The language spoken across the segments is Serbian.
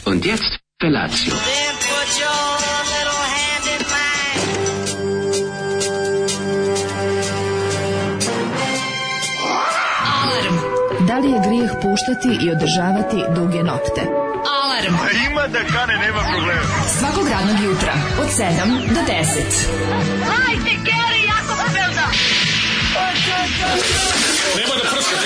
Und jetzt Felatio. Then put your little hand in mine. Alarm. Da li je grijeh puštati i održavati duge nokte? Alarm. Ima da kane, nema problema. Svakog radnog jutra od 7 do 10. Hajde, Geri, jako se velda. Nema da prska,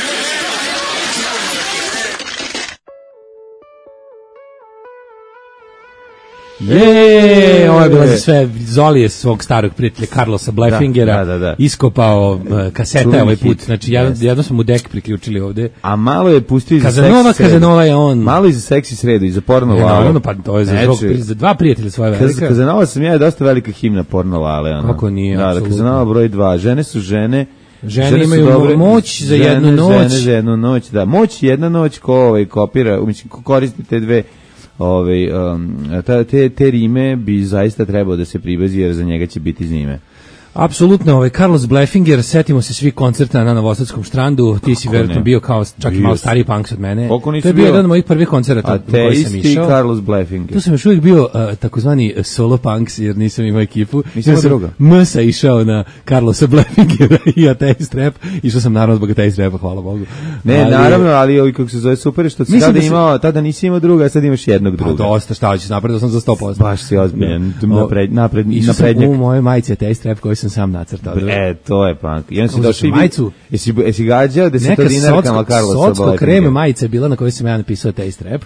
Ovo je bilo za sve. Zoli je svog starog prijatelja Carlosa Blefingera iskopao kaseta ovaj put. Znači, jedno smo mu dek priključili ovde. A malo je pustio i za Kazanova, seksi Kazanova je on. Malo i za seksi sredu, i za porno lale. Naravno, pa to je za dva prijatelja svoje velike. Kazanova sam ja, je dosta velika himna porno lale. Ono. Kako nije, da, apsolutno. Kazanova broj 2. Žene su žene. Žene imaju dobre, moć za jednu noć. Žene za jednu noć, da. Moć jedna noć ko kopira, mislim, ko koristi te dve te rime bi zaista trebao da se pribazi, jer za njega će biti zime. Apsolutno, Carlos Blefinger, setimo se svi koncerta na Novosadskom Štrandu, ti si vjerojatno bio kao čak i malo stariji punks od mene. To je bio jedan od mojih prvih koncerata u koji sam išao. Carlos Blefinger. Tu sam još uvijek bio takozvani solo punks, jer nisam imao ekipu. Nisam druga. Msa išao na Carlosa Blefingera i Ateist Rap. Išao sam naravno zbog Ateist Rapa, hvala Bogu. Ne, naravno, ali kako se zove super, što si tada nisi imao druga, a sad imaš jednog druga. Pa dosta, šta hoćeš, napredo sam za 100%. Baš si ozbiljan, naprednjak. Išao sam u mojoj majici Ateist Rap koji sam sam nacrtao. To je punk. I on si došao majicu. Jesi gađao 10 dinarkama Carlosa Blefingera? Socko kreme majica je bila na kojoj sam ja napisao Ateist Rap.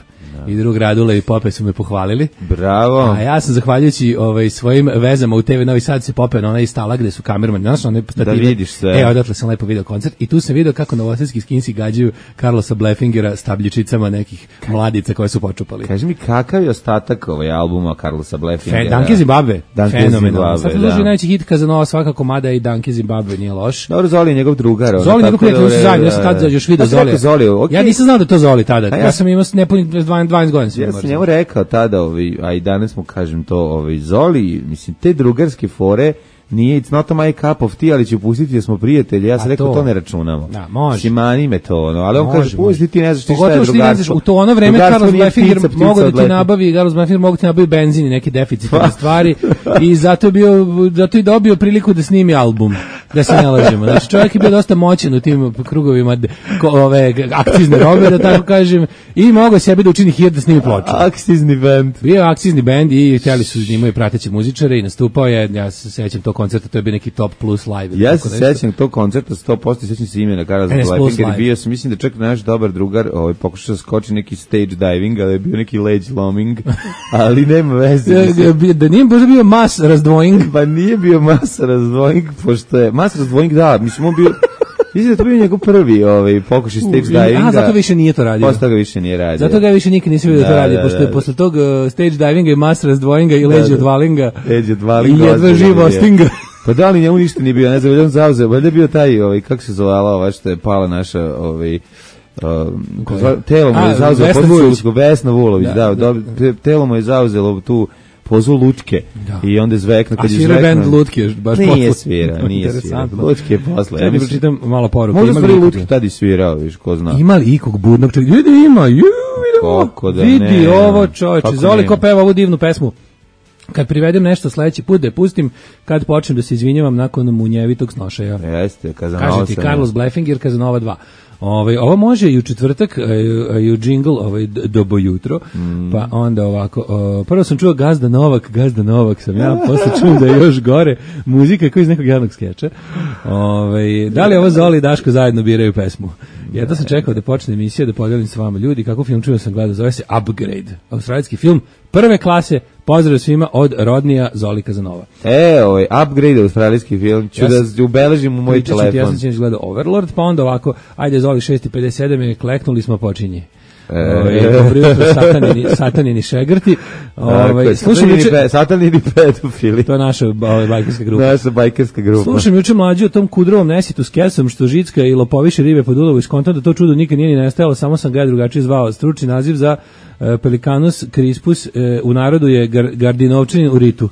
I drug Radule i Pope su me pohvalili. Bravo. A ja sam zahvaljujući svojim vezama u TV Novi Sad se popeo na onaj stala gde su kamermani. Znaš, one stative. Da vidiš sve. Odatle sam lepo video koncert i tu sam video kako novosadski skinsi gađaju Carlosa Blefingera stabljičicama nekih mladica koje su počupali. Kaži mi, kakav je ostatak albuma Carlosa Blefingera? Danke Zimbabwe. Fenomenalno. Sad predloži najveći hit Kazanova svaka komada i Danke Zimbabwe, nije loš. Dobro, Zoli je njegov drugar. Zoli njegov prijatelj, su zajedno, ja sam tada još video Zoli. Ja nisam znao da to Zoli tada. Ja sam imao nepunih 12 godina. Ja sam njemu rekao tada, a i danas mu kažem to, Zoli, mislim, te drugarske fore, nije, it's not my cup of tea, ali ću pustiti jer smo prijatelji. Ja sam rekao, to ne računamo. Da, može. Simani me to, ali on kaže, pusti ti, ne znaš ti šta je drugarstvo. U to ono vreme Carlos Blefinger mogu da ti nabavi benzin i neke deficitne stvari i zato je dobio priliku da snimi album, da se ne lažemo. Znači, čovjek je bio dosta moćan u tim krugovima akcizne robe, da tako kažem, i mogao sebi da učini hit da snimi ploču. Akcizni band. Bio je akcizni band i htjeli su da imaju prateće muzičare i nastupao je, ja se sećam tog koncerta, to je bio neki Top Plus live. Ja se sećam tog koncerta 100%, sećam se imena Carlos Blefinger, bio sam, mislim da čak naš dobar drugar pokušao da skoči neki stage diving, ali je bio neki ledge looming, ali nema veze. Da nije možda bio mass razdvojing? Pa nije bio mass razdvojing, pošto je mass razdvojing, da, mislim on bio. Mislim da to bio njegov prvi pokušaj stage divinga. Zato više nije to radio. Posle toga više nije radio. Zato ga više nikad nisi vidio da to radi, pošto je posle tog stage divinga i mass razdvojinga i leđe odvalinga i jedva živo stinga. Pa da li njemu ništa nije bio, ne znam, on zauzeo, valjda je bio taj, kako se zvala ova što je pala naša, telo mu je zauzelo, Vesna Vulović, telo mu je zauzelo tu pozu Lutke i onda zvekna kad je zvekna. A svira band Lutke baš posle. Nije svira. Lutke je posle. Ja mi pročitam malo poruku. Možda stvari Lutke tada i svirao, viš, ko zna. Ima li ikog budnog čovjeka? Ima. Vidi ovo čovječe. Zoli ko peva ovu divnu pesmu. Kad privedem nešto sledeći put da je pustim, kad počnem da se izvinjavam nakon munjevitog snošaja. Jeste, Kazanova. Kaže ti Carlos Blefinger, Kazanova 2. Ovo može i u četvrtak, i u džingl, dobo jutro, pa onda ovako, prvo sam čuo Gazda Novak sam ja, posle čuo da je još gore, muzika kao iz nekog javnog skeča. Da li ovo Zoli i Daško zajedno biraju pesmu? Jedno sam čekao da počne emisija, da podelim s vama ljudi, kako film čuo sam gledao, zove se Upgrade, australijski film, prve klase, pozdrav svima od Rodnija Zoli Kazanova. Upgrade, australijski film, ću da ubeležim u moj telefon. Ja sam ćeš gledao Overlord, pa onda ovako, ajde Zoli 6:57 i kleknuli smo, počinje. Satanini šegrti. Satanini pedofili. To je naša bajkerska grupa. Naša bajkerska grupa. Slušam juče mlađu o tom kudrovom nesitu s kesom što žicka i lopoviše ribe pod ulovu i skontam da to čudo nikad nije ni nestajalo, samo sam ga drugačije zvao. Stručni naziv za Pelicanus crispus u narodu je gardinovčanin u ritu.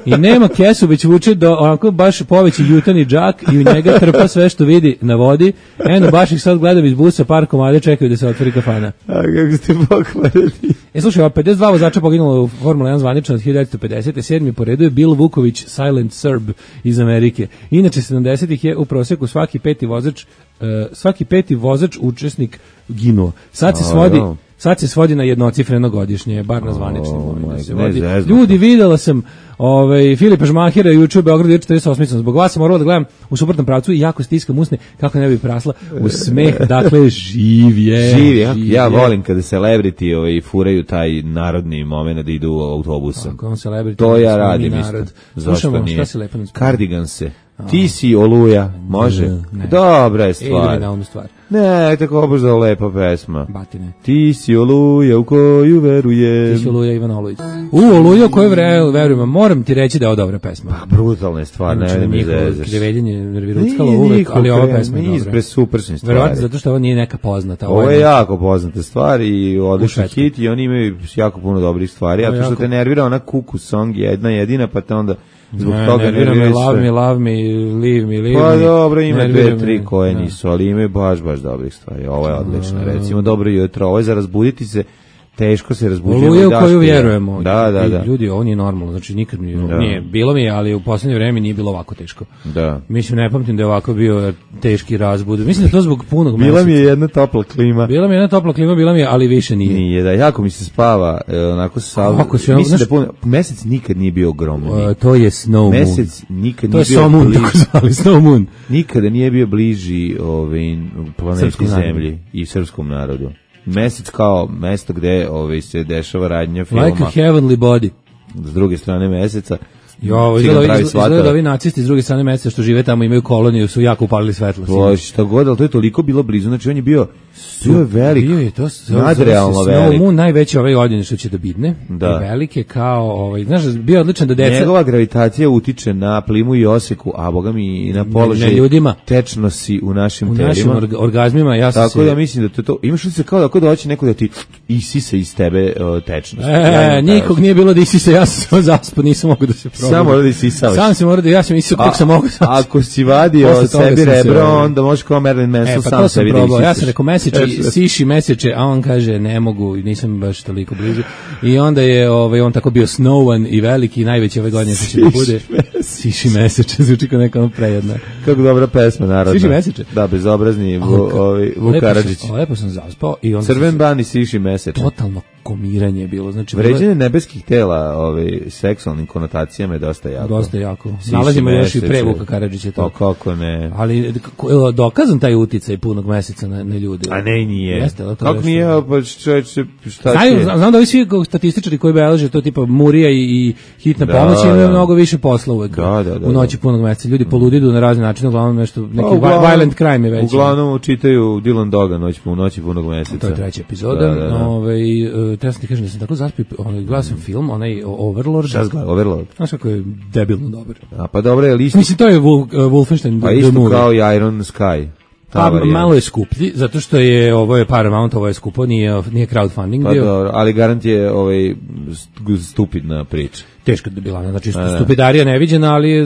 I nema kesu, već vuče do onako baš poveći jutani džak i u njega trpa sve što vidi na vodi. Eno, baš ih sad gledam iz busa, par komade čekaju da se otvori kafana. A kako ste pokvarili? Slušaj, 52 vozača poginulo u Formula 1 zvanično od 1950. 7. po redu je Bill Vuković, Silent Serb iz Amerike. Inače, 70-ih je u prosjeku svaki peti vozač učesnik ginuo. Sad se svodi na jednocifreno godišnje, bar na zvaničnim. Ljudi, videla sam Filipa Žmahira juče u Beogradu 48. Zbog vas sam morala da gledam u suprotnom pravcu i jako stiskam usne kako ne bi prasla u smeh. Dakle, živ je. Ja volim kada celebrity furaju taj narodni moment da idu autobusom. To ja radim isto. Zašto nije? Kardiganse. Ti si Oluja, može? Dobra je stvar. Ili na onu stvar. Ne, tako obožda lepa pesma. Batine. Ti si Oluja u koju verujem. Ti si Oluja Ivan Olujić. Oluja u koju verujem. Moram ti reći da je ovo dobra pesma. Pa, brutalna je stvar, ne mi zezaš. Kreveljenje nerviruckalo uvek, ali ova pesma je dobra. Nije super stvari. Verovatno zato što ovo nije neka poznata. Ovo je jako poznata stvar i odličan hit i oni imaju jako puno dobrih stvari, a to što te nervira ona kuku song jedna jedina, pa te onda zbog toga nervira me love me, leave me. Pa dobro, ima 2-3 koje nisu, ali imaju baš dobri stvari. Ovo je odlično, recimo dobro jutro, ovo je za razbuditi se, teško se razbuđujemo. Oluja u koju vjerujemo. Da. Ljudi, ovo nije normalno, znači nikad nije, bilo mi je, ali u poslednje vreme nije bilo ovako teško. Da. Mislim, ne pamtim da je ovako bio teški razbud. Mislim da to zbog punog meseca. Bila mi je jedna topla klima, ali više nije. Nije, da, jako mi se spava, onako mislim da mesec nikad nije bio ogromno. To je Snow Moon. Mesec nikad nije bio Snow Moon, tako zvali, Snow Moon. Nikada nije bio bliži planeti Zemlji i srpskom narodu. Mesec kao mesto gde se dešava radnja filma. Like a heavenly body. S druge strane meseca. Izgleda da ovi nacisti s druge strane meseca što žive tamo imaju koloniju, su jako upalili svetlo. Šta god, ali to je toliko bilo blizu, znači on je bio velik, bio je to nadrealno velik. Snow Moon najveći ove godine što će da bidne, i velike kao, znaš, bio odličan da deca... Njegova gravitacija utiče na plimu i oseku, a boga mi i na položaj tečnosti u našim telima. U našim orgazmima, ja sam tako da mislim da to imaš li se kao da hoće neko da ti isisa iz tebe tečnost. Nikog nije bilo da isisa, ja sam zaspao, nisam mogu da se probam. Samo morao da isisavaš. Sam se morao da, ja sam isisao kako sam mogu. Ako si vadio sebi rebro, onda možeš kao Marilyn Manson sam sebi da isisaš. Ja sam rekao siši meseče, a on kaže ne mogu, nisam baš toliko blizu. I onda je on tako bio snowan i veliki, najveći ove godine što će da bude. Siši meseče, zvuči kao neka prejedna. Kako dobra pesma, narodna. Siši meseče. Da, bezobrazni Vuk Karadžić. Lepo sam zaspao i onda Crven ban i siši meseče. Totalno komiranje je bilo. Znači, vređanje nebeskih tela seksualnim konotacijama je dosta jako. Dosta jako. Nalazimo još i pre Vuka Karadžića to. Kako ne. Ali dokazan taj uticaj punog meseca na ljude. A ne, nije. Jeste, kako nije, pa šta će? Znam da ovi svi statističari koji beleže to tipa Murija i hitna pomoć imaju mnogo više posla uvek u noći punog meseca. Ljudi poludidu na razne načine, uglavnom nešto, neki violent crime je već. Uglavnom čitaju Dylan Doga noći punog meseca. To je treća epizoda. Treba sam ti kažem da sam tako zaspio, gledao sam film, onaj Overlord. Šta zgleda, Overlord? Znaš kako je debilno dobar. A pa dobro je listo. Mislim, to je Wolfenstein. Pa isto kao i Iron Sky. Pa malo je skuplji, zato što je ovo je Paramount, ovo je skupo, nije crowdfunding pa bio. Dobro, ali garant je stupidna priča. Teško da bila, znači stupidarija neviđena, ali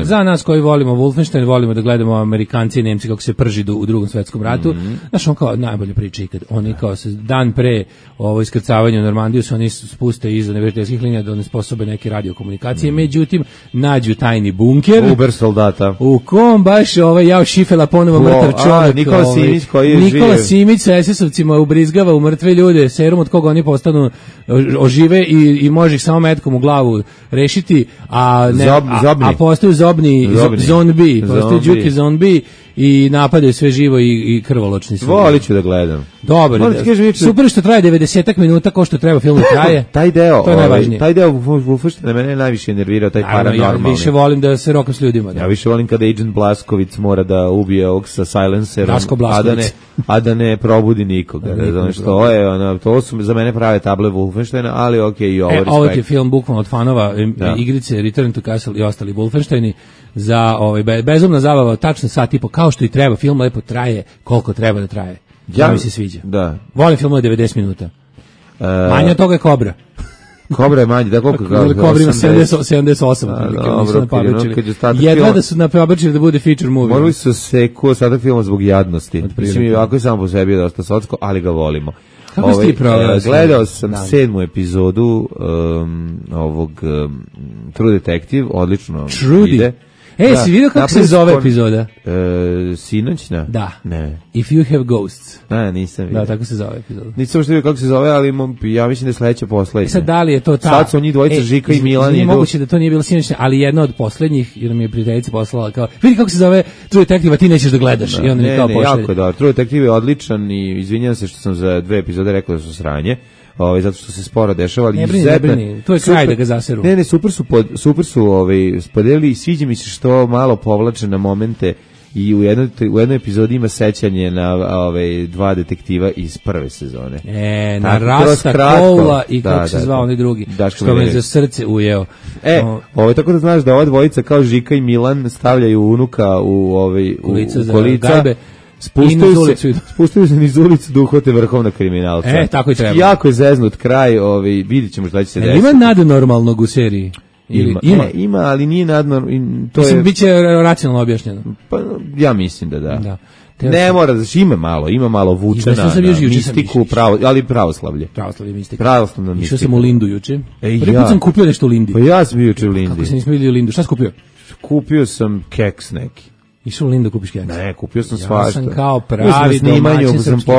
za nas koji volimo Wolfenstein, volimo da gledamo Amerikanci i Nemci kako se prži u Drugom svetskom ratu. Znaš, on kao najbolje priča ikad. Oni kao se dan pre iskrcavanja u Normandiju se oni spuste iza neprijateljskih linija da onesposobe neke radiokomunikacije, međutim nađu tajni bunker. Uber soldata. U kom baš Jao Šifela ponovo mrtav čovjek. Nikola Simić koji je Nikola Simić sa SS-ovcima ubrizgava u mrtve ljude serum od koga oni postanu ožive i može ih samo metkom u glavu rešiti, a postaju zombi, postaju Đuki zombi i napadaju sve živo i krvoločni su. Volit ću da gledam. Dobro, super što traje 90 minuta, kao što treba film traje. Taj deo Wolfensteina mene najviše nervirao, taj paranormalni. Ja više volim da se rokam s ljudima. Ja više volim kada Agent Blaskovic mora da ubije ovog sa silencerom, a da ne probudi nikoga. To su za mene prave table Wolfensteina, ali okej, i ovo respekt. Ovo je film bukvalno od fanova igrice Return to Castle i ostali Wolfensteini za bezumna zabava, tačno sat i po, kao što i treba, film lepo traje koliko treba da traje. Ja mi se sviđa. Da. Volim film od 90 minuta. Manje od toga je Kobra. Kobra je manje, da koliko ga... Kobra ima 78, jedva da su napabačili da bude feature movie. Morali su seku ostatak filma zbog jadnosti. Mislim, ovako je samo po sebi dosta socko, ali ga volimo. Kako ste ti proveli? Gledao sam 7. epizodu ovog True Detective, odlično ide. Si vidio kako se zove epizoda? Sinoćna? Da. Ne. If You Have Ghosts. Nisam vidio. Da, tako se zove epizoda. Nisam što vidio kako se zove, ali ja mislim da je sledeća poslednja. Sad da li je to ta... Sad su njih dvojica, Žika i Milan. Nije moguće da to nije bilo sinoćna, ali jedna od poslednjih, jer mi je prijateljica poslala kao, vidi kako se zove True Detective, a ti nećeš da gledaš. I onda mi kao pošalje. Jako da. True Detective je odličan i izvinjam se što sam za 2 epizode rekao da su sranje. Zato što se sporo dešava, ali ne brini, to je kraj da ga zaseru. Ne, super su podelili i sviđa mi se što malo povlače na momente i u jednoj epizodi ima sećanje na dva detektiva iz prve sezone. Na Rasta Koula i kako se zvao onaj drugi, što me za srce ujeo. Tako da znaš da ova dvojica kao Žika i Milan stavljaju unuka u kolica. Spustaju se niz ulicu da uhvate vrhovnog kriminalca. Tako i treba. Jako je zeznut kraj, vidjet ćemo šta će se desiti. Ima nadnormalnog u seriji? Ima, ali nije nadnormalno. Mislim, bit će racionalno objašnjeno. Pa, ja mislim da. Ne mora, ima malo vuče na mistiku, ali pravoslavlje. Pravoslavlje mistika. Pravoslavna mistika. Išao sam u Lindu juče. Prvi put sam kupio nešto u Lindi. Pa ja sam bio juče u Lindi. Kako se nismo vidjeli u Lindu? Šta si kupio? Kupio sam keks neki. Išao u Lindu kupiš keks? Ne, kupio sam svašta. Ja sam kao pravi domaćin srpski.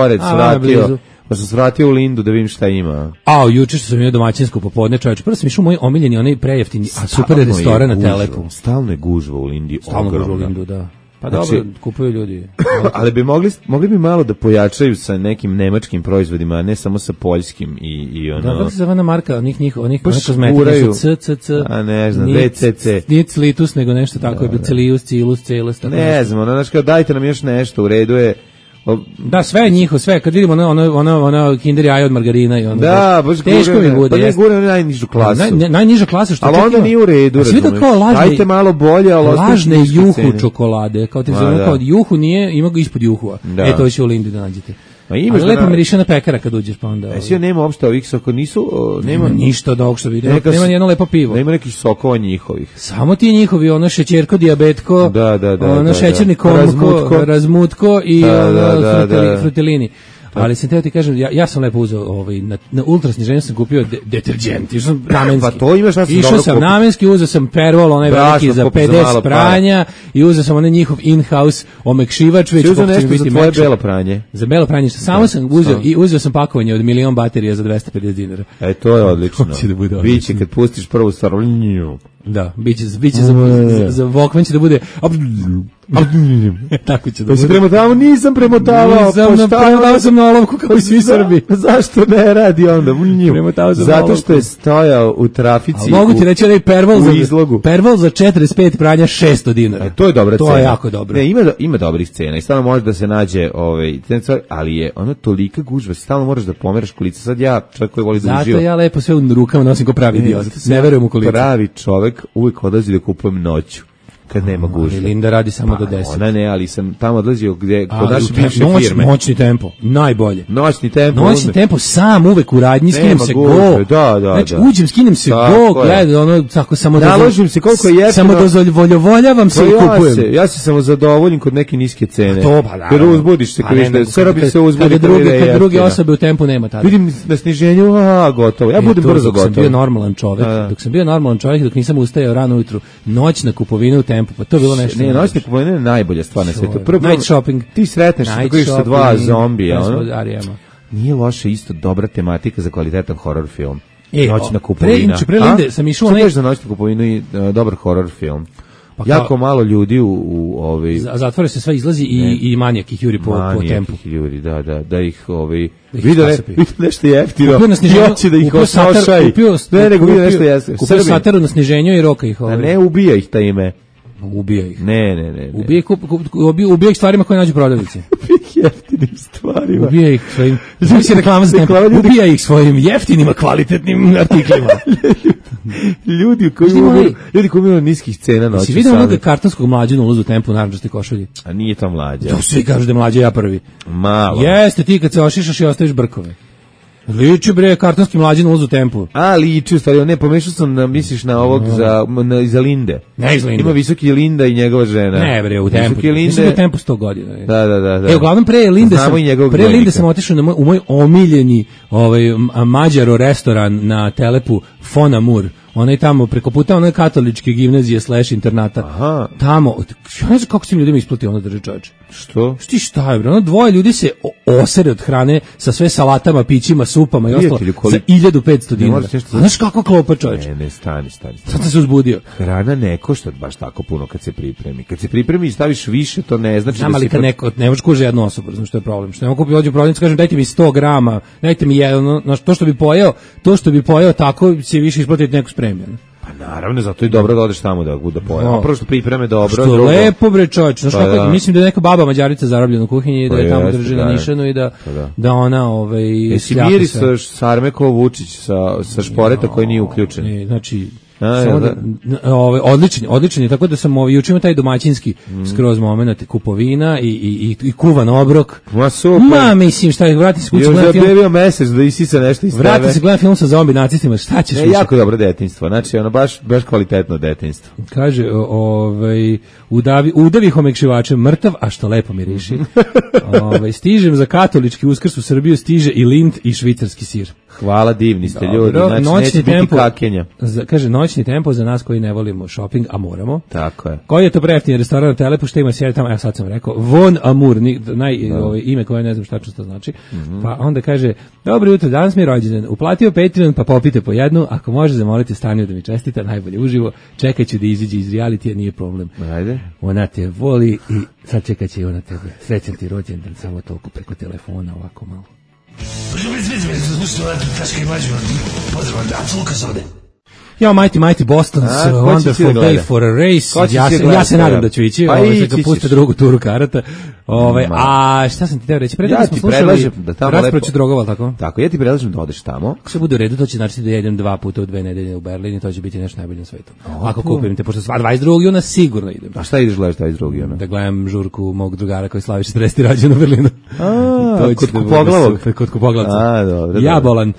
Pa sam svratio u Lindu da vidim šta ima. Juče što sam imao domaćinsko popodne, čovječe. Prvo sam išao moj omiljeni, onaj prejeftini, a super restoran na Telepu. Stalno je gužva u Lindi. Stalno gužva u Lindu, da. Pa dobro, kupuju ljudi. Ali bi mogli bi malo da pojačaju sa nekim nemačkim proizvodima, a ne samo sa poljskim i ono. Da, kako se zove marka onih kozmetika su CCC. A ne znam, VCC. Nije Cilitus, nego nešto tako je, Cilius, Cilus, Celes. Ne znam, znači kao dajte nam još nešto, u redu je. Da, sve je njihovo, sve. Kad vidimo ono Kinder jaje od margarina i ono. Da, baš teško mi bude. Pa ne gure najnižu klasu. Najniža klasa što ali onda nije u redu, razumiješ. Dajte malo bolje, ali lažne juhu čokolade. Kao ti zove, kao juhu nije, ima ga ispod juhua. To će u Lindi da nađete. Ali lepo miriše na pekara kad uđeš, pa onda... Svi nema uopšte ovih soko, nema ništa od ovog što vidim, nema nijedno lepo pivo. Nema nekih sokova njihovih. Samo ti njihovi, ono šećerko, dijabetko, ono šećerni komko, razmutko i frutelini. Ali sam teo ti kažem, ja sam lepo uzeo na ultrasniženju sam kupio deterđent, išao sam namenski. Pa to imaš šta sam dobro sam namenski, uzeo sam Pervol, onaj veliki za 50 pranja i uzeo sam onaj njihov in-house omekšivač, već uzeo nešto za tvoje belo pranje. Za belo pranje, samo sam uzeo i uzeo sam pakovanje od 1.000.000 baterija za $250. To je odlično. Biće kad pustiš prvu stvar. Da, biće za Walkman će da bude tako će da bude. Premotavao? Nisam premotavao. Premotavao sam na olovku kao i svi Srbi. Zašto ne radi onda? Zato što je stojao u trafici. Mogu ti reći onaj Pervol za 45 pranja $600. To je dobra cena. To je jako dobro. Ne, ima dobrih cena i stalno može da se nađe ali je ono tolika gužva, stalno moraš da pomeraš kolica. Sad ja, čovjek koji voli da uživa. Zato ja lepo sve u rukama nosim kao pravi idiot. Ne verujem u kolicu. Pravi čovjek uvijek odlazi da kupujem noću. Kad nema gužve. Linda radi samo do 10. Ona ne, ali sam tamo odlazio kod naše bivše firme. Noćni tempo, najbolje. Noćni tempo sam uvek u radnji, skinem se go. Znači, uđem, skinem se go, gledam, ono, tako samo naložim se koliko je jeftino. Samo dozvoljavam se i kupujem. Ja se samo zadovoljim kod neke niske cene. To, pa da. Jer uzbudiš se, kad se uzbudi. Kad druge osobe u tempu nema tada. Vidim na sniženju, gotovo. Ja budem brzo gotov. Dok sam bio normalan čovjek, dok nisam ustajao rano ujutru, noćna kupovina u tempu, pa to je bilo nešto. Ne, noćna kupovina je najbolja stvar na svijetu. Night shopping. Ti sretneš da kojiš sa dva zombija, nije loše, isto dobra tematika za kvalitetan horror film. Noćna kupovina. Pre Linde sam išao onaj za noćnu kupovinu i dobar horror film. Jako malo ljudi u zatvore se sve izlazi i manijak ih juri po tempu. Juri, da ih vide nešto jeftino. Hoće da ih osnošaj. Ne, nego vide nešto jeftino. Kupio sataru na sniženju i roka ih. A ne, ubija ih ta ime. Ubija ih. Ne. Ubija ih stvarima koje nađu prodavnici. Jeftinim stvarima. Ubija ih svojim... Znači reklama za tempo. Ubija ih svojim jeftinima, kvalitetnim artiklima. Ljudi koji imaju niskih cena noći. Si vidio onog kartonskog Mlađana ulazu u tempu u narančastoj košulji? A nije to Mlađa. To svi kažu da je Mlađa, ja prvi. Malo. Jeste ti kad se ošišaš i ostaviš brkove. Liči bre, kartonski Mlađan Ulaz u tempu. A, liči, u stvari, ne, pomešao sam, misliš na ovog iza Linde. Ne iz Linde. Ima Visoki Linda i njegova žena. Ne bre, u tempu. Mislim u tempu 100 godina. Da. Uglavnom pre Linde sam otišao u moj omiljeni Mađaro restoran na Telepu Fon Amour. Onaj tamo preko puta one katoličke gimnazije / internata. Aha. Tamo, ja ne znam kako se tim ljudima isplati ono drži čoveče. Što? Šta je bre? Ono dvoje ljudi se osere od hrane sa sve salatama, pićima, supama i ostalo za 1500 dinara. Znaš kako klopa čoveče? Ne, stani. Sad sam se uzbudio. Hrana ne košta baš tako puno kad se pripremi. Kad se pripremi i staviš više, to ne znači da ali kad neko ne možeš kuže jednu osobu, znači što je problem. Što ne mogu kupiti prodavnicu, kažem dajte mi 100 grama, dajte mi jedno, to što bi pojeo tako se više isplatiti neku spremljenu. Pa naravno, zato je dobro da odeš tamo da pojeo. Prvo što pripreme dobro. Što drugo, lepo bre čoveče. Znaš kako, mislim da je neka baba Mađarica zarobljena u kuhinji i da je tamo drži na nišanu i da ona Jesi mirisaš Sarmeko Vučić sa šporeta koji nije uključen? Ne, znači odličan je, tako da sam juče imao taj domaćinski skroz moment kupovina i kuvan obrok. Ma super. Ma mislim šta je, vrati se kući, gledam film. Još mesec da isisa nešto iz tebe. Vrati se, gledam film sa zombi nacistima, šta ćeš više? Jako dobro detinjstvo, znači ono baš kvalitetno detinjstvo. Kaže, udavi homekšivačem mrtav, a što lepo miriši. Stižem za katolički Uskrs u Srbiju, stiže i Lindt i švicarski sir. Hvala, divni ste ljudi, znači neće biti kakenja. Kaže, noćni tempo za nas koji ne volimo shopping, a moramo. Tako je. Koji je to prejeftini restoran na Telepu, što ima sjedi tamo, ja sad sam rekao, Von Amour, ime koje ne znam šta to znači. Pa onda kaže, dobro jutro, danas mi je rođendan, uplatio Patreon, pa popite po jednu, ako može zamolite Staniju da mi čestita, najbolje uživo, čekaću da iziđe iz realitija, nije problem. Ajde. Ona te voli i sad čekaće i ona tebe. Srećan ti rođendan, samo toliko preko telefona, ovako malo. Ja, Mighty Boston's Wonderful Day for a Race. Ja se nadam da ću ići. Kad puste drugu turu karata. A šta sam ti teo reći? Ja ti predlažem da tamo raspraću drogova, tako? Tako, ja ti predlažem da odeš tamo. Ako se bude u redu, to će znači da jedem 2 puta u 2 nedelje u Berlin i to će biti nešto najbolje na svetu. Ako kupim te, pošto 22. juna sigurno idem. A šta ideš gledaš 22. juna? Da gledam žurku mog drugara koji slavi 40. rođendan u Berlinu. Kod Kupoglavog. Kod Kupoglavca. A, dobro. Ja bolan.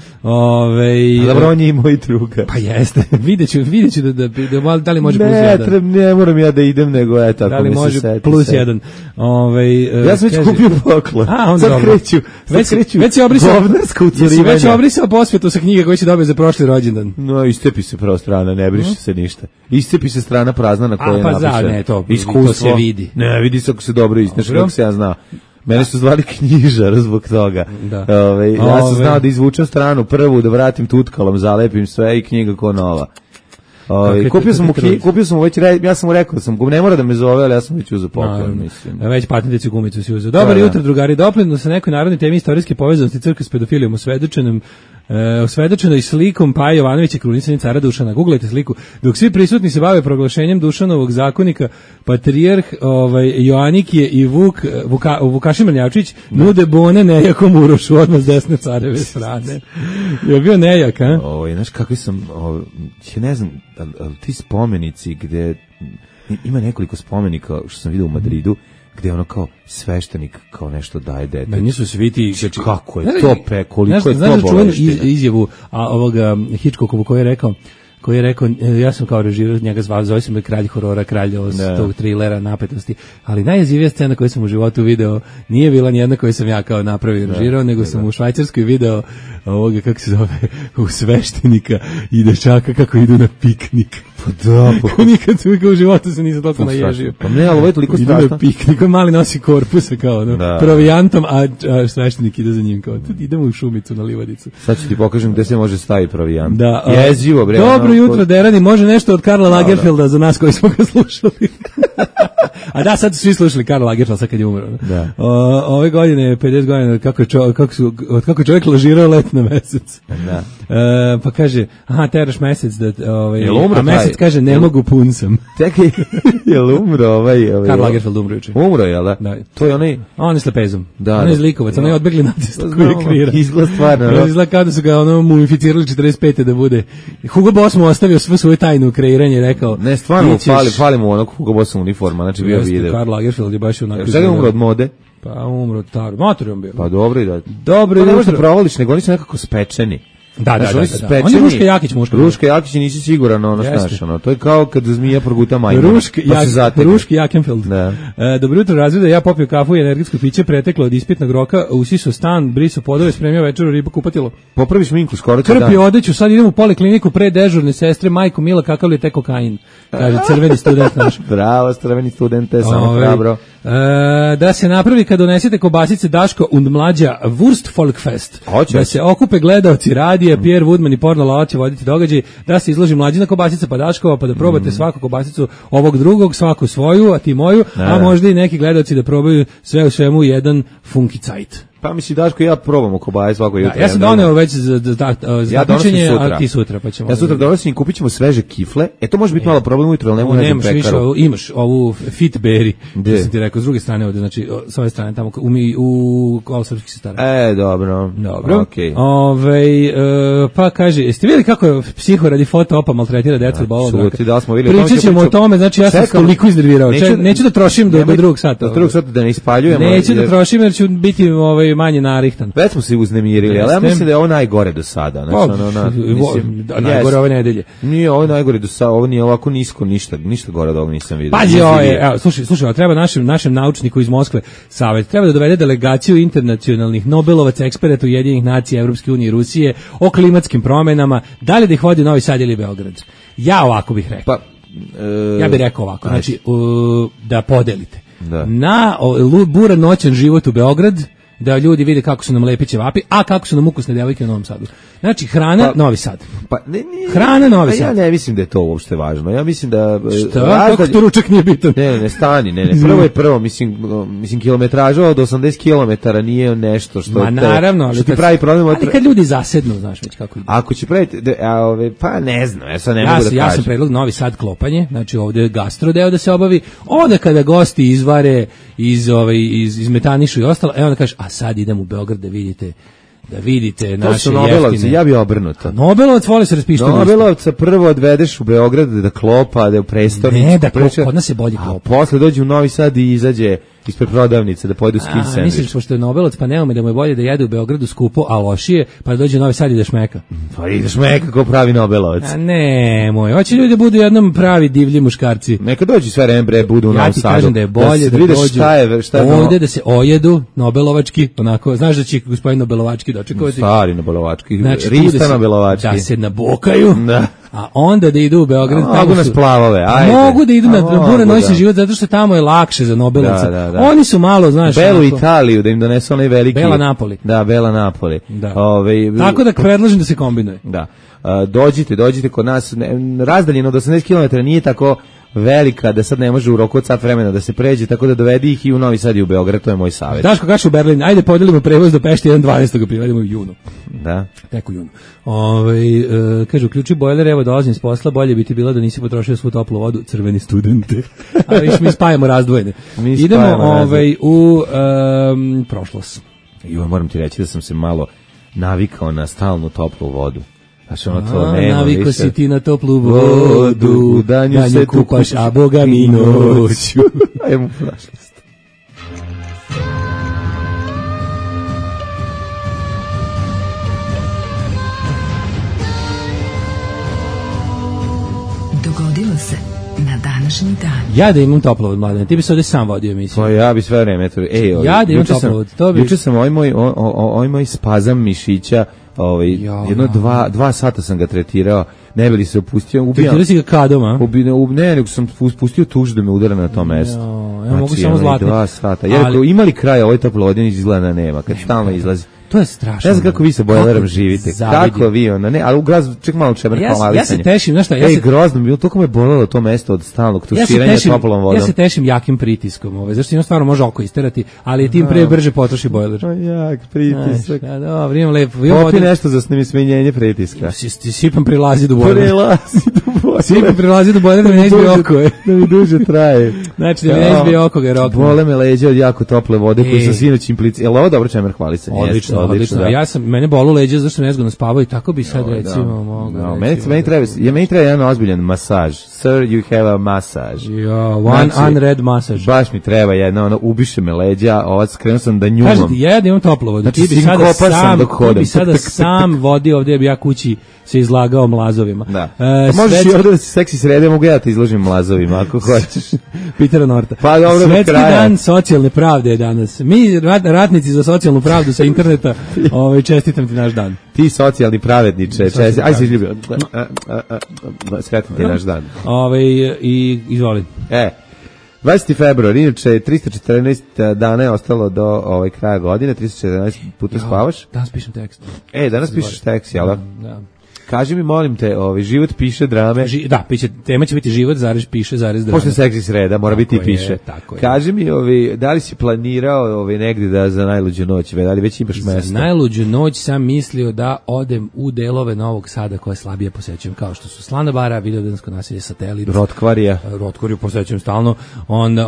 Dobro, on je i moj druga. Pa jeste. Videću da li može plus 1. Ne moram ja da idem, nego eto, ako mi se seti. Da li može plus 1. Ja sam već kupio poklon. Sad kreću. Već si obrisao posvetu sa knjige koju si dobio za prošli rođendan. No, istepi se prva strana, ne briše se ništa. Istepi se strana prazna na kojoj je napišen. To se vidi. Ne, vidi se ako se dobro isneš, kako se ja zna. Mene su zvali knjižar zbog toga. Ja sam znao da izvučem stranu prvu, da vratim tutkalom, zalepim sve i knjiga ko nova. Kupio sam već, ja sam mu rekao da sam, ne mora da me zove, ali ja sam već uzeo poklon, mislim. Već patenticu gumicu si uzeo. Dobar jutro, drugari, doplivno sa nekoj narodnoj temi istorijske povezanosti crkve s pedofilijom osvedočenoj slikom Paja Jovanovića, krunisanja cara Dušana. Googlajte sliku. Dok svi prisutni se bave proglašenjem Dušanovog zakonika, patrijarh Joanikije i Vukašin Mrnjavčić nude bone nejakom Urošu odmah s desne careve strane. Je bio nejak, a? Znaš kakvi sam, ja ne znam, ti spomenici gde ima nekoliko spomenika što sam vidio u Madridu, gde ono kao sveštenik kao nešto daje dete. Da nisu svi ti, znači kako je to koliko je to boleština. Izjavu ovoga Hitchcockovu koji je rekao, ja sam kao režirao, njega zove se me kralj horora, kralj tog trilera, napetosti, ali najjezivija scena koju sam u životu video nije bila nijedna koju sam ja kao napravio i režirao, nego sam u Švajcarskoj video ovoga, kako se zove, u sveštenika i dečaka kako idu na piknik. Pa da, nikad u životu se nisam toliko naježio. Pa ne, ali ovo je toliko strašno. Idu na piknik, on mali nosi korpusa kao provijantom, a sveštenik ide za njim kao, idemo u šumicu na livadicu. Sad ću ti pokažem gde se može staviti provijant. Jezivo, bre. Dobro jutro, Derani, može nešto od Karla Lagerfelda za nas koji smo ga slušali. A da, sad su svi slušali Karla Lagerfelda sad kad je umro. Ove godine je 50 godina kako čovjek lažirao let na mesec. Pa kaže, teraš mesec da a mesec kaže ne mogu, pun sam. Čekaj, jel umro Karl Lagerfeld umro juče. Umro, jel da? To je onaj... On je s lepezom. On je zlikovac, on je odbegli nacista koji je kreira. Izgleda stvarno. Izgleda kada su ga mumificirali 45. da bude. Hugo Boss mu ostavio sve svoje tajnu kreiranje, rekao... Ne, stvarno fali mu onog Hugo Bossa uniforma, znači bio video. Karl Lagerfeld je baš onako... Šta je umro od mode? Pa umro od motorom bio. Pa dobro i da. Dobro jutro. Ne možda provališ, nego oni su nekako spečeni. Da. On je Ruška Jakić muška. Ruška Jakić nisi siguran, ono znaš, ono. To je kao kad zmija proguta majmuna. Ruški Jakenfeld. Da. Dobro jutro, razreda, ja popio kafu i energetsko piće, preteklo od ispitnog roka, usiso stan, briso podove, spremio večeru, ribu, kupatilo. Popraviš minku skoro će dan. Krpi odeću, sad idem u polikliniku pre dežurne sestre, majko Mila, kakav li je te kokain? Kaže crveni student naš. Bravo, crveni studente, samo hrabro. Da se napravi kad donesete kobasice Daško und mlađa Wurst Folkfest. Da se okupe gledaoci radije, Pierre Woodman i Porno Lala će voditi događaj, da se izloži mlađina kobasica pa Daškova, pa da probate svaku kobasicu ovog drugog, svaku svoju, a ti moju, a možda i neki gledaoci da probaju sve u svemu jedan funky cajt. Pa misli Daško i ja probamo kobaje svako jutro. Ja sam doneo već za takmičenje, a ti sutra pa ćemo. Ja sutra donosim i kupit ćemo sveže kifle. To može biti malo problem ujutro, ali nemaš više, imaš ovu Fit Berry, što sam ti rekao, s druge strane ovde, znači s ove strane tamo u Kolosavskih sestara. Dobro. Okay. Pa kaže, jeste vidjeli kako je psiho radi foto-opa maltretira decu od bolog raka? Pričat ćemo o tome, znači ja sam toliko iznervirao. Neću da trošim do drugog sata. Do drugog sata da ne ispaljujemo. Neću da trošim jer ću biti manje narihtan. Već smo se uznemirili, ali ja mislim da je ovo najgore do sada. Najgore ove nedelje. Nije ovo najgore do sada, ovo nije ovako nisko, ništa gore od ovog nisam vidio. Pazi, slušaj, treba našem naučniku iz Moskve savjet, treba da dovede delegaciju internacionalnih Nobelovaca, eksperata Ujedinjenih nacija, Evropske unije i Rusije o klimatskim promenama, da li da ih vodi Novi Sad ili Beograd. Ja ovako bih rekao. Ja bih rekao ovako, znači da podelite. Na buran noćan život u Beograd, da ljudi vide kako su nam lepi ćevapi, a kako su nam ukusne devojke u Novom Sadu. Znači, hrana, Novi Sad. Hrana, Novi Sad. Ja ne mislim da je to uopšte važno. Ja mislim da... Šta? Kako to ručak nije bitan? Ne, stani. Prvo, mislim, kilometraža od 80 kilometara nije nešto što... Ma naravno, ali ti pravi problem... Ali kad ljudi zasednu, znaš već kako ide. Ako će praviti... Pa ne znam, ja sad ne mogu da kažem. Ja sam predlog Novi Sad klopanje, znači ovdje je gastrodeo da se obavi, onda kada gosti izvare, izmetanišu i ostalo, onda kažeš, a sad idem u Beograd da vidite naše jeftine. Ja bi obrnuto. Nobelovac voli se raspišti. Nobelovca prvo odvedeš u Beograd da klopa, da je u prestonicu. Ne, da kod nas je bolje klopa. A posle dođe u Novi Sad i izađe ispred prodavnice da pojedu skin sandvič. Misliš, pošto je Nobelovac, pa nema da mu je bolje da jede u Beogradu skupo, a lošije, pa da dođe u Novi Sad i da šmeka. Pa i da šmeka ko pravi Nobelovac. A ne, hoće ljudi da budu jednom pravi divlji muškarci. Neka dođu sve rembre, budu u Novom Sadu. Ja ti kažem da je bolje da dođu ovdje da se ojedu Nobelovački, onako, znaš da će gospodin Nobelovački dočekovati. Stari Nobelovački, znači, Rista Nobelovački. Da se nabokaju. Da. A onda da idu u Beograd, mogu nas plavove, ajde. Mogu da idu na buran noćni život zato što tamo je lakše za Nobelovca. Da. Oni su malo, znaš, Belu Italiju da im donesu onaj veliki. Bela Napoli. Da, Bela Napoli. Da. Tako da predlažem da se kombinuje. Da. Dođite kod nas, razdaljeno od 80 km nije tako velika da sad ne može u roku od sat vremena da se pređe, tako da dovedi ih i u Novi Sad i u Beograd, to je moj savjet. Daško, kaš u Berlin, ajde podelimo prevoz do Pešti 1.12. ga privedemo u junu. Da. Tek u junu. Kaže, uključi bojler, evo dolazim s posla, bolje bi ti bilo da nisi potrošio svu toplu vodu, crveni studente. A viš, mi spajamo razdvojene. Idemo u prošlost. Moram ti reći da sam se malo navikao na stalnu toplu vodu. Naviko si ti na toplu vodu, danju se kupaš, a Boga mi noću. Ajmo prošlost. Dogodilo se na današnji dan. Ja da imam toplovod, Mladene, ti bi se ovdje sam vodio emisiju. Pa ja bi sve vreme. Ja da imam toplovod. Juče sam ovaj moj spazam mišića, jedno 2 sata sam ga tretirao, ne bi li se opustio. Tretirao si ga kadom, a? Ne, nego sam spustio tuž da me udara na to mesto. Ja mogu samo zlatni. 2 sata. Jer ako imali kraja ovaj toplovod, izgleda nema, kad stalno izlazi. To je strašno. Ne znam kako vi sa bojlerom živite. Kako vi, ali u gradu ček malo čemer hvalisanje. Ja se tešim, znaš šta? Grozno bilo, toliko me bolelo to mesto od stalnog tuširanja toplom vodom. Ja se tešim jakim pritiskom, zašto stvarno može oko isterati, ali tim pre brže potroši bojler. Jak pritisak. Dobro, imam lepo. Popi nešto za smenjenje pritiska. Sipam prilazi do bojlera. Svi bi prelazi do bojne da mi ne izbije oko. Da mi duže traje. Znači, da mi ne izbije oko ga je rokno. Bole me leđa od jako tople vode koju sam sinoć implicirao. Jel ovo dobro čemer hvali se? Odlično. Da. Mene bolu leđa zašto sam nezgodno spavao i tako bi sad recimo mogao. Meni treba jedan ozbiljan masaž. Sir, you have a massage. One unread massage. Baš mi treba jedna, ubiše me leđa, krenuo sam da njumam. Kažete, ja imam toplo vodu. Znači, ti bi sada sam vodio ovdje, bi ja kući se izlagao mlazovima. Da. Možeš i ovdje da si seksi srede, mogu ja da te izložim mlazovima, ako hoćeš. Petera Norta. Pa dobro, Svetski dan socijalne pravde je danas. Mi, ratnici za socijalnu pravdu sa interneta, čestitam ti naš dan. Ti socijalni pravedniče, aj se izljubio. Sretan ti naš dan. I izvoli. 20. februar, inače 314 dana je ostalo do kraja godine, 314 puta spavaš. Danas pišem tekst. Danas pišeš tekst, jel da? Da. Kaži mi, molim te, život piše drame. Tema će biti život, piše, drame. Pošto je seksi sreda, mora biti i piše. Kaži mi, da li si planirao negdje za najluđu noć, da li već imaš mesto? Za najluđu noć sam mislio da odem u delove Novog Sada koje slabije posećujem, kao što su Slana bara, Vidovdansko naselje, Satelit. Rotkvariju posećujem stalno. Onda,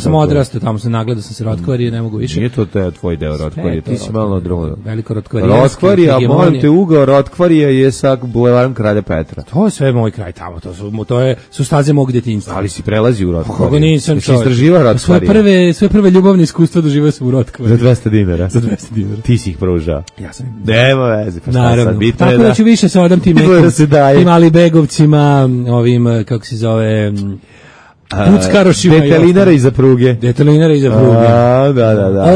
sam odrastao, tamo sam nagledao sam se Rotkvarije, ne mogu više. Nije to tvoj deo Rotkvarije, ti si malo drugo. Veliko Rotkvarije. Rotkvarije, molim te, ugao Rotkvarije je sa bulevarom Kralja Petra. To je sve moj kraj tamo, to su staze mog djetinjstva. Ali si prelazi u Rotkvariju. Kako nisam čovjek. Istraživao Rotkvarije. Sve prve ljubavne iskustva doživao sam u Rotkvariju. Za 200 dinara. Za 200 dinara. Ti si ih proužao. Ja sam ih. Nema veze, pa šta sad bitno. Tako da ću više se odam tim nekim Alibegovcima, ovim, kako se zove... Puckarošima. Detelinara iza pruge. Da.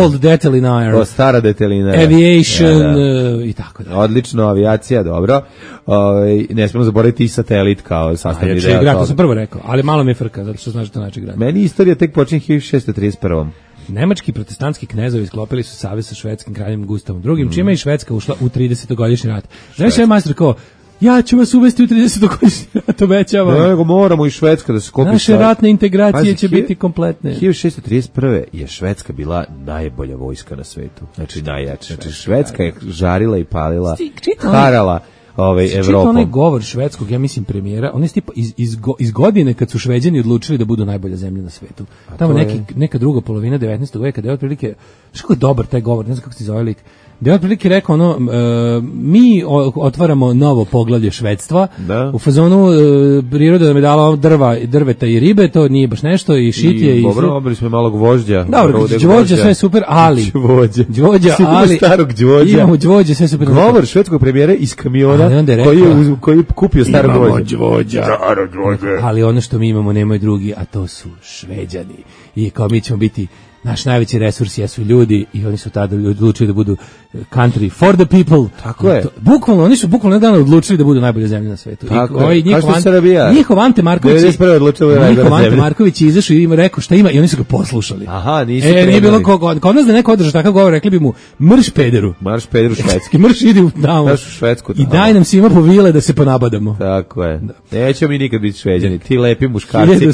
Old Detelinara. Stara Detelinara. Aviation i tako da. Odlično, avijacija, dobro. Ne smemo zaboraviti i Satelit kao sastavni deo toga. To sam prvo rekao, ali malo mi je frka, zato što znaš da način grad. Meni istorija tek počinje 1631. Nemački protestantski knezovi sklopili su savez sa švedskim kraljem Gustavom II, čime je i Švedska ušla u 30-godišnji rat. Znaš je majstor kao, ja ću vas uvesti u 30-godišnji rat, obećavam. Nego moramo i Švedska da se skopi. Naše ratne integracije će biti kompletne. 1631. je Švedska bila najbolja vojska na svetu. Znači najjača. Znači Švedska je žarila i palila, harala Evropom. Čitao onaj govor švedskog, ja mislim premijera, on je tipa iz godine kad su Šveđani odlučili da budu najbolja zemlja na svetu. Tamo neka druga polovina 19. veka, da je otprilike, što je dobar taj govor, ne znam kako se zove lik, da je otprilike rekao mi otvaramo novo poglavlje švedstva, u fazonu priroda nam je dala drveta i ribe, to nije baš nešto, i šitije. Dobro, obili smo malo gvožđa. Dobro, gvožđa, sve super, ali... Gvožđa, ali... starog gvožđa. Imamo gvožđa, sve super. Govor švedskog premijera iz kamiona, koji je kupio starog gvožđa. Ali ono što mi imamo nemaju drugi, a to su Šveđani. I kao mi ćemo biti... Naš najveći resurs jesu ljudi i oni su tada odlučili da budu country for the people. Tako je. Bukvalno, oni su bukvalno nedavno odlučili da budu najbolje zemlje na svetu. Tako je. Njihov Ante Marković je izašao i im rekao šta ima i oni su ga poslušali. Aha, nisu nije bilo kod nas da neko održa takav govor, rekli bi mu marš pederu. Marš pederu švedski. Marš idi u Švedsku. I daj nam svima po vile da se ponabadamo. Tako je. Nećemo mi nikad biti Šveđani. Ti lepi muškarci.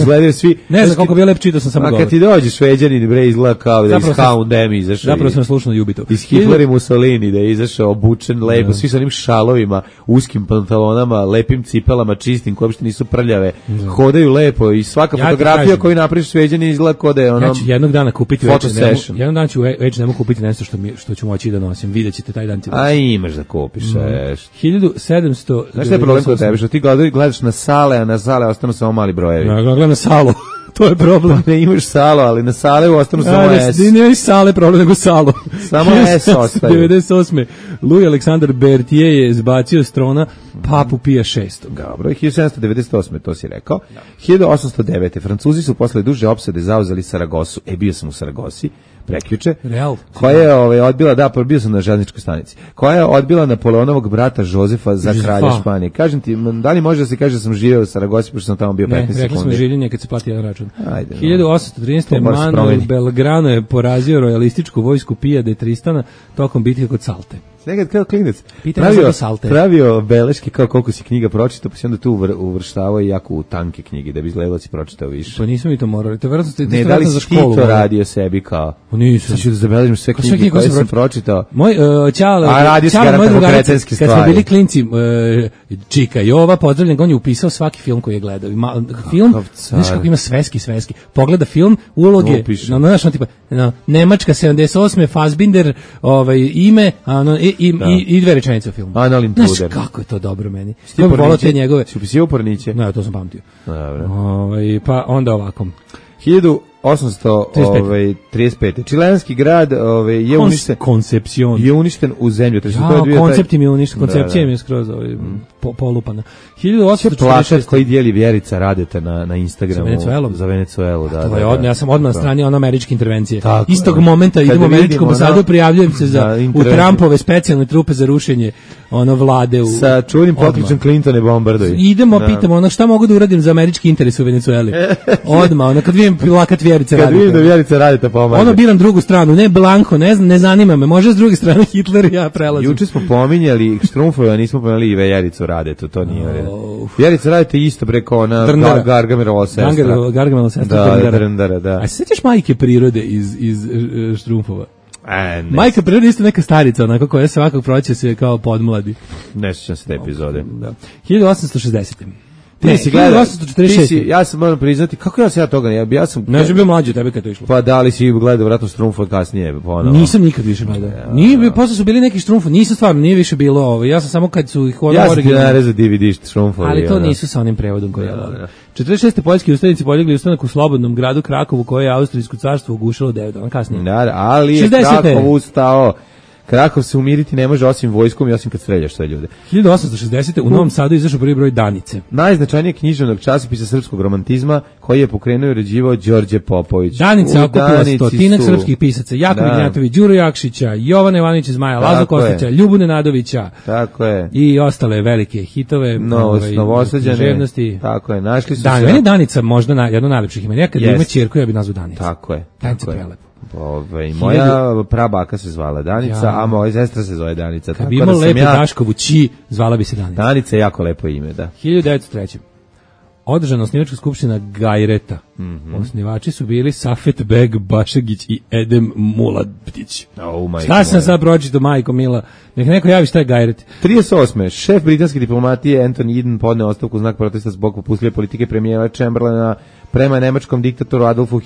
Gledaju svi. Ne znam koliko bi lep, čitao sam samo govor. A kad ti dođe Šveđani bre izgleda kao da iz H&M izašao. Zapravo sam slušao Jubito. Iz Hitler i Mussolini da je izašao obučen lepo, svi sa onim šalovima, uskim pantalonama, lepim cipelama, čistim, koje uopšte nisu prljave. Hodaju lepo i svaka fotografija koju napraviš Šveđani izgleda kao da je ono. Ja ću jednog dana kupiti jednog dana ću H&M kupiti nešto što ću moći da nosim. Videćete taj dan. A imaš da kupiš. 1700. Znaš šta je problem kod tebe? Što ti gledaš na sale, a na sale ostanu samo mali brojevi. Ja gledam na salu. To je problem. Ne imaš salo, ali na sale ostanu samo S. Ne imaš sale problem, nego salo. Samo S ostaju. 98. Louis Alexandre Berthier je zbacio s trona Papu Pija VI. Dobro, 1798. to si rekao. 1809. Francuzi su posle duže opsade zauzeli Saragosu. Bio sam u Saragosi prekjuče, koja je odbila, bio sam na železničkoj stanici, koja je odbila Napoleonovog brata Jozefa za kralja Španije. Kažem ti, da li može da se kaže da sam živeo u Saragosi, pošto sam tamo bio 15 sekundi? Ne, rekli smo življenje kad se plati jedan račun. 1813. Manuel Belgrano je porazio rojalističku vojsku Pija de Tristana tokom bitke kod Salte. nekad kao klinac pravio beleške kao koliko si knjiga pročitao, pa si onda tu uvrštavao i jako u tanke knjige, da bi izgledalo da si pročitao više. Pa nismo mi to morali, to verovatno ste ne, da li si ti to radio sebi kao? Nisam. Sad ću da zabeležim sve knjige koje sam pročitao. Moj Ćale, moj drugar, kad smo bili klinci, Čika Jova, pozdravljen, on je upisao svaki film koji je gledao. Film, znaš kako ima sveski. Pogleda film, uloge, tipa, Nemačka 78. Fassbinder, ime, i dve rečenice u filmu. Znaš kako je to dobro meni. Si upisio Porniće? Ne, to sam pamtio. Pa onda ovako. 1835. Čilenski grad je uništen. Koncepcion. Je uništen u zemlju. Koncept im je uništen, koncepcija im je skroz polupana. 1846. Koji dijeli Vjerica Radeta na Instagramu za Venecuelu. Ja sam odmah na strani američke intervencije. Istog momenta idemo u američku ambasadu, prijavljujem se u Trumpove specijalne trupe za rušenje vlade. Sa čuvenim pokličem Clintone bombardovi. Idemo, pitamo šta mogu da uradim za američki interes u Venecueli. Odmah, kad vidim plakat Vjerice Radeta. Kad vidim da Vjerica Radeta pomaže. Biram drugu stranu, ne Blanko, ne zanima me, može s druge strane Hitler i ja prelazim. Juče smo pominjali Štrumfove, a nismo pominjali i Vjericu Radetu, to nije u redu. Vjerica Radeta isto preko Gargamelova sestra. Gargamelova sestra Drndara, da. A se sjećaš Majke prirode iz Štrumfova? Majka prirode isto neka starica, onako koja svakog proće se kao podmladi. Ne sjećam se te epizode. 1860. Ti si gledao, ja sam moram priznati, kako ja toga, ja sam... Ne, sam bio mlađi tebe kad to išlo. Pa da li si gledao vratno Štrumfove kasnije? Nisam nikad više gledao. Posle su bili neki Štrumfovi, nisam stvarno, nije više bilo ovo. Ja sam samo kad su ih... Ja sam ti narezao DVD Štrumfovi. Ali to nisu sa onim prevodom koji ja volim. 46. poljski ustanici podigli ustanak u slobodnom gradu Krakovu, koje je Austrijsko carstvo ugušilo 9 dana kasnije. Ali je Krakov ustao. Krakov se umiriti ne može osim vojskom i osim kad streljaš sve ljude. 1860. u Novom Sadu izašao prvi broj Danice. Najznačajnijeg književnog časopisa srpskog romantizma koji je pokrenuo i uređivao Đorđe Popović. Danica okupila stotinak srpskih pisaca. Jakov Ignjatović, Đuro Jakšića, Jovana Ivanović iz Maja, Lazo Kostića, Ljubu Nenadovića. Tako je. I ostale velike hitove. Novosađane. Tako je. Našli su se. Meni Danica možda jedno najlepših imena. Ja kad ima ćerku, ja bih nazvao Danica. Tako je. Danica prelepo. Moja prabaka se zvala Danica, a moja sestra se zove Danica. Kad bi imao lepo Daškovu Ći, zvala bi se Danica. Danica je jako lepo ime, da. 1903. Održana osnivačka skupština Gajreta. Osnivači su bili Safet Beg Bašagić i Edem Muladić. Šta sam sad pročitao, majko mila? Nek neko javi šta je Gajret. 38. Šef britanske diplomatije Anthony Eden podneo ostavku u znak protesta zbog popustljive politike premijera Chamberlaina prema nemačkom diktatoru Adolfu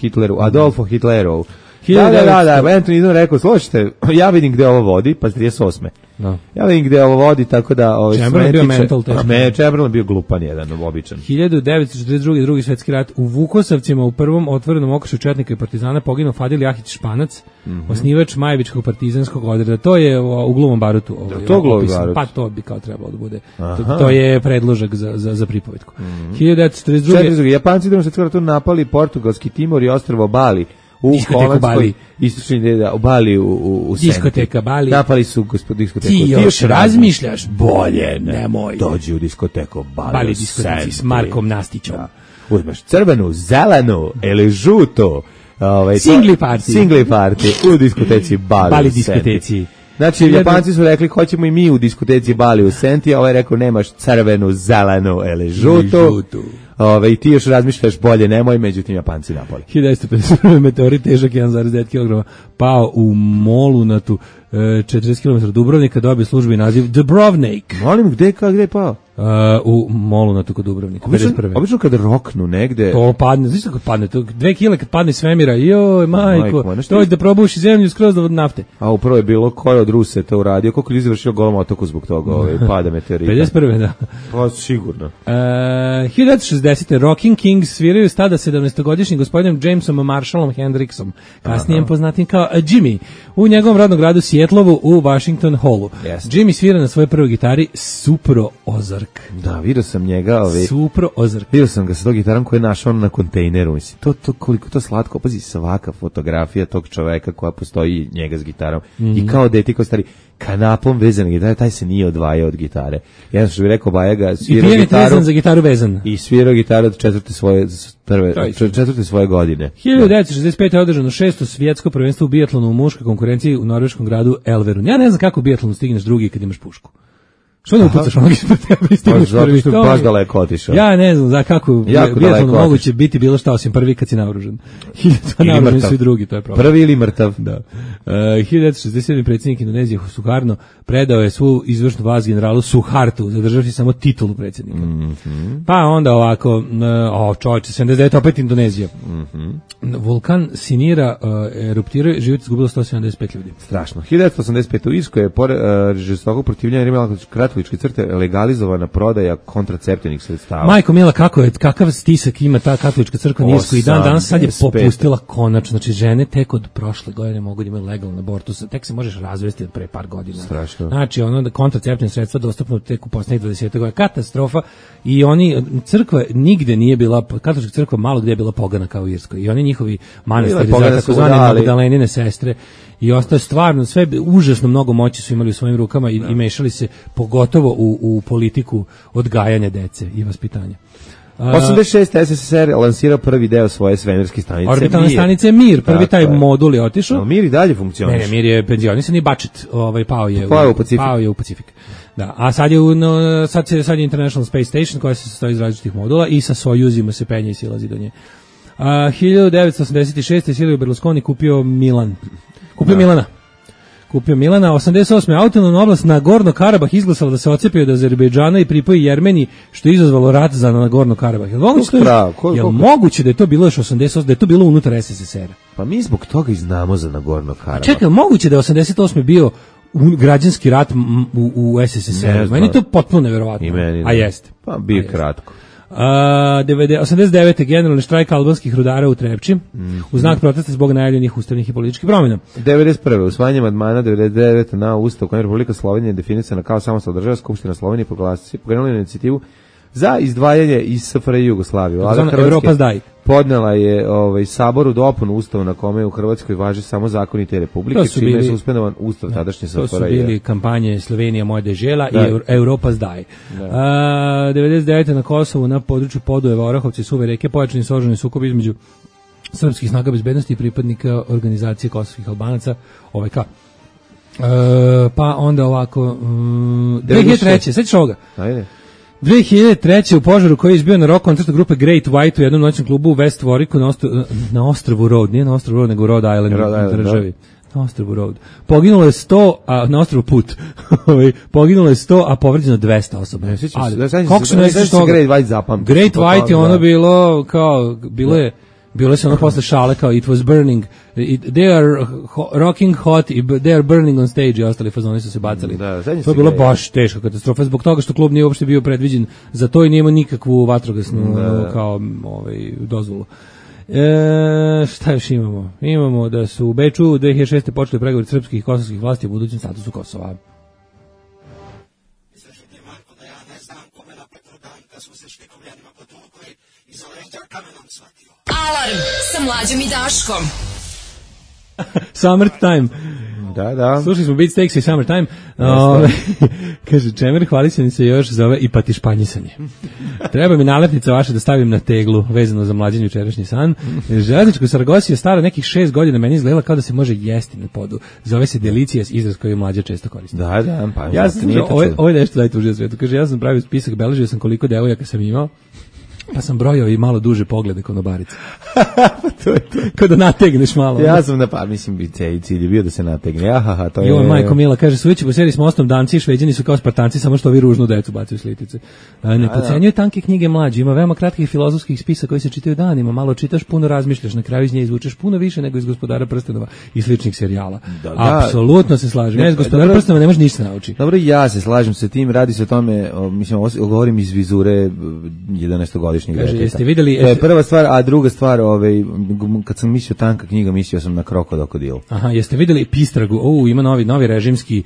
Hitleru. Da, Anthony Eden rekao, slušajte, ja vidim gde ovo vodi, pa 38. Ja vidim gde ovo vodi, tako da... Chamberlain bio mental teško. Chamberlain bio glupan jedan, običan. 1942. drugi svetski rat. U Vukosavcima u prvom otvorenom okršaju četnika i partizana poginuo Fadil Jahić Španac, osnivač Majevičkog partizanskog odreda. To je u Glumom barutu. Pa to bi kao trebalo da bude. To je predložak za pripovetku. 1942. Japanci u svetskom ratu napali portugalski Timor i ostrvo Bali. U Holandskoj, istočni deda, u Bali, u Senti. Diskoteka Bali. Napali su diskoteku. Ti još razmišljaš? Bolje, nemoj. Dođi u diskoteku Bali diskoteci s Markom Nastićom. Uzmeš crvenu, zelenu ili žuto. Singli party u diskoteci Bali u Senti. Znači, Japanci su rekli, hoćemo i mi u diskoteci Bali u Senti, a ovaj rekao, nemaš crvenu, zelenu ili žutu. I ti još razmišljaš bolje, nemoj, međutim Japanci napali. 1951. meteorit težak 1,9 kg pao u Molunatu, 40 km Dubrovnika, dobio službeni naziv Dubrovnik. Molim, gde je pao? U Molunatu kod Dubrovnika. Obično kad roknu negde... To padne, znaš kako padne, 2 kile kad padne svemira, joj, majko, to je da probuši zemlju skroz do nafte. A upravo je bilo ko je od Ruse to uradio, koliko ljudi završio Golom otoku zbog toga, pada meteorita. 51. da. Pa sigurno. 1960. Rocking Kings sviraju stada 17-godišnjim gospodinom Jamesom Marshallom Hendricksom, kasnije poznatim kao Jimmy, u njegovom rodnom gradu Sijetlovu u Washington Hallu. Jimmy svira na svojoj prvoj gitari Supro Ozark. Ozark. Da, vidio sam njega. Supro Ozark. Vidio sam ga sa tog gitarom koji je našao na kontejneru. Mislim, to koliko to slatko. Pazi, svaka fotografija tog čoveka koja postoji njega s gitarom. I kao dete koji stari kanapom vezan gitare, taj se nije odvajao od gitare. Jedan što bi rekao Bajaga, svirao gitaru. Vezan za gitaru vezan. I svirao gitaru od četvrte svoje godine. 1965. je održano 6. svjetsko prvenstvo u bijatlonu u muškoj konkurenciji u norveškom gradu Elverum. Ja ne znam kako u bijatlonu stigneš drugi kad imaš pušku. Što ne upucaš onog ispred tebe i stigneš prvi? Zato što baš daleko otišao. Ja ne znam za kako bijatlonu moguće biti bilo šta osim prvi kad si naoružan. Naoružani su i drugi, to je problem. Prvi ili mrtav. Da. 1967. predsjednik Indonezije Sukarno predao je svu izvršnu vlast generalu Suhartu, zadržavši samo titulu predsjednika. Pa onda ovako, čovječe, 79. opet Indonezija. Vulkan Sinira eruptirao, život izgubilo 175 ljudi. Strašno. 1985. u Irskoj je pored žestokog protivljenja rimala katoličke crte legalizovana prodaja kontraceptivnih sredstava. Majko mila, kakav stisak ima ta katolička crkva Irskoj i danas sad je popustila konačno. Znači žene tek od prošle godine mogu da imaju legalno abortus, tek se možeš razvesti od pre par godina. Strašno. Znači ono kontraceptivne sredstva dostupno tek u poslednjih 20 godina. Katastrofa. I oni, crkva nigde nije bila, katolička crkva malo gde je bila pogana kao u Irskoj. I oni njihovi manastiri za takozvane Magdalenine sestre i ostaje stvarno sve užasno mnogo moći su imali u svojim rukama i mešali se pogotovo u politiku odgajanja dece i vaspitanja. 86. SSSR lansirao prvi deo svoje svemirske stanice. Orbitalne stanice Mir, prvi taj modul je otišao. No, Mir i dalje funkcioniše. Ne, Mir je penzionisan i budget, pao je u Pacifik. Da, a sad je International Space Station koja se sastoji iz različitih modula i sa Sojuzima se penje i silazi do nje. 1986. Silvio Berlusconi kupio Milana. Kupio Milana, 88. autonomna oblast Nagorno Karabah izglasala da se odcepi od Azerbejdžana i pripoji Jermeniji, što je izazvalo rat za Nagorno Karabah. Je li moguće da je to bilo još 88, da je to bilo unutar SSSR-a? Pa mi zbog toga i znamo za Nagorno Karabah. Čekaj, moguće da je 88. bio građanski rat u SSSR-u? Meni je to potpuno neverovatno. A jeste. Pa bio kratko. 89. generalni štrajk albanskih rudara u Trepči u znak protesta zbog najavljenih ustavnih i političkih promjena. 91. usvajanje amandmana 99 na Ustav kojim Republika Slovenija je definisana kao samostalna država, Skupština Slovenije pokrenula inicijativu za izdvajanje iz SFRJ i Jugoslavije. Vlada Hrvatske podnela je saboru dopunu ustava na kome u Hrvatskoj važi samo zakoni te republike, čime je suspendovan ustav tadašnje SFRJ. To su bili kampanje Slovenija moja dežela i Europa zdaj. 99. na Kosovu na području Podujeva, Orahovci i Suve reke pojačani su oružani sukob između srpskih snaga bezbednosti i pripadnika organizacije kosovskih Albanaca OVK. Pa onda ovako 2003. Sećaš ovoga? Ajde. 2003. u požaru koji je izbio na rock koncertu grupe Great White u jednom noćnom klubu u West Warwicku na ostrvu Road, nije na ostrvu Road nego Rhode Island državi. Na ostrvu Road. Poginulo je 100, a na ostrvu Put. Poginulo je 100, a povređeno 200 osoba. Kako se nećeš toga? Great White zapamti. Great White je ono bilo kao, bilo se ono posle šale kao it was burning, they are rocking hot, they are burning on stage i ostali fazoni su se bacali. To je bilo baš teška katastrofa zbog toga što klub nije uopšte bio predviđen za to i nije imao nikakvu vatrogasnu kao dozvolu. Šta još imamo? Imamo da su u Beču 2006. počeli pregovori srpskih i kosovskih vlasti o budućem statusu Kosova. Alarm sa Mlađom i Daškom. Summertime. Da. Slušali smo Beatsteaks i Summertime. Kaže, Čemer hvalisani se još zove i patišpanjisanje. Treba mi nalepnica vaša da stavim na teglu, vezano za mlađen jučerašnji san. Železničko Saragosi je stara nekih 6 godina, meni izgledala kao da se može jesti na podu. Zove se Delicious, izraz koji mlađa često koristi. Da, pa ja sam ovo je nešto najtužnije u svijetu. Kaže, ja sam pravio spisak, beležio sam koliko devojaka sam imao. Pa sam brojao i malo duže poglede konobarice. To je to. Kao da nategneš malo. Ja sam mislim, cilj je bio da se nategne. To je... Jo, majko mila, kaže, suvići po seriji s mostom danci i šveđani su kao Spartanci, samo što ovi ružnu decu bacaju slitice. Ne podcenjuje tanke knjige mlađi, ima veoma kratkih filozofskih spisa koji se čitaju danima, malo čitaš, puno razmišljaš, na kraju iz nje izvučeš puno više nego iz Gospodara prstenova i sličnih serijala. Apsolutno se slažem. Ja iz Gospodara prstenova ne može ništa naučiti. Dobro, ja se slažem sa tim, radi se o tome, mislim, govorim iz vizure 11. godišnjeg deteta. Jeste videli? To je prva stvar, a druga stvar, kad sam mislio tanka knjiga, mislio sam na Krokodil. Aha, jeste videli Pistragu? Ima novi režimski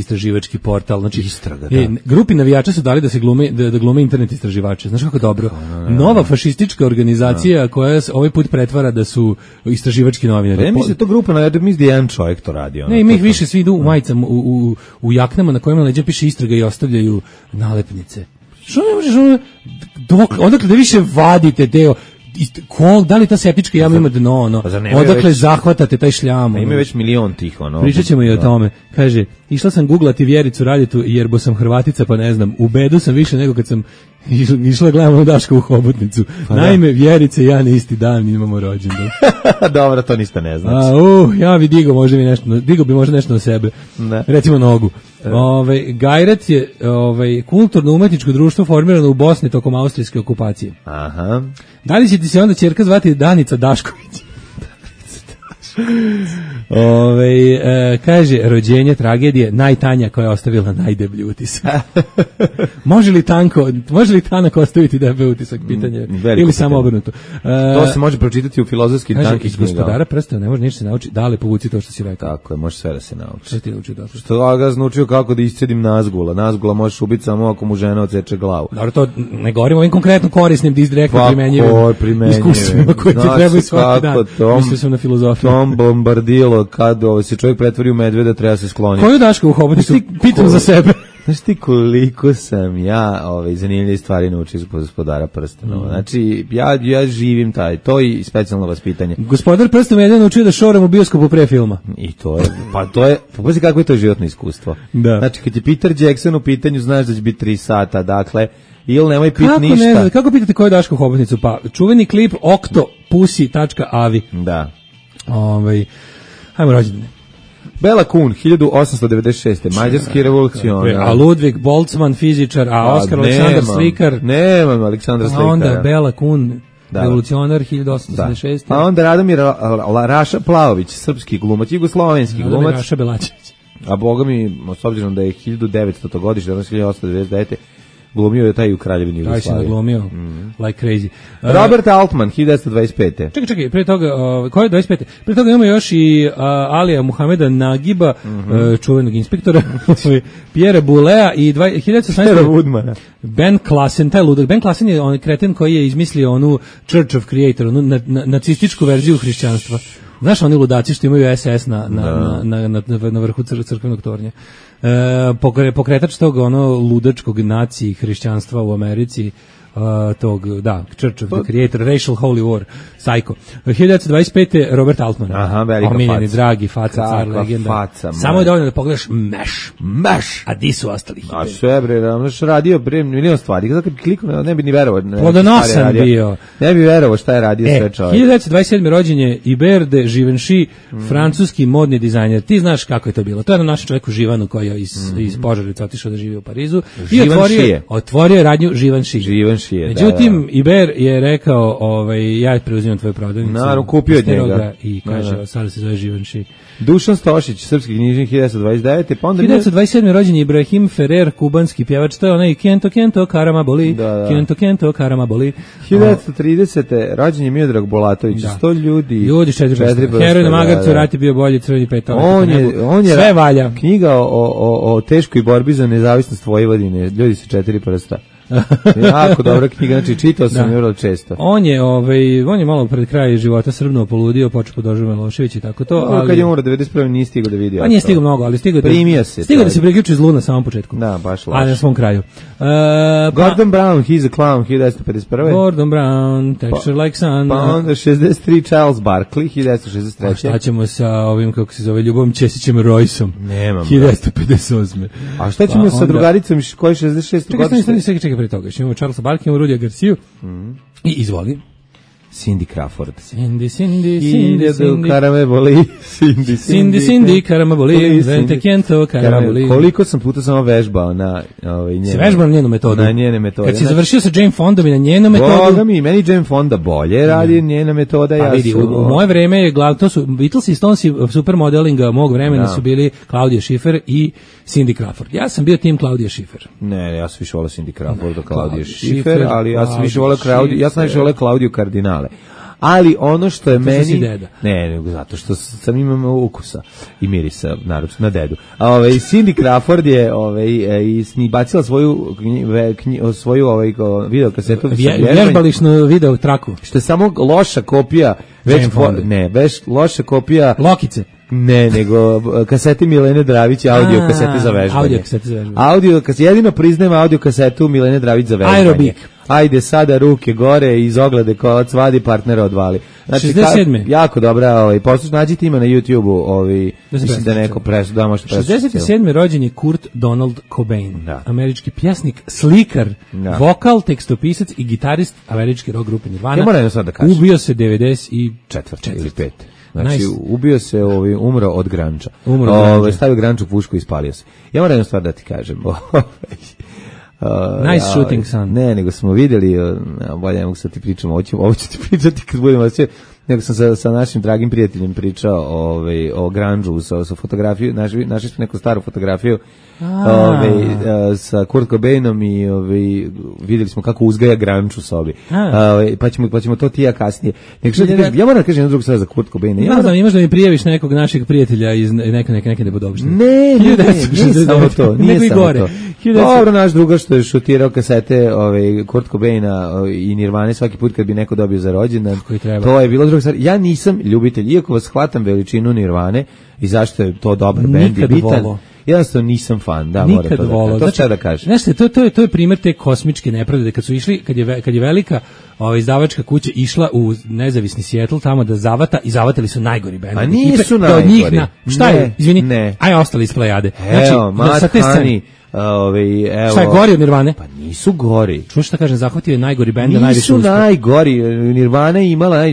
istraživački portal. Znači, Istraga, da. Grupi navijača su dali da glume internet istraživače. Znaš kako dobro? Nova fašistička organizacija koja ovaj put pretvara da su istraživački novinari. Ne mislim to grupa navijača, mislim da jedan čovjek to radi. Ne, ima ih više, svi idu u majicama, u jaknama na kojima leđa piše istraga i ostavljaju nalepnice. Što ne možeš odakle da više vadite deo, da li ta septička jama ima dno, odakle zahvatate taj šljam. Ima već milion tih, Pričat ćemo i o tome. Kaže, išla sam googlati Vjericu Raditu jer bo sam Hrvatica pa ne znam, u bedu sam više nego kad sam išla gledam Daška u Hobotnicu. Naime, Vjerice i ja na isti dan imamo rođendan. Dobro, to ništa ne znači. Ja bi digo bi možda nešto na sebe. Ne. Recimo nogu. Gajrat je kulturno-umetničko društvo formirano u Bosni tokom austrijske okupacije. Aha. Da li će ti se onda ćerka zvati Danica Dašković? Kaže, rođenje tragedije, najtanja koja je ostavila najdeblji utisak. Može li tanak ostaviti deblji utisak, pitanje? Ili samo obrnuto? To se može pročitati u filozofskim tankih knjigama. Gospodara prstava ne može ništa se nauči, dale povuci to što si rekao. Tako je, može sve da se nauči. Što ti naučio dobro? Što ga naučio kako da iscedim nazgula. Nazgula možeš ubiti samo ako mu žena odseče glavu. Dobro, to ne govorimo ovim konkretno korisnim, direktno primenjivim iskustvima koje ti trebaju svaki dan. Mislio sam na filozofiju. Bombardilo, kad se čovjek pretvori u medveda, treba se skloniti. Koju Daška u Hobotnicu? Pitam za sebe. Znaš ti koliko sam ja zanimljive stvari naučio iz Gospodara prstenova. Znači, ja živim to i specijalno vaspitanje. Gospodar prstenova je jedan naučio da šoram u bioskopu pre filma. I to je, pazi kako je to životno iskustvo. Da. Znači, kad je Peter Jackson u pitanju, znaš da će biti 3 sata, dakle, ili nemoj pit ništa. Kako pitate koju Daška u Hobotnicu? Pa, čuveni klip octopussy.avi. Da. Hajmo rođendane. Bela Kun, 1896. Mađarski revolucionar. A Ludvig Boltzmann, fizičar, a Oskar Aleksandar Slikar. Nemam Aleksandra Slikara. A onda Bela Kun, revolucionar, 1886. A onda Radomir Raša Plavović, srpski glumac, jugoslovenski glumac. Radomir Raša Belačević. A boga mi, s obzirom da je 1900. godište, danas 1899. glumio je taj u Kraljevini Jugoslavije. Taj se naglumio, like crazy. Robert Altman, 1925. Čekaj, pre toga, ko je 25. Pre toga imamo još i Alija Muhameda Nagiba, čuvenog inspektora, Pierre Boulea i 1918. Ben Klassen, taj ludak. Ben Klassen je onaj kreten koji je izmislio onu Church of Creator, onu nacističku verziju hrišćanstva. Znaš, oni ludaci što imaju SS na vrhu crkvenog tornja. Pokretač tog ludačkog naciji hrišćanstva u Americi, Church of the Creator, Racial Holy War, Psycho. 1925. Robert Altman. Aha, velika omiljeni, dragi, faca, car, legenda. Faca, samo je dovoljno da pogledaš Meš. A di su ostali? A sve bre, radio milion stvari. Kada bi kliknuo, ne bi ni verovao. Plodonosan bio. Ne bi verovao šta je radio sve čovjek. 1927. rođen je Hubert de Givenchy, francuski modni dizajner. Ti znaš kako je to bilo. To je na našem čovjeku Živanu koji je iz Požarevaca otišao da živi u Parizu. I otvorio radnju Givenchy. Međutim, Iber je rekao, ja preuzimam tvoju prodavnicu. Naravno, kupio od njega. I kaže, sada se zove Givenchy. Dušan Stošić, srpski knjižnik, 1929. Pa onda 1927. rođen je Ibrahim Ferrer, kubanski pjevač, to je onaj Kento, Karama boli, Kento, Karama boli. 1930. rođen je Miodrag Bolatović, 100 ljudi. Ljudi, 4 heroj na Magarcu, rat je bio bolji, crveni petak. On je sve valja. Knjiga o teškoj borbi za nezavisnost Vojvodine, ljudi sa 4 prsta. Jako dobra knjiga, znači čitao sam je vrlo često. On je malo pred kraj života srbno poludio, počeo podržava Milošević i tako to, ali kad je umro 91. nije stigao da vidi. Pa nije stigao mnogo, ali stigao da se priključi zlu na samom početku. Da, baš laž. Ali na svom kraju. Gordon Brown, He's a Clown, 1951. Gordon Brown, Texture Like Sun. Pa onda 63. Charles Barkley, 1963. A šta ćemo sa ovim, kako se zove, Ljubom Česićem Royceom? Nemam. 1958. A šta ćemo sa drugaricom koji 66. godište? Čekaj pre toga. Imamo Charlesa Barkley, imamo Rudija Garciju i izvoli. Cindy Crawford. Cindy, karame boli. Cindy, karame boli. Vente kento, karame boli. Koliko sam puta samo vežbao na njenu. Si vežbao na njenu metodu? Na njene metode. Kad si završio sa Jane Fondom i na njenu metodu? Boga mi, meni Jane Fonda bolje radi njena metoda. Pa vidi, u moje vreme je to su Beatles i Stonesi supermodelinga mog vremena su bili Claudia Schiffer i Cindy Crawford. Ja sam bio tim Claudia Schiffer. Ne, ja sam više volao Cindy Crawford do Claudia Schiffer, ali ja sam više volao Claudio, ja sam više volao Claudio Cardinale. Ali ono što je meni ne, zato što sam imam ukusa i mirisa na dedu. Cindy Crawford je bacila svoju video kasetu vježbališnu video traku. Što je samo loša kopija loša kopija Lokice. Ne, nego kasete Milene Dravić, audio kasete za vežbanje. Audio kasete, jedino priznajem audio kasetu Milene Dravić za vežbanje. Aerobik. Ajde sada ruke gore iz oglede kolac vadi, partnera odvali. Znači 67. Jako dobra, nađite ima na YouTubeu, mislim da neko da možete preslušati. 67. rođen je Kurt Donald Cobain, američki pjesnik, slikar, vokal, tekstopisac i gitarist američke rock grupe Nirvana. Ja moram jedno sad da kažem. Ubio se 94. ili 5. Znači, ubio se, umro od granča. Stavio granču u pušku i ispalio se. Ja moram jednu stvar da ti kažem. Nice shooting, son. Ne, nego smo vidjeli, bolje ne mogu sad ti pričam, ovo ću ti pričati kad budemo nego sam sa našim dragim prijateljem pričao o grunge-u, sa fotografiju, našli smo neku staru fotografiju sa Kurt Cobainom i vidjeli smo kako uzgaja grunge u sobi. Pa ćemo to ti ja kasnije. Ja moram da kažem jednu drugu stvar za Kurt Cobaina. Imaš da mi prijaviš nekog našeg prijatelja iz neke nebodobštine. Ne, nije samo to. Nije samo to. Dobro, naš druga što je šutirao kasete Kurt Cobaina i Nirvane svaki put kad bi neko dobio za rođendan. To je bilo druga stvar. Ja nisam ljubitelj, iako vas shvatam veličinu Nirvane i zašto je to dobar bend i bitan. Jednostavno nisam fan, da, moram to da kažem. To šta da kažem. Znaš, to je primjer te kosmičke nepravde. Kad su išli, kad je velika izdavačka kuća išla u nezavisni Seattle tamo da zavata i zavatili su najgori bend. A nisu najgori. Šta je? Izvini. Ne. Aj, ostali iz plejade. Evo, Matt Honey. Šta je gori od Nirvane? Pa nisu gori. Čuš šta kažem, zahvatio je najgori bend. Nisu najgori. Nirvana je imala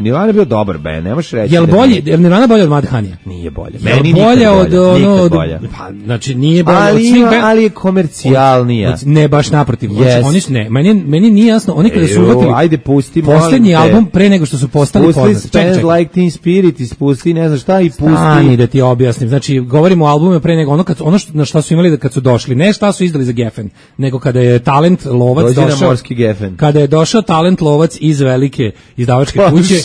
Nirvana je bio dobar bend, ne možeš reći. Jel bolje? Jel Nirvana bolje od Matt Honey? Nije bolje. Meni bolje od pa znači nije bolje od svih benda, ali je komercijalnija. Ne baš naprotiv. Oni su meni nije jasno, oni kada su uvatili. Ajde pusti poslednji album pre nego što su postali poznati. Spend Like Teen Spirit, ispusti, ne znam šta i pusti. Ani da ti objasnim. Znači govorimo o albumu pre nego ono na šta su imali kad su došli. Ne šta su izdali za Geffen, nego kada je Talent Lovac došao. Morski Geffen. Kada je došao Talent Lovac iz velike izdavačke kuće.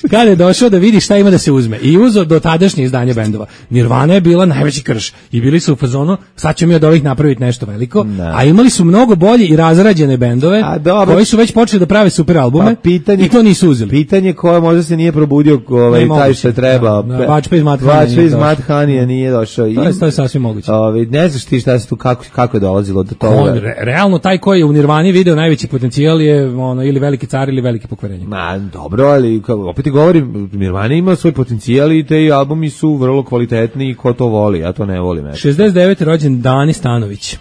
Kada je došao da vidi šta ima da se uzme i uzeo do tadašnje izdanje bendova. Nirvana je bila najveći krš i bili su u fazonu sad ćemo mi od ovih napraviti nešto veliko, a imali su mnogo bolje i razrađene bendove koji su već počeli da prave super albume i to nisu uzeli. Pitanje koje možda se nije probudio taj što je trebao. Vačpe iz Matt Honey nije došao. To je sasvim moguće. Ne znaš ti šta se tu kako je dolazilo do toga. Realno taj koji je u Nirvani video najveći potencijal je ili veliki car ili veliki pokvarenje. Dobro, ali opet ti govorim, Nirvana ima svoj potencijal i te albumi su vrlo kvalitetni i ko to voli, ja to ne volim. 69. rođen Dani Stanović.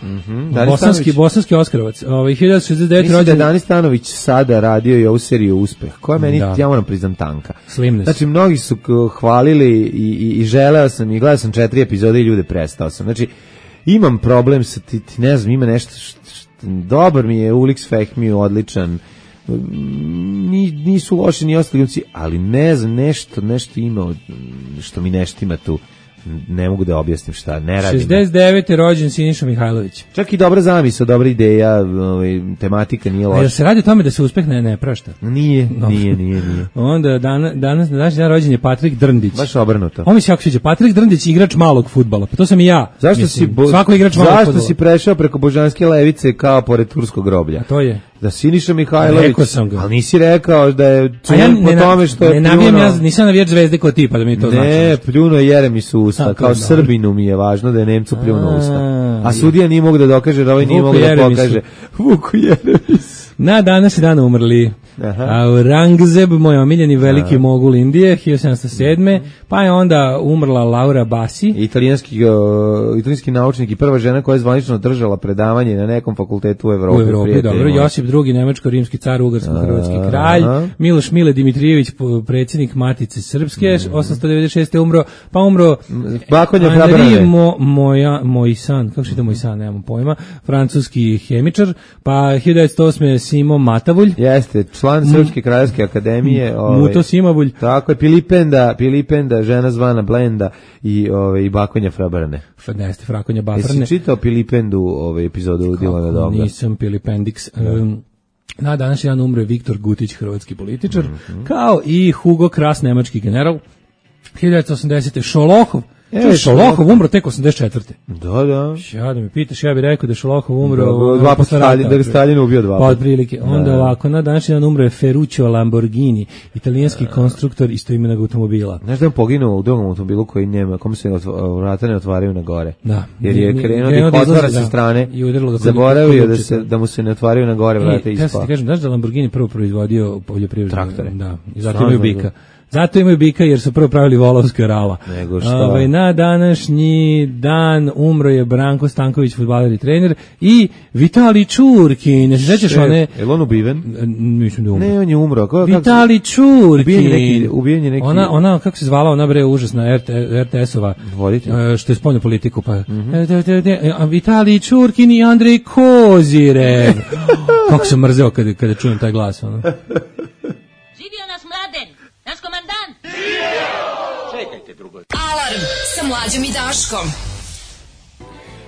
Bosanski Oskarovac. 1969. Mislim da je Dani Stanović sada radio i ovu seriju Uspeh, koja meni, ja moram priznam, tanka. Slimness. Znači, mnogi su hvalili i želeo sam i gledao sam 4 epizode i ljude prestao sam. Znači, imam problem sa ti ne znam, ima nešto dobar mi je, Ulix Fehmi odličan, nisu loši ni ostali glumci, ali ne znam, nešto ima što mi nešto ima tu, ne mogu da objasnim šta, ne radim. 69. rođen Siniša Mihajlović. Čak i dobra zamisao, dobra ideja, tematika nije loša. A se radi o tome da se uspeh ne prašta? Nije. Onda danas rođen je Patrik Drndić. Baš obrnuto. On mi se jako sviđa, Patrik Drndić, igrač malog fudbala. Pa to sam i ja. Svako igrač malog fudbala. Zašto si prešao preko Božanske levice kao pored turskog groblja? A to je da Siniša Mihajlović, rekao sam ga. Ali nisi rekao da je po tome što je pljuno. Ja nisam navijač Zvezde kao ti, pa da mi to znači. Ne, pljuno je Jeremisu usta, kao Srbinu mi je važno da je Nemcu pljuno usta. A sudija nije mogu da dokaže, da ovaj nije mogu da pokaže. Vuku Jeremis. Na danas je dan umrli Aurangzeb, moj omiljeni veliki mogul Indije, 1707. Pa je onda umrla Laura Bassi. Italijanski naučnik i prva žena koja je zvanično držala predavanje na nekom fakultetu u Evropi. U Evropi, dobro. Josip II, nemačko-rimski car, ugarsko-hrvatski kralj. Miloš Mile Dimitrijević, predsjednik Matice Srpske, 896. umro. Pa umro Henri Moisan, kako se to Moisan, nemam pojma, francuski hemičar. Pa 1908. Simo Matavulj. Jeste, član Srpske kraljevske akademije. Muto Simavulj. Tako je, Pilipenda, žena zvana Blenda i Bakonja Frabrane. Neste, Frakonja Babrane. Jesi čitao Pilipendu epizodu Dilana Doga? Nisam Pilipendix. Na današnji dan umre Viktor Gutić, hrvatski političar, kao i Hugo Kras, nemački general. 1980. Šolohov. Šolohov umro tek 84. Da. Ja da me pitaš, ja bih rekao da je Šolohov umro dva posle rata. Da ga Stalin ubio dva. Pa otprilike. Onda ovako, na današnji dan umro je Ferruccio Lamborghini, italijanski konstruktor istoimenog automobila. Znaš da je on poginuo u drugom automobilu koji njema, kome se vrata ne otvaraju na gore. Da. Jer je krenuo da otvara sa strane, zaboravio da mu se ne otvaraju na gore vrata i ispao. Ja ti kažem, znaš da Lamborghini prvo proizvodio poljoprivredne traktore? Da, i zato imaju bika. Zato imaju bika jer su prvo pravili volovska rala. Nego šta? Na današnji dan umro je Branko Stanković, fudbaler i trener, i Vitali Čurkin. Ne se sećaš one? Je li on ubiven? Mislim da umro. Ne, on je umro. Vitali Čurkin. Ubijen je neki. Ona, kako se zvala, ona bre užasna RTS-ova. Što je spoljnu politiku. Pa. Vitali Čurkin i Andrej Kozirev. Kako sam mrzeo kada čujem taj glas. Živio nas Mladen! Naš komandant! Čekajte drugo. Alarm sa Mlađom i Daškom.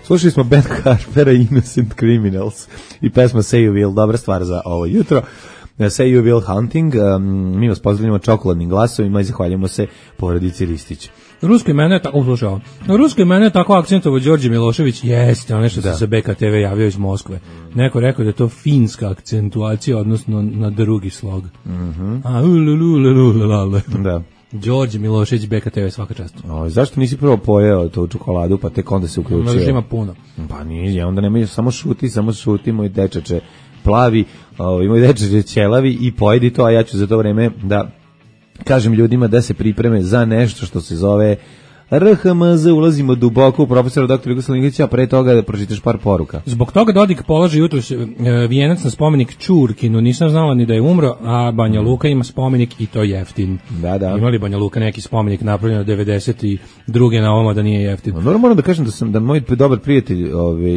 Slušali smo band Harpera Innocent Criminals i pesma Say You Will, dobra stvar za ovo jutro. Say You Will Hunting, mi vas pozdravljamo čokoladnim glasovima i zahvaljamo se porodici Ristić. Rusko imeno je tako akcentovo Đorđe Milošević, jeste, ono što se sa BKTV javio iz Moskve. Neko rekao da je to finska akcentuacija, odnosno na drugi slog. Da. Đorđe Milošević, BKTV, svaka čast. Zašto nisi prvo pojeo to čokoladu, pa tek onda se uključio? Možda ima puno. Pa nije, onda nemoj, samo šuti, moj dečače plavi, moj dečače ćelavi i pojedi to, a ja ću za to vreme da kažem ljudima da se pripreme za nešto što se zove RHMZ, ulazimo duboko u profesora dr. Jugoslav Nikolića, a pre toga da pročitaš par poruka. Zbog toga Dodik polaže jutros vijenac na spomenik Čurkinu, nisam znala ni da je umro, a Banja Luka ima spomenik i to jeftin. Da. Imali Banja Luka neki spomenik napravljen 92. na ovoma da nije jeftin. Moram da kažem da moj dobar prijatelj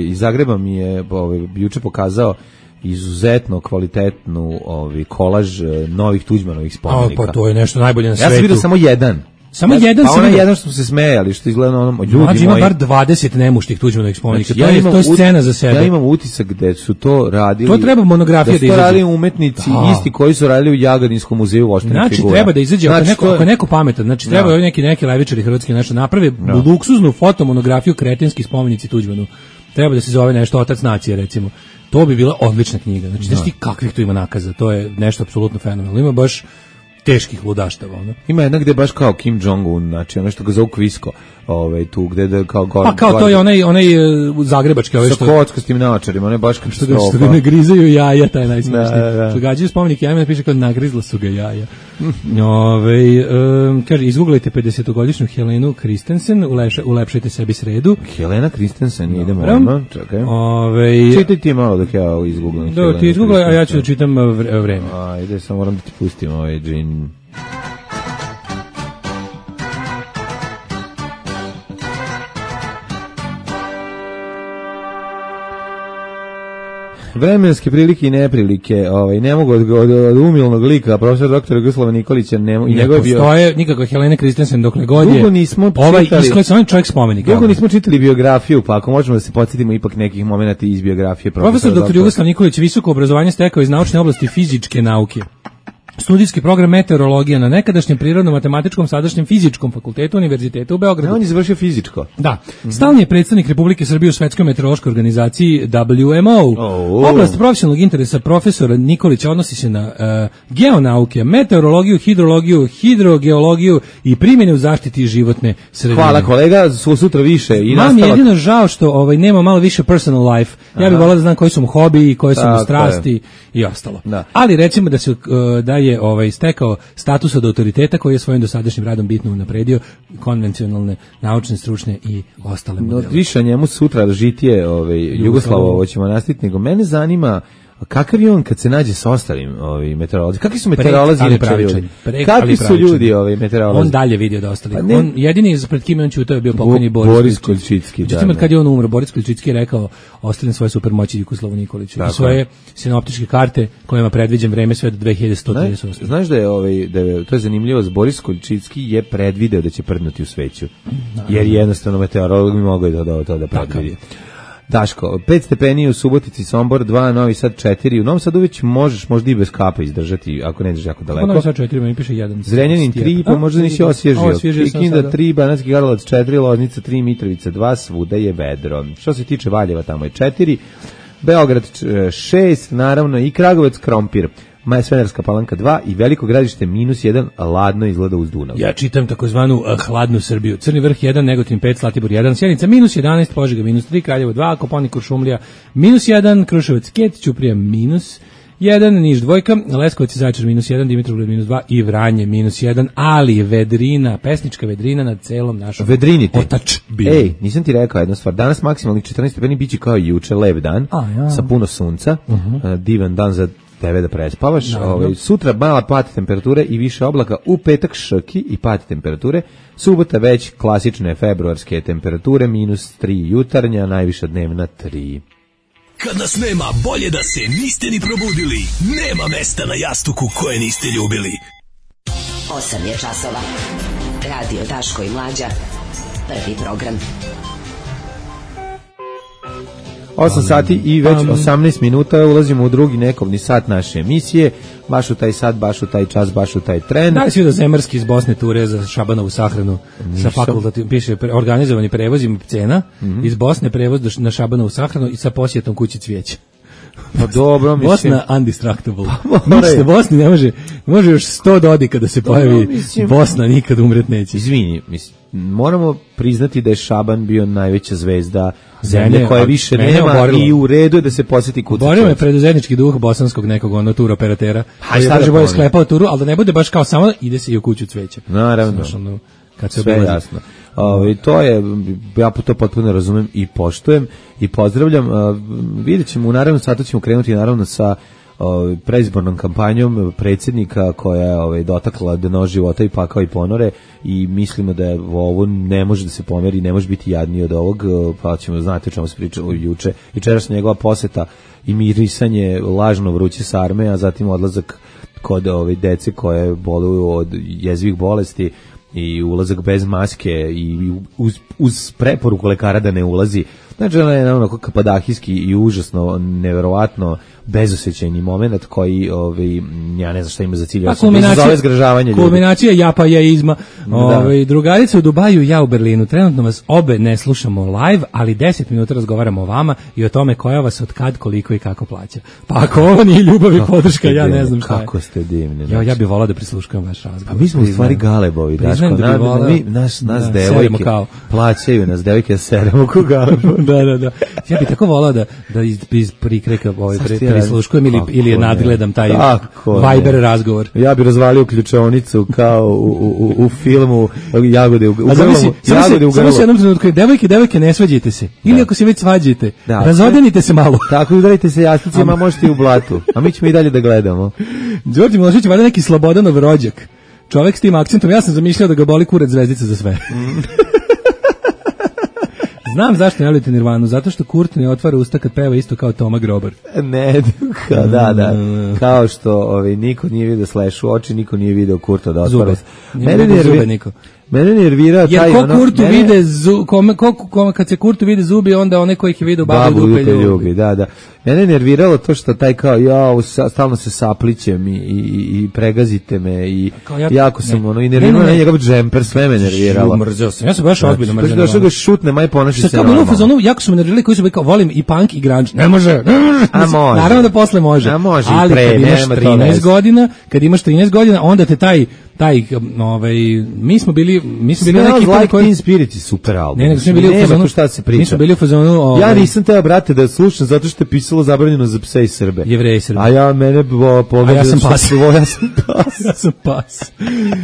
iz Zagreba mi je juče pokazao izuzetno kvalitetnu kolaž novih Tuđmanovih spomenika. Pa to je nešto najbolje na svetu. Ja sam vidio samo jedan. Jedan pa onaj jedan što smo se smejali, što izgleda ono ljudi moji. Ima bar 20 nemuštih Tuđmanovih spomenika. Znači, to je scena za sebe. Ja imam utisak da su to radili. To treba monografija da izađe. Da su to radili umetnici isti koji su radili u Jagodinskom muzeju voštenih figura. Znači treba da izađe ako neko pametan, znači treba neki levičari hrvatski nešto naprave luksuznu fotomonografiju kretenski spomenici Tuđmanu. Treba da se zove nešto Otac nacije, recimo. To bi bila odlična knjiga. Znači, znaš ti kakvih tu ima nakaza, to je nešto apsolutno fenomenalno. Ima baš teških ludaštava, ono. Ima jedna gde baš kao Kim Jong-un, znači ono što ga zovu Kvisko, tu gde da kao gore. Pa kao to je onaj zagrebački, što sa kockastim naočarima, one baš katastrofa. Što ga ne grizaju jaja, taj najsmešniji. Što gađaju spomenik jajima, piše kao nagrizla su ga jaja. Kaže, izguglajte 50-godišnju Helenu Kristensen, ulepšajte sebi sredu. Helena Kristensen, idemo, čekaj. Čitaj ti malo dok ja izguglam. Da, ti izguglaj, a ja ću da čitam vreme. Ajde, samo moram da ti pustim ovaj džin. Vremenske prilike i neprilike, ne mogu od umilnog lika profesora dr. Jugoslava Nikolića, ne postoje nikakva Helena Kristensen dokle god je ovaj čovjek spomenik. Dugo nismo čitali biografiju, pa ako možemo da se podsjetimo ipak nekih momenata iz biografije profesor dr. Jugoslav Nikolić visoko obrazovanje stekao iz naučne oblasti fizičke nauke. studijski program meteorologija na nekadašnjem prirodno-matematičkom, sadašnjem fizičkom fakultetu Univerziteta u Beogradu. On je završio fizičko. Da. Stalni je predstavnik Republike Srbije u Svetskoj meteorološkoj organizaciji WMO. Oblast profesionalnog interesa profesora Nikolića odnosi se na geonauke, meteorologiju, hidrologiju, hidrogeologiju i primjene u zaštiti životne sredine. Hvala kolega, sutra više. I Mam je jedino žao što nema malo više personal life. Ja bih volao da znam koji su mu hobiji, koje su mu strasti i ostalo. Da. Ali recimo da je stekao status od autoriteta koji je svojim dosadašnjim radom bitno unapredio konvencionalne, naučne, stručne i ostale modele. Više njemu sutra žitije Jugoslavo, ovo ćemo nastaviti, nego mene zanima kakav je on kad se nađe sa ostalim meteorolozima? Kakvi su meteorolozi inače ljudi? Kakvi su ljudi meteorolozi? On dalje vidio da ostalih. On jedini pred kime on ćutao je bio pokojni Boris Koljčicki. Međutim, kad je on umro, Boris Koljčicki je rekao ostavim svoje supermoći Jugoslavu Nikoliću. I svoje sinoptičke karte kojima predviđam vreme sve do 2138. Znaš da je to je zanimljivo, Boris Koljčicki je predvideo da će prdnuti u sveću. Jer jednostavno meteorolog mi mogao da predvidi. Daško, 5 stepeni u Subotici, Sombor 2, Novi Sad 4. U Novom Sadu već možeš možda i bez kapa izdržati, ako ne ideš jako daleko. Novi Sad 4, mi piše 1. Zrenjanin 3, pa možda nisi osvježio. Kikinda 3, Banatski Karlovac 4, Loznica 3, Mitrovica 2, svuda je vedro. Što se tiče Valjeva, tamo je 4, Beograd 6, naravno i Kragujevac Krompir. Smederska Palanka 2 i Veliko Gradište -1, ladno izgleda uz Dunav. Ja čitam takozvanu hladnu Srbiju. Crni Vrh 1, Negotin 5, Zlatibor 1, Sjenica -11, Požega -3, Kraljevo 2, Koponik Kuršumlija -1, Kruševac Ket, Ćuprija -1, Niš 2, Leskovac i Zaječar -1, Dimitrovgrad -2 i Vranje -1, ali vedrina, pesnička vedrina nad celom našom otadžbinom. Ej, nisam ti rekao jednu stvar. Danas maksimalnih 14 stepeni biće kao i juče, lep dan, sa puno sunca, divan dan za tebe da prespavaš. Sutra mala pad temperature i više oblaka, u petak šrki i pad temperature, subota već klasične februarske temperature, -3 jutarnja, najviša dnevna 3. Kad nas nema, bolje da se niste ni probudili. Nema mesta na jastuku koje niste ljubili. 8 je časova. Radio Daško i Mlađa. Prvi program. 8 sati i već 18 minuta ulazimo u drugi nekovni sat naše emisije, baš u taj sat, baš u taj čas, baš u taj tren. Da li si vidio Zemarski iz Bosne ture za Šabanovu sahranu? Sa fakultativnim, piše organizovani prevozim cena iz Bosne, prevoz na Šabanovu sahranu i sa posjetom kući cvijeća. Pa dobro, mislim. Bosna undistractable. Mislite, Bosni ne može još 100 dodika da se pojavi, Bosna nikad umret neće. Izvini, mislim, moramo priznati da je Šaban bio najveća zvezda zemlje koje više nema i u redu je da se posjeti kuću. Oborio me preduzetnički duh bosanskog nekog tur operatera. Koji je bolje sklepao turu, ali da ne bude baš kao samo ide se i u kuću cveća. Naravno. Kad se sve jasno. To je, ja to potpuno razumem i poštujem i pozdravljam. Vidjet ćemo, u naravnom satu ćemo krenuti naravno sa predizbornom kampanjom predsjednika koja je dotakla dno života i pakao i ponore i mislimo da je ovo ne može da se pomeri, ne može biti jadniji od ovog, pa ćemo znati o čemu se pričalo juče. Jučerašnja njegova poseta i mirisanje lažno vruće sarme, a zatim odlazak kod dece koje boluju od jezivih bolesti i ulazak bez maske i uz preporuku lekara da ne ulazi. Znači, ona je onako kapadahijski i užasno, neverovatno bezosećajni moment koji, ja ne znam šta ima za cilj, zove zgražavanje ljudi. Kulminacija japa jaizma. Drugarice u Dubaju, ja u Berlinu. Trenutno vas obe ne slušamo live, ali 10 minuta razgovaramo o vama i o tome koja vas od kad, koliko i kako plaća. Pa ako ovo nije ljubav i podrška, ja ne znam šta je. Kako ste divni. Ja bih volao da prisluškujem vaš razgovor. Pa mi smo u stvari galebovi, Daško. Nas devojke plaćaju, nas devojke seremo ko galebovi. Da. Ja bih tako volao da iz prikreka prisluškujem ili nadgledam taj Viber razgovor. Ja bih razvalio ključaonicu kao u filmu Jagode u grlu. Samo se jednom trenutku, devojke, ne svađajte se. Ili ako se već svađajte, razodenite se malo. Tako, udarite se jasnicima, možete i u blatu. A mi ćemo i dalje da gledamo. Đorđe Milošević, valjda neki Slobodanov rođak. Čovek s tim akcentom, ja sam zamišljao da ga boli kurac zvezdica za sve. Znam zašto ne volite Nirvanu, zato što Kurt ne otvara usta kad peva isto kao Toma Grobar. Ne, da. Kao što niko nije vidio Slash u oči, niko nije vidio Kurta da otvara. Zube niko. Mene nervira taj jer Kurtu vide kad se Kurtu vide zubi, onda one koji ih je vidio babu dupe ljubi. Da. Mene nerviralo to što taj kao stalno se saplićem i pregazite me i jako sam i nerviralo njegov džemper, sve me nerviralo. Mrzeo sam. Ja sam baš ozbiljno mrzeo. Došao ga šutne, maj ponaši se normalno. Jako su me nervirali koji su kao volim i punk i grunge. Ne može. A može. Naravno da posle može. A može ali i pre, kad imaš 13 godina, onda te taj mi smo bili neki like Teen Spirit je super album. Ne, smo bili u fazonu šta se priča. Mi smo bili u fazonu. Ja nisam teo, brate, da slušam zato što je pisalo zabranjeno za pse i Srbe. Jevreji i Srbe. A ja ja sam pas. Ja sam pas.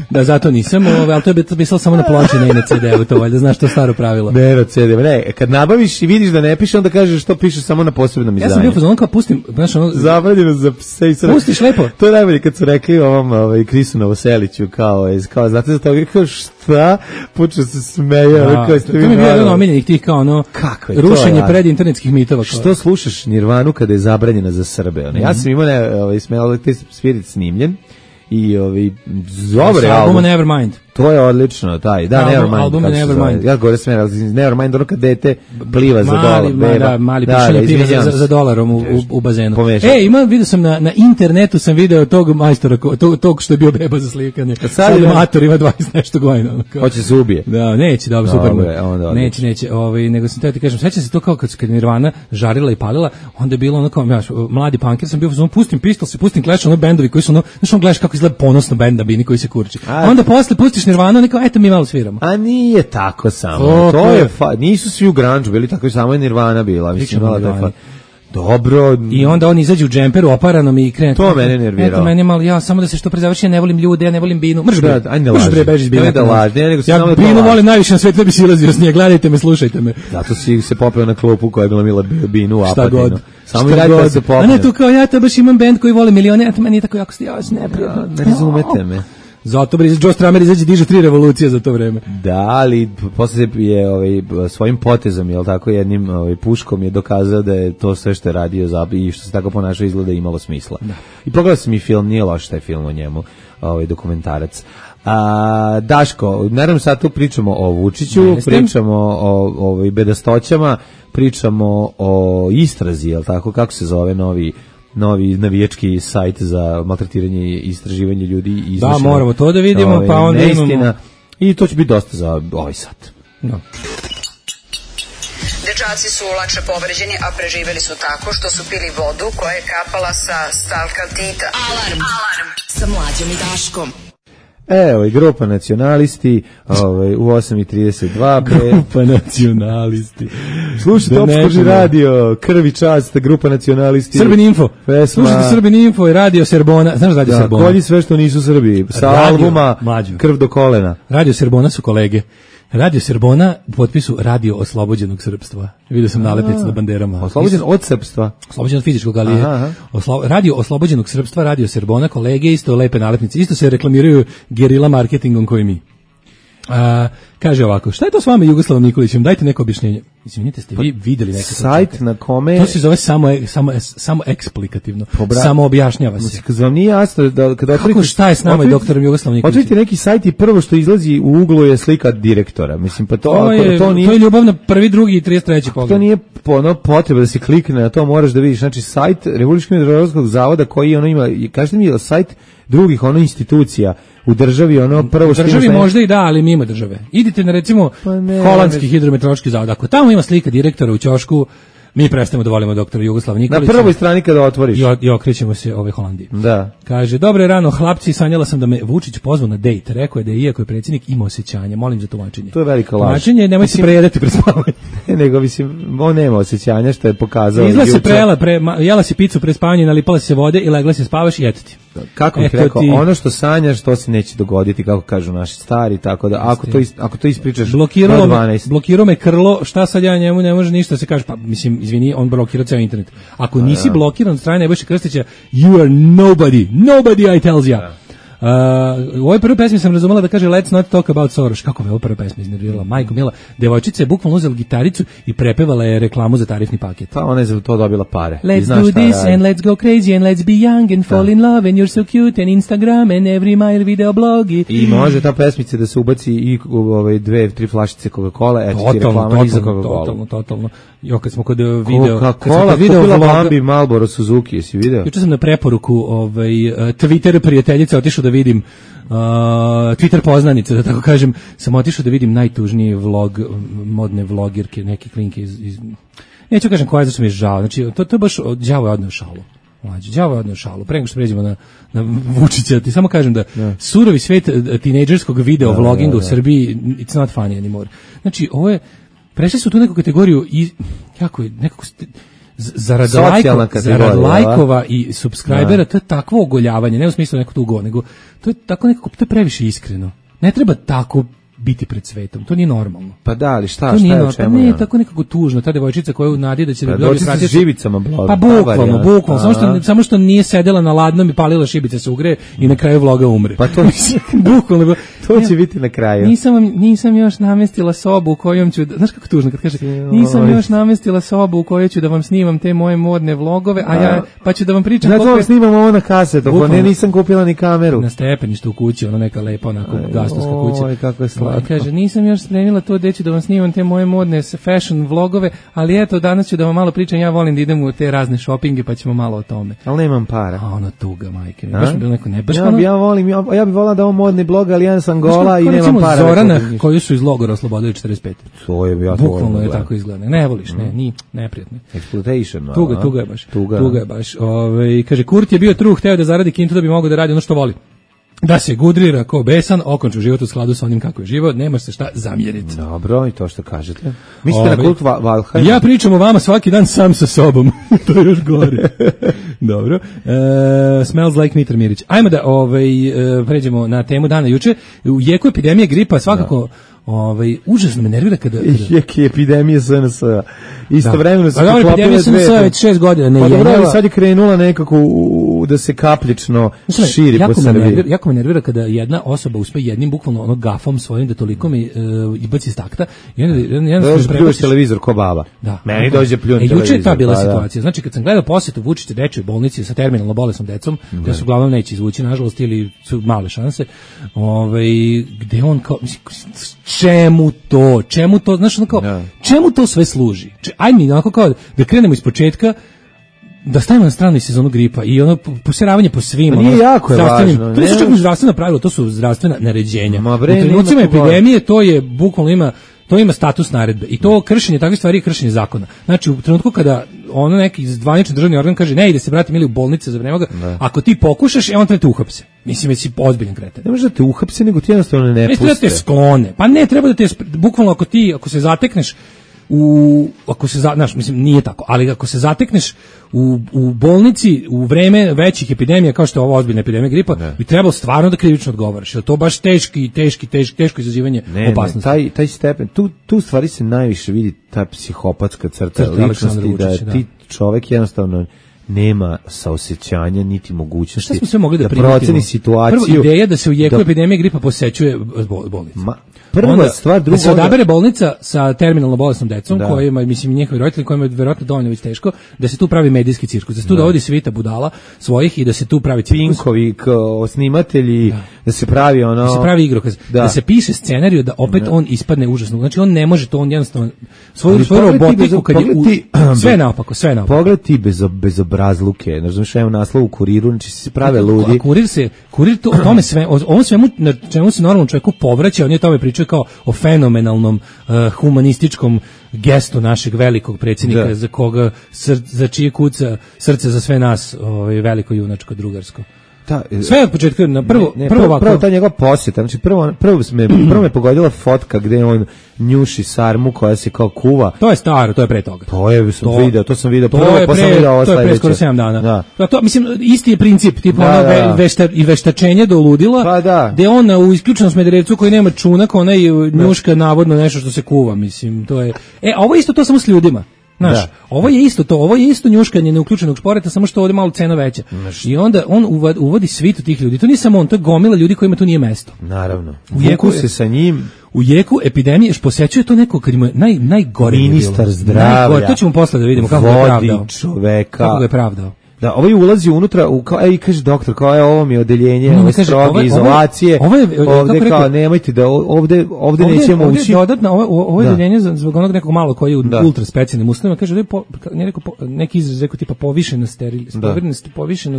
Da, zato nisam, ali to je pisalo samo na ploči, ne na CD-u, to valjda znaš to staro pravilo. Ne na CD-u, ne, kad nabaviš i vidiš da ne piše, onda kažeš što piše samo na posebnom izdanju. Ja sam bio u fazonu kao pustim, znaš ono zabranjeno za pse i Srbe. Pustiš lepo. To je najbolje kad su rekli ovom Krisu Novoseliću kao znate za toga kao šta počeo se smeje kao ste vi. To mi je bio jedan omiljenih tih kao ono rušenje pred internetskih mitova. Što slušaš Nirvanu kada je zabranjena za Srbe? Ja sam imao smelo taj Spirit snimljen i dobre album Nevermind. To je odlično, taj. Da, Nevermind. Album Nevermind. Ja gore smera, Nevermind, ono kad dete pliva za dolar. Mali pišanje pliva za dolarom u bazenu. Vidio sam na internetu sam video tog majstora, tog što je bio beba za slikanje. Sad mator ima 20 nešto godina. Hoće se ubije. Da, neće, dobro, super. Neće. Nego sam teo ti kažem, sećam se to kao kad Nirvana žarila i palila, onda je bilo ono kao, mladi punker sam bio, pustim Pistols, pustim Clash, ono bendovi koji su ono, znaš on gledaš kako izgleda ponosno bend na bini koji se kurči. Onda posle pustiš Nirvana, neko eto mi malo sviramo. A nije tako samo. To je nisu svi u grunge bili tako, samo je Nirvana bila, mislim malo dobro. I onda on izađe u džemperu oparanom i krene. To mene nerviralo. Eto meni malo, ja samo da se što prezavrši, ja ne volim ljude, ja ne volim binu. Mrš bre, beži iz bine. Ja binu volim najviše na svetu, da bi silazio s nje, gledajte me, slušajte me. Zato si se popeo na klopu koja je bila Mila Binu u Apatinu. Samo i dajte da se popeo. A ne tu kao ja to baš imam bend koji voli milione, eto meni je tako jako stijavac, neprijatno. Ne razumete me. Zato Joe Strummer izađe diže 3 revolucije za to vreme. Da, ali posle je svojim potezom, jel tako, jednim puškom je dokazao da je to sve što je radio i što se tako ponašao izgleda imalo smisla. Da. I pogledao sam i film, nije loš taj film o njemu, dokumentarac. Daško, naravno sad tu pričamo o Vučiću, pričamo o bedastoćama, pričamo o istrazi, jel tako, kako se zove novi navijački sajt za maltretiranje i istraživanje ljudi. Da, moramo to da vidimo, pa onda imamo. I to će biti dosta za ovaj sat. No. Dečaci su lakše povređeni, a preživeli su tako što su pili vodu koja je kapala sa stalkaltita. Alarm sa Mlađom i Daškom. Evo i grupa nacionalisti u 8:32. Grupa nacionalisti. Slušajte Opskoži radio, krvi čast, grupa nacionalisti. Srbin Info. Slušajte Srbin Info i radio Serbona. Znaš radio Serbona? Kolji sve što nisu Srbi. Sa albuma Krv do kolena. Radio Serbona su kolege. Radio Serbona u potpisu Radio Oslobođenog srpstva. Vidio sam nalepnice na banderama. Oslobođen od srpstva? Oslobođen od fizičkog, ali je Radio Oslobođenog srpstva, Radio Serbona, kolege, isto lepe nalepnice. Isto se reklamiraju gerila marketingom koji mi. Kaže ovako, šta je to s vama Jugoslavom Nikolićem? Dajte neko objašnjenje. Izvinite, ste vi videli neke sajt na kome... To se zove samo eksplikativno. Samo objašnjava se. Kad vam nije jasno da kada kako šta je s nama i doktorom Jugoslavom Nikolićem? Otvorite neki sajt i prvo što izlazi u uglu je slika direktora. Mislim, pa to nije... To je ljubav na prvi, drugi i 33. pogled. To nije potreba da se klikne na to, moraš da vidiš. Znači, sajt Republičkog meteorološkog zavoda koji ono ima, kažete mi, sajt drugih institucija u državi, prvo što... U državi možda i da, ali mimo države. Idite na, recimo, holandski hidrometeorološki zavod. Ako tamo ima slika direktora u ćošku, mi prestajemo da volimo doktora Jugoslava Nikolića. Na prvoj strani kada otvoriš. I okrećemo se Holandiji. Da. Kaže, dobro je rano, hlapci, sanjala sam da me Vučić pozvao na dejt. Rekao je da je, iako je predsjednik, ima osjećanja. Molim za tumačenje. To je velika laž. Tumačenje, nemoj se prejedati pred spavanje. Nego, on nema osjećanja, što je pokazao. Izla se jela si picu pre spavanja, nalipala se vode i legla se spavaš i eto ti. Kako bih rekao, ono što sanjaš, to se neće dogoditi, kako kažu naši stari, tako da ako to ispričaš do 12. Blokirao me Krlo, šta sad ja njemu ne može ništa se kaže, pa mislim, izvini, on blokirao ceo internet. Ako nisi blokiran od strane Nebojše Krstića, you are nobody I tells ya. U ovoj prvoj pesmi sam razumela da kaže Let's not talk about Soros. Kako me ovo prva pesma iznervirala? Majko mila, devojčica je bukvalno uzela gitaricu i prepevala je reklamu za tarifni paket. Pa ona je za to dobila pare. Let's do this and let's go crazy and let's be young and fall in love and you're so cute and Instagram and every mile video blog. I može ta pesmica da se ubaci i 2-3 flašice Coca-Cola, eto ti reklama i za Coca-Cola. Totalno. Jo, kad smo kod video... Coca-Cola kupila Bambi Marlboro Suzuki, jesi video? Juče sam na preporuku Twitter prijateljica otišao da vidim Twitter poznanice, da tako kažem, sam otišao da vidim najtužniji vlog modne vlogirke, neke klinke iz neću kažem koja, zašto mi je žao. Znači, to je baš, đavo je odneo šalu. Đavo je odneo šalu. Pre nego što pređemo na Vučića, ti samo kažem da surovi svet tinejdžerskog video vloginga u Srbiji, it's not funny anymore. Znači, ovo je, prešli su tu neku kategoriju i, kako je, nekako zarad lajkova i subscribera, to je takvo ogoljavanje, ne u smislu neko tugo, nego to je tako nekako, to je previše iskreno. Ne treba tako biti pred svetom, to nije normalno. Pa da, ali šta je o čemu? Ne, tako nekako tužno, ta devojčica koja u nadi da će da dobije pratiti sa živicama blog. Pa bukvalno, samo što nije sedela na ladnom i palila šibice se ugreje i na kraju vloga umre. Pa to bukvalno to će biti na kraju. Nisam još namestila sobu u kojom ću, znaš kako tužno kad kaže, nisam još namestila sobu u kojoj ću da vam snimam te moje modne vlogove, a ja pa ću da vam pričam koliko vam snimam ovo na kasetu, pa nisam kupila ni kameru. Na stepeništu u kući, ona neka lepa onako gastovska kuća. Oj, kako je slatko. Kaže, nisam još spremila to gde ću da vam snimam te moje modne fashion vlogove, ali eto, danas ću da vam malo pričam, ja volim da idem u te razne šopinge, pa ćemo malo o tome. Ali nemam para. A ono tuga, majke mi. Baš mi bilo neko nebaš. Ja bih volao da ovo modni blog, ali ja sam gola i nemam para. Zorana, koju su iz logora oslobodili 45. To je ja bukvalno je tako izgleda. Ne voliš, neprijatno. Exploitation. Tuga je baš. Kaže, Kurt je bio true, hteo da zaradi kintu da bi mogao da radi ono što voli. Da se gudrira ko besan, okonču život u skladu sa onim kako je život, nema se šta zamjeriti. Dobro, i to što kažete. Mislite na kult Valheim? Ja pričam o vama svaki dan sam sa sobom. To je još gore. Dobro. Smells like Mitar Mirić. Ajmo da pređemo na temu dana juče. U jeku epidemije gripa svakako užasno me nervira kada jeki epidemije SNS. Istovremeno se poklopile epidemija SNS već 6 godina ne je. Sad je krenula nekako da se kapljično širi po Srbiji. Jako me nervira kada jedna osoba uspe jednim bukvalno ono gafom svojim da toliko mi izbaci iz takta i onda pljuješ televizor ko baba. Meni dođe pljun televizor. Juče je ta bila situacija. Znači kad sam gledao posetu Vučića dečjoj bolnici sa terminalno bolesnom decom, koja se uglavnom neće izvući nažalost ili su male šanse, gde on kao čemu to, znaš, ono kao, čemu to sve služi? Ajde mi onako kao da krenemo iz početka, da stavimo na stranu i sezonu gripa i ono posjeravanje po svim. Nije jako je važno. To su čak zdravstvena pravila, to su zdravstvena naređenja. U trenucima epidemije to je bukvalno ima status naredbe i to kršenje takvih stvari je kršenje zakona. Znači u trenutku kada ono neki zvanični državni organ kaže ne ide se brate mili u bolnice za vreme ovoga, ako ti pokušaš on te uhapse. Mislim da si ozbiljan kreten. Ne može da te uhapse nego ti jednostavno ne puste. Ne treba da te sklone. Pa ne treba da te bukvalno ako se zatekneš mislim nije tako, ali ako se zatekneš u bolnici u vreme većih epidemija kao što je ova ozbiljna epidemija gripa, bi trebalo stvarno da krivično odgovaraš. Jer to baš teško izazivanje opasnosti. Taj stepen, tu stvari se najviše vidi ta psihopatska crta ličnosti, da ti čovek jednostavno nema saosećanja niti mogućnosti da proceni situaciju. Prvo ideja da se u jeku epidemije gripa posećuje bolnicu. Prva stvar, drugo, da se odabere bolnica sa terminalno bolesnom decom, kojima, mislim, njihovi roditelji, kojima je verovatno dovoljno već teško, da se tu pravi medijski cirkus, da se tu dovodi svita budala svojih i da se tu pravi cirkus. Pinkovi, snimatelji, da se pravi ono... Da se pravi igrokaz, da se piše scenariju, da opet on ispadne užasno. Znači, on ne može to, on jednostavno svoju robotiku, kad je sve naopako. Pogled ti bezobrazluke, znaš, evo naslov u Kuriru, znači se prave ludi. A Kurir to, o tome sve, on svemu, na čemu se normalnom čovjeku povraća, on je tome pričao kao o fenomenalnom humanističkom gestu našeg velikog predsjednika za čije kuca srce za sve nas, veliko junačko drugarsko. Sve od početka, prvo ta njegova posjeta, znači prvo me pogodila fotka gde on njuši sarmu koja se kao kuva. To je staro, to je pre toga. To sam video prvo, pa sam video ovo sledeće. To je pre skoro 7 dana. To, mislim, isti je princip, tipa i veštačenje do ludila, gde on u isključenom Smederevcu koji nema čunak, onaj njuška navodno nešto što se kuva, mislim, to je... a ovo isto to samo s ljudima. Znaš, ovo je isto to, ovo je isto njuškanje neuključenog šporeta, samo što ovde malo cena veća. I onda on uvodi svitu tih ljudi. To nije samo on, to je gomila ljudi kojima tu nije mesto. Naravno. Vuku se sa njim. U jeku epidemije posećuje to neko kad ima najgore ministar zdravlja. To ćemo posle da vidimo kako je pravdao. Vodi čoveka. Kako ga je pravdao. Da, ovaj ulazi unutra, i kaže doktor, kao je ovo mi odeljenje, ove stroge izolacije, ovde kao nemojte da, ovde nećemo ući. Ovo odeljenje zbog onog nekog malo koji je u ultra specijalnim uslovima, kaže, neki izraz rekao tipa povišeno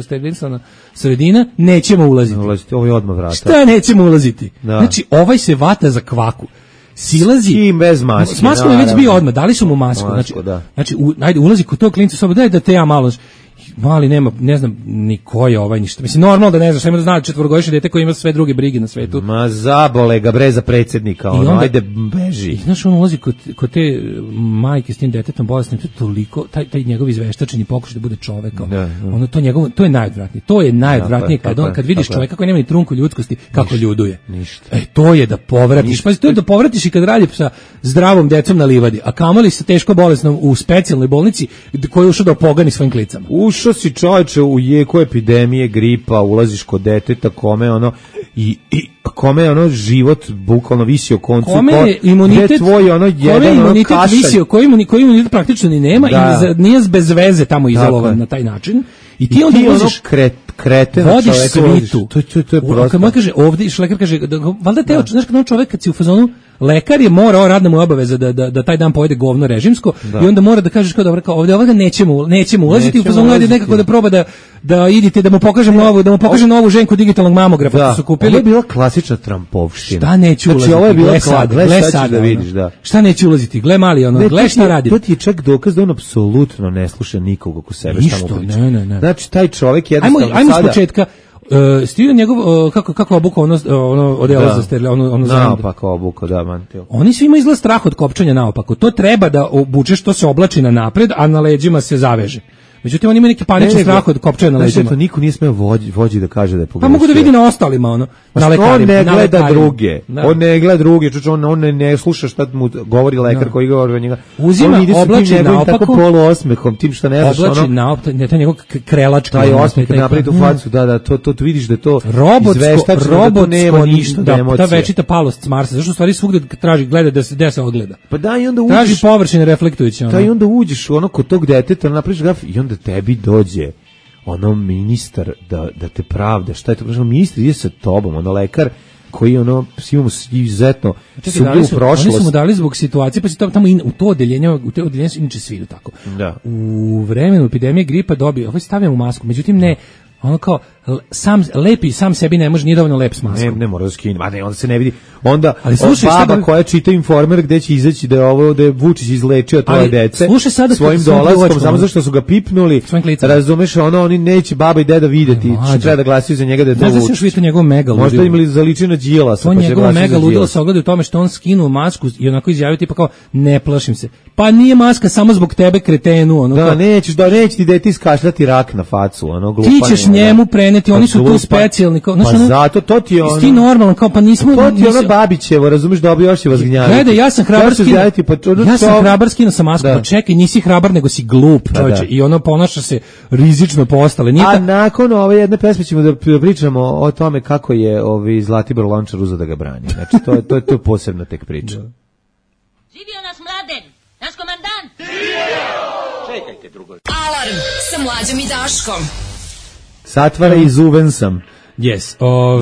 sterilisana sredina, nećemo ulaziti. Ovo je odmah vrata. Šta nećemo ulaziti? Znači, ovaj se vata za kvaku. Silazi bez maske. S maskom je već bio odmah, dali su mu masku. Znači, ajde, ulazi kod tog klinca soba, daj da te ja malo... Mali nema, ne znam ni ko je ovaj ništa. Mislim, normalno da ne znaš, ima da zna četvorogodišnje dete koji ima sve druge brige na svetu. Ma zabole ga bre za predsjednika, ajde beži. I znaš, on ulazi kod te majke s tim detetom bolesnim, to je toliko, taj njegov izveštačeni pokušaj da bude čovek. Ono, to je najodvratnije. To je najodvratnije kad vidiš čoveka koji nema ni trunku ljudskosti, kako ljuduje. Ništa. To je da povratiš. Pa to je da povratiš i kad radi sa zdravom decom na livadi, a kamoli sa teško bolesnom u specijalnoj bolnici koji je ušao da pogani svojim klicama. Ušao si čovječe u jeku epidemije, gripa, ulaziš kod deteta kome ono i kome ono život bukvalno visi o koncu, kome je imunitet tvoj ono jedan imunitet visio, koji imunitet praktično ni nema i nije bez veze tamo izolovan na taj način i ti onda voziš kreten vodiš svitu. To je prosto. Kad mu kaže ovdje, lekar kaže, valjda te, znaš kad on čovjek kad si u fazonu, lekar je morao, radna mu je obaveza da taj dan pojede govno režimsko i onda mora da kažeš kao dobro, kao ovdje ovoga nećemo ulaziti, u fazonu ajde nekako da proba da idite, da mu pokažem novu ženku digitalnog mamografa što su kupili. Ovo je bila klasična Trumpovština. Šta neću ulaziti? Znači ovo je bila gle sad da vidiš, Šta neću ulaziti? Gle mali ono, gle šta radi. To ti je čak dokaz da on apsolutno ne sluša nikog oko sebe šta mu priča. Ne. Znači taj čovjek jednostavno sada... Ajmo s početka. Stil njegov kako obuka ono odela za steril, ono naopako obuka, da, mantil. Oni svi imaju izgled strah od kopčanja naopako. To treba da obučeš, to se oblači na napred, a na leđima se zaveže. Međutim, on ima neki panični strah od kopčanja na leđima. Znači, niko nije smeo vođi da kaže da je pogrešio. Pa mogu da vidi na ostalima, na lekarima. On ne gleda druge. On ne gleda druge, on ne sluša šta mu govori lekar koji govori o njega. Uzima, oblači naopako. Tako poluosmehom, tim što ne znaš. Oblači naopako, taj njegov krelački. Taj osmeh napravi tu facu, da, to vidiš da to izveštač, da nema ništa, da emocija. Ta večita palost s Marsa, zašto u stvari svugde traži, gleda da se ogleda. Pa da, i onda uđeš. Traži površine reflektujuće. Da, i onda uđeš kod tog deteta, napraviš graf i onda tebi dođe ministar da te pravda, šta je to, ministar ide sa tobom, lekar koji imamo izuzetno sumnju u prošlost. Oni su mu dali zbog situacije, pa si tamo u to odeljenje su inače svi idu tako. Da. U vremenu epidemije gripa dobio, ovo stavljamo masku, međutim ne, ono kao lepi sam sebi ne može, nije dovoljno lep s maskom. Ne mora da skine, onda se ne vidi. Onda baba koja čita Informer gde će izaći da je Vučić izlečio troje dece svojim dolaskom, samo zašto su ga pipnuli, razumeš, oni neće baba i deda videti, što treba da glasaju za njega da je to Vučić. Znaš da se još njegov mega ludilo. Možda imali zaliči na Đilasa, pa će glasiti za mega ludilo se ogleda u tome što on skinuo masku i onako izjavio tipa kao, ne plašim se. Pa nije maska samo zbog tebe, kretenu. Neće ti dete iskašljati rak na facu, ti ćeš njemu preneti, oni su tu specijalni. Pa zato, to ti je ti normalno, kao pa nismo... To ti je Babićevo, razumeš, dobro, još će vas gnjaviti. Gledaj, ja sam hrabar skino sa masku, pa čekaj, nisi hrabar, nego si glup, čovječe, i ponaša se rizično po ostale. A nakon ove jedne pesme ćemo da pričamo o tome kako je Zlatibor Lončar uzeo da ga brani. Znači, to je posebna tek priča. Živio nas Mladen, naš komandant! Čekajte, drugo. Alarm sa Mlađom i Daškom. Satvara i zuven sam. Yes.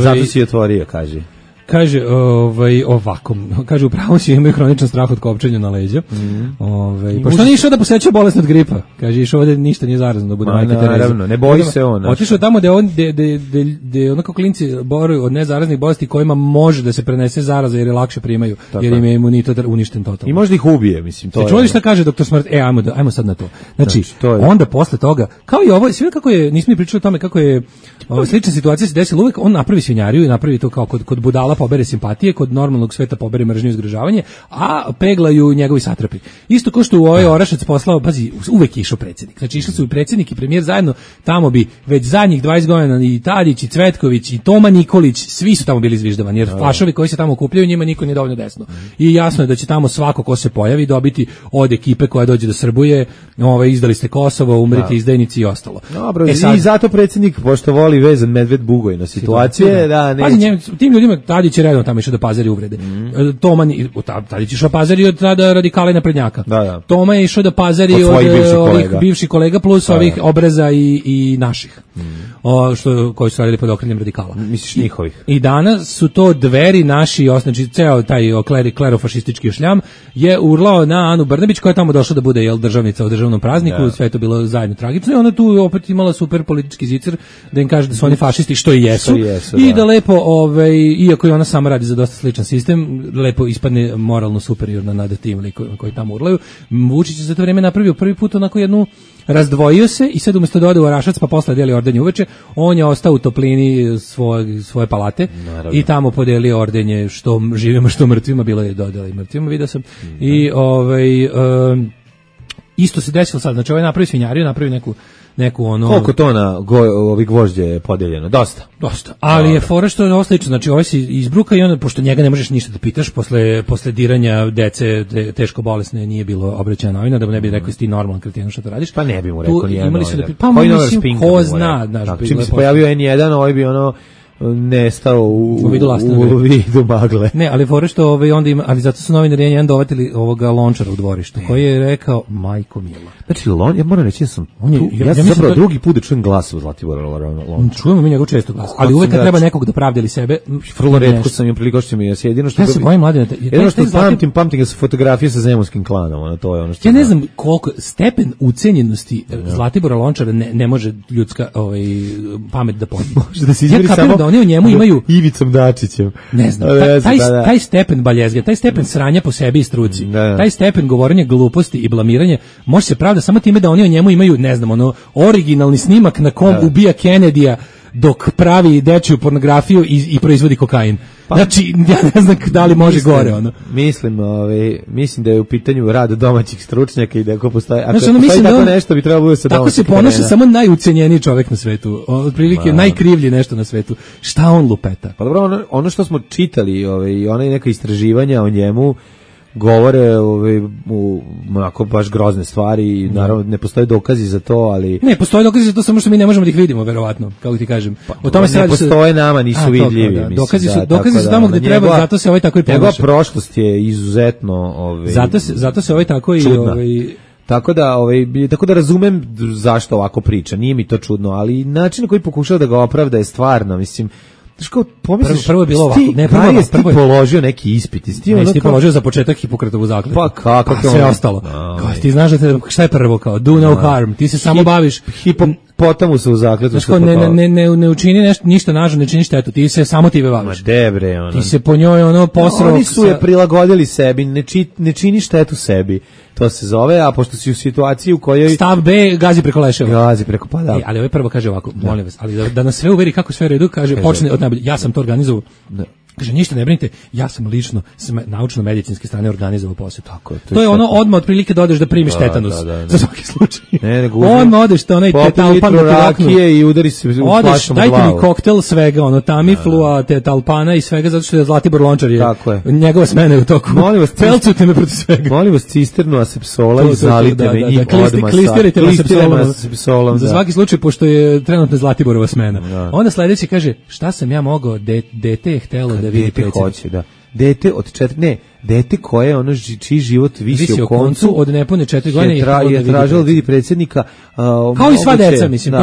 Zato si otvorio, kaže. Kaže, ovako, kaže, upravo si imaju hroničan strah od kopčenja na leđa. Pošto nije išao da poseća bolest od gripa. Kaže, išao ovdje ništa nije zarazno da bude majke Tereza. Naravno, ne boji se on. Otišao tamo gde onako klinci boruju od nezaraznih bolesti kojima može da se prenese zaraza jer je lakše primaju, jer im je imunitet uništen totalno. I možda ih ubije, mislim. Čuli šta kaže doktor Smrt? Ajmo sad na to. Znači, onda posle toga, kao i ovo, sve kako je, nismo ni pričali o tome kako je slična situacija se desila uvek, on napravi svinjariju i napravi to kao kod budala pobere simpatije, kod normalnog sveta pobere mržnju i zgražavanje, a peglaju njegovi satrapi. Isto kao što u ovaj Orašac poslao, pazi, uvek je išao predsjednik. Znači išli su i predsjednik i premijer zajedno, tamo bi već zadnjih 20 godina i Tadić i Cvetković i Toma Nikolić, svi su tamo bili izviždavani, jer flašovi koji se tamo okupljaju, njima niko nije dovoljno desno. I jasno je da će tamo svako ko se pojavi dobiti od ekipe koja dođe da srbuje, izdali ste Kosovo, umrite izdajnici i ostalo. Dobro, i zato predsjednik, pošto voli vezan medved bugoj na situacije, tim ljudima Tadić je redom tamo išao da pazari uvrede. Tadić je išao pazari od tada radikala i naprednjaka. Toma je išao da pazari od ovih bivših kolega plus ovih obraza i naših. Koji su radili pod okriljem radikala. Misliš njihovih? I danas su to Dveri naši, znači ceo taj klerofašistički šljam je urlao na Anu Brnabić koja je tamo došla da bude državnica u državnom prazniku, sve je to bilo zajedno tragično i ona tu opet imala super politički zicer da im kaže da su oni fašisti, što i jesu. I da lepo, iako i ona sama radi za dosta sličan sistem, lepo ispadne moralno superiorna nad tim koji tamo urlaju. Vučić je za to vreme napravio prvi put onako jednu, razdvojio se i sad umjesto da ode u Orašac pa posle deli ordenje uveče, on je ostao u toplini svoje palate. Naravno. I tamo podelio ordenje što živima što mrtvima, bilo je dodali mrtvima, vidio sam. I isto se desilo sad, znači napravi svinjariju, napravi neku ono... Koliko tona ovih gvožđe je podeljeno? Dosta. Ali je fora što je ovo slično, znači ovaj si izbruka i onda, pošto njega ne možeš ništa da pitaš, posle diranja dece teško bolesne nije bilo obraćanja novina, da mu ne bi rekao ti normalan kretenu što to radiš. Pa ne bi mu rekao nijedan novinar. Pa mislim, ko zna. Čim se pojavio N1, ovaj bi nestao u vidu magle. Ne, ali fore što onda ima, ali zato su novinari N1 dovatili ovoga Lončara u dvorištu, koji je rekao majko mila. Znači ja moram reći sam ja sam zapravo drugi put da čujem glas u Zlatibora Lončara. Čujemo mi njegov često glas, ali uvek kad treba nekog da pravdali sebe, vrlo retko sam im priligošćio mi jedino što ja se bojim Mladena. Jedino što pamtim da su fotografije sa zemunskim klanom, to je ono što ja ne znam koliko stepen ucenjenosti Zlatibora Lončara ne može ljudska pamet da podigne. Može da se izmeri samo oni u njemu imaju Ivicom Dačićem. Ne znam, taj stepen baljezge, taj stepen sranja po sebi i struci, taj stepen govorenja gluposti i blamiranja, može se pravda samo time da oni u njemu imaju, ne znam, originalni snimak na kom ubija Kennedyja dok pravi dečiju pornografiju i proizvodi kokain. Znači, ja ne znam da li može gore ono. Mislim da je u pitanju rad domaćih stručnjaka i da ako postoji, ako postoji tako nešto bi trebalo bude sa domaćih. Tako se ponaša samo najucenjeniji čovjek na svetu, otprilike najkrivlji nešto na svetu. Šta on lupeta? Pa dobro, ono što smo čitali, one neka istraživanja o njemu govore onako baš grozne stvari i naravno ne postoje dokazi za to, ali... Ne, postoje dokazi za to, samo što mi ne možemo da ih vidimo, verovatno, kako ti kažem. O tome ne postoje nama, nisu vidljivi. Dokazi su tamo gde treba, zato se ovaj tako i ponaša. Njegova prošlost je izuzetno... Zato se ovaj tako i... Tako da razumem zašto ovako priča, nije mi to čudno, ali način na koji pokušao da ga opravda je stvarno, mislim... Prvo je bilo ovako. Prvo je položio neki ispit. Ti položio za početak Hipokratovu zakletvu. Pa kako? Sve ostalo. Ti znaš da šta je prvo kao? Do no harm. Ti se samo baviš... Hipopotamusa u zakletvu. Znaš ne učini ništa nažno, ne čini štetu. Ti se samo time baviš. Ma debre. Ti se po njoj posrao... Oni su je prilagodili sebi. Ne čini štetu sebi. To se zove, a pošto si u situaciji u kojoj... Stav B, gazi preko leševa. Gazi preko, pa da. Ali ovaj prvo kaže ovako, molim vas, ali da nas sve uveri kako sve u redu, počne od najbolje, ja sam to organizovao. Kaže, ništa ne brinite, ja sam lično s naučno-medicinske strane organizovao posjetu. To je ono odmah otprilike da odeš da primiš tetanus. Za svaki slučaj. Odmah odeš da onaj tetalpan da ti rakije i udari se u flašom u glavu. Dajte mi koktel svega, Tamiflua, tetalpana i svega, zato što je Zlatibor Lončar je njegova smena je u toku. Pelcujte me protiv svega. Molim vas cisternu asepsola i zalite me njim odmah. Klistirajte me asepsolom. Za svaki slučaj, pošto je trenutno Zlatiborova smena. Onda sledeći kaže, šta sam ja mogao, dete je htelo da vidi predsjednika. Dete od 4, dete koje čiji život visi u koncu od nepune 4 godine je tražilo da vidi predsjednika, kao i sva deca, mislim,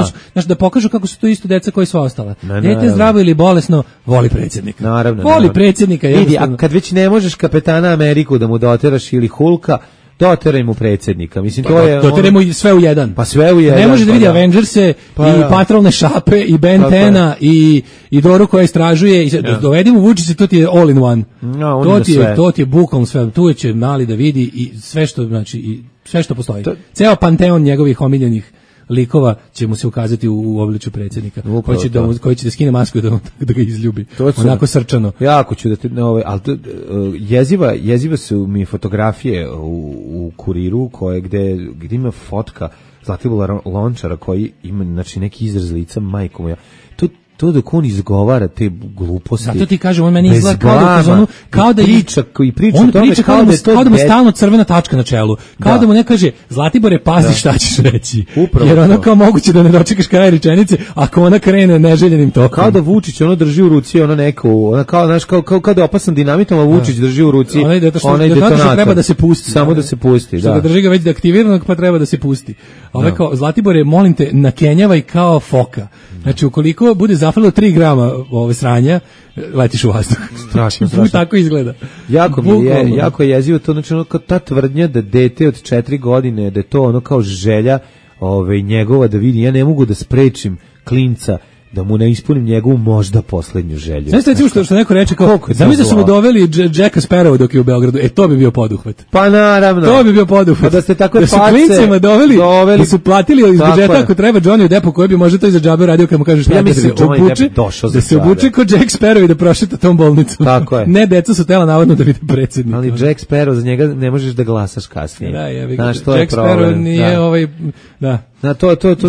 da pokažu kako su to isto deca koji sva ostala. Dete zdravo ili bolesno voli predsjednika. Naravno. Voli predsjednika. Vidi, a kad već ne možeš kapetana Ameriku da mu doteraš ili Hulka, doteraj mu predsjednika. Mislim, to je... Doteraj mu sve u jedan. Pa sve u jedan. Ne može da vidi Avengerse i patrolne šape i Ben 10 i Doru koja istražuje. Dovedi mu Vučića, to ti je all in one. To ti je bukvalno sve. Tu će mali da vidi i sve što, znači, i sve što postoji. Ceo panteon njegovih omiljenih likova će mu se ukazati u obličju predsjednika, koji će da skine masku da ga izljubi. Onako srčano. Jako ću da ti, ali jeziva su mi fotografije u Kuriru gde ima fotka Zlatibora Lončara koji ima znači neki izraz lica, majko moja. To dok on izgovara te gluposti. Zato ti kažem, on meni izgleda kao da priča on o tome priča kao da mu stalno crvena tačka na čelu. Kao da mu ne kaže, Zlatibore, pazi šta ćeš reći. Upravo jer ono kao moguće da ne dočekaš kraj rečenice ako ona krene neželjenim tokom. Kao da Vučić drži u ruci kao da opasan dinamitom, a Vučić drži u ruci onaj detonator. Treba da se pusti. Samo da se pusti, da. Drži ga već da aktiviranog, pa treba da se pusti. Ovo kao, Zlatibore, molim te, nakenjavaj kao foka. Znači, ukoliko bude zafalilo 3 grama sranja, letiš u vazduh. Strašno. Tako izgleda. Jako je jezivo to, znači kao ta tvrdnja da dete od 4 godine, da je to kao želja njegova da vidi, ja ne mogu da sprečim klinca da mu ne ispunim njegovu možda poslednju želju. Znaš recimo što neko reče kao, zamisli da su mu doveli Jacka Sparrowa dok je u Beogradu, to bi bio poduhvat. Pa naravno. To bi bio poduhvat. Da ste tako da su klincima doveli, da su platili iz budžeta ako treba Johnny Deppu koji bi možda to iza džabe radio kad mu kažeš ja mislim da se obuče kao Jack Sparrow i da prošeta tom bolnicom. Tako je. Ne, deca su tela navodno da vide predsjednik. Ali Jack Sparrow, za njega ne možeš da glasaš kasnije. Da, Jack Sparrow nije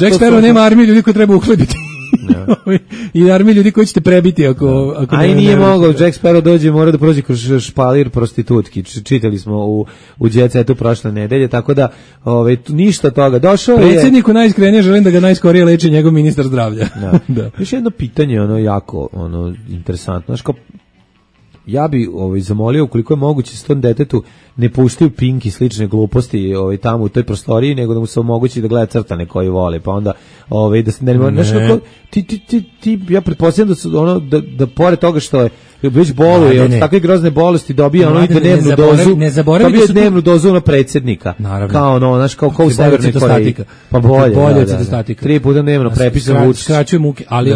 Jack Sparrow nema armiju ljudi koji treba uhlebiti. I armiju ljudi koji ćete prebiti ako i nije mogao, Jack Sparrow dođe, mora da prođe kroz špalir prostitutki. Čitali smo u Djecetu prošle nedelje, tako da ništa toga. Došao je predsjedniku najiskrenije, želim da ga najskorije leči njegov ministar zdravlja. Da. Još jedno pitanje, jako interesantno. Znaš, kao ja bi zamolio ukoliko je moguće s tom detetu ne puštaju Pink i slične gluposti tamo u toj prostoriji, nego da mu se omogući da gleda crtane koji vole, pa onda da se ja pretpostavljam da su da pored toga što je već boluje od takve grozne bolesti dobija i dnevnu dozu. Dobija dnevnu dozu predsjednika. Kao znaš, kao u Severnoj Koreji. Pa bolje od citostatika. 3 puta dnevno prepisan Vučić. Skraćuje muke, ali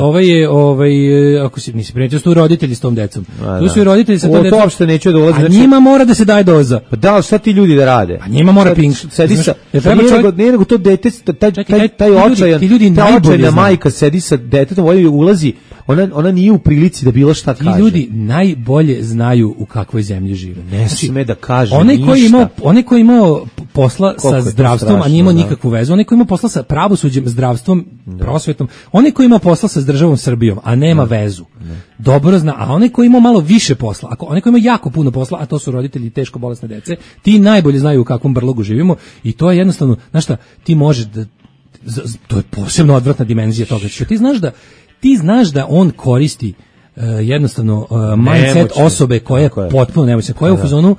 ako si nisi primetio, su roditelji s tom decom. Tu su i roditelji sa tom decom. To uopšte neću da ulazi. A njima mora da se daje doza. Pa da, šta ti ljudi da rade? A njima mora Pink. Sedi sa, nije nego to dete, taj očajna majka sedi sa detetom, ulazi, ona nije u prilici da bilo šta kaže. Ti ljudi najbolje znaju u kakvoj zemlji žive. Ne sme da kaže ništa. Onaj koji imao posla sa zdravstvom, a nije imao nikakvu vezu, onaj koji imao posla sa pravosuđem, zdravstvom, prosvetom, onaj koji imao posla sa državom Srbijom, a nema vezu. Dobro zna, a onaj koji imao malo više posla, onaj koji ima jako puno posla, a to su roditelji teško bolesne dece, ti najbolje znaju u kakvom brlogu živimo i to je jednostavno, znaš šta, ti možeš da, to je posebno odvratna dimenzija toga, što ti znaš da on koristi jednostavno mindset osobe koja je potpuno nemoćna, koja je u fazonu,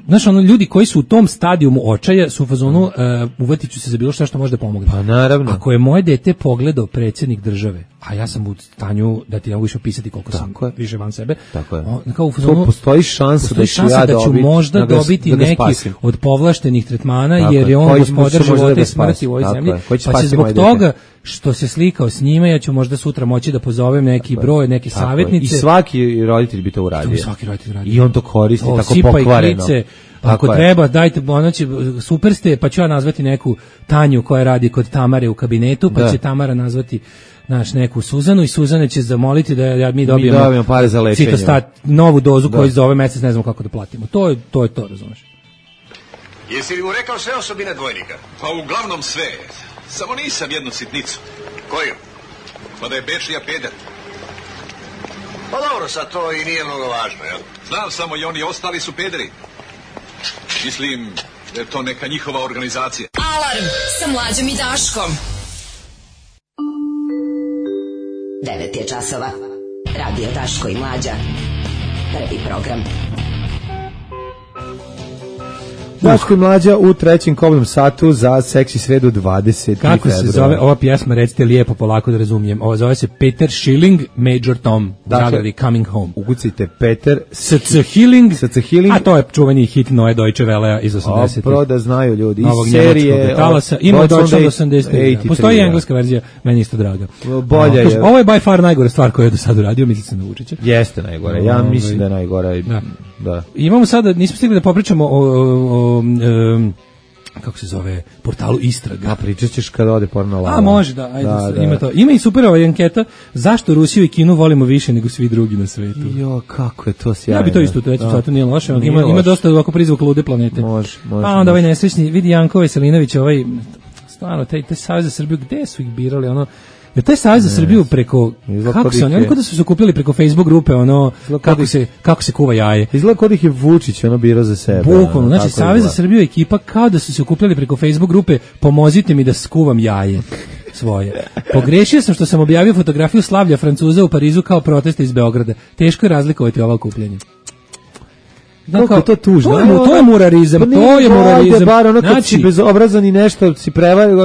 znaš, ljudi koji su u tom stadijumu očaja su u fazonu uvatit ću se za bilo što može da pomogne. Pa naravno. Ako je moje dete pogledao predsjednik države, a ja sam u stanju da ti ne mogu više opisati koliko sam više van sebe. Tako je. Kao u fazonu, postoji šansa da ću možda dobiti neki od povlaštenih tretmana, jer je on gospodar života i smrti u ovoj zemlji, pa će zbog toga što se slikao s njime, ja ću možda sutra moći da pozovem neki broj, neke savjetnice. I svaki roditelj bi to uradio. I on to koristi tako pokvareno. Ako treba, dajte, super ste, pa ću ja nazvati neku Tanju koja radi kod Tamare u kabinetu, pa će Tamara nazvati neku Suzanu i Suzana će zamoliti da mi dobijemo pare za lečenje. Novu dozu koju za ovaj mjesec ne znamo kako da platimo. To je to, razumeš. Jesi li mu rekao sve osobine dvojnika? Pa uglavnom sve. Samo nisam jednu sitnicu. Koju? Pa da je Bečija peder. Pa dobro, sad to i nije mnogo važno, jel? Znam samo i oni ostali su pederi. Mislim da je to neka njihova organizacija. Alarm sa Mlađom i Daškom. 9 je časova. Radio Daško i Mlađa. Prvi program. Daško i Mlađa u trećem kobnom satu za seksi sredu 20. Kako se zove ova pjesma, recite lijepo, polako da razumijem. Ova zove se Peter Schilling, Major Tom, Zagradi, Coming Home. Ukucite Peter S.C. Hilling, a to je čuveni hit Noe Deutsche Welle iz 80. Opro da znaju ljudi. Novog njemačkog talasa. Ima Deutsche 80. Postoji i engleska verzija, meni isto draga. Bolja je. Ovo je by far najgore stvar koju je do sada uradio, mislim se na Vučića. Jeste najgore, ja mislim da je najgore. Da. Imamo sada, nismo stigli da popričamo o kako se zove, portalu Istraga. A pričat ćeš kada ode porno lava. A može, da, ajde, ima to. Ima i super anketa, zašto Rusiju i Kinu volimo više nego svi drugi na svetu. Jo, kako je to sjajno. Ja bi to isto, to nije loše, ima dosta ovako prizvuk lude planete. Može. A onda ovaj nesrećni, vidi Janko Veselinović, ovaj, stvarno, taj Savez za Srbiju, gde su ih birali, ono, jer taj Savez za Srbiju preko, kako se oni kod su se okupili preko Facebook grupe, ono, kako se kuva jaje. Izgleda kod ih je Vučić, ono bira za sebe. Bukvalno, znači Savez za Srbiju ekipa kao da su se okupili preko Facebook grupe, pomozite mi da skuvam jaje svoje. Pogrešio sam što sam objavio fotografiju slavlja Francuza u Parizu kao protesta iz Beograda. Teško je razlikovati ova okupljanja. Kako je to tužno? To je murarizam, to je murarizam. Bar ono kad si bezobrazan i nešto si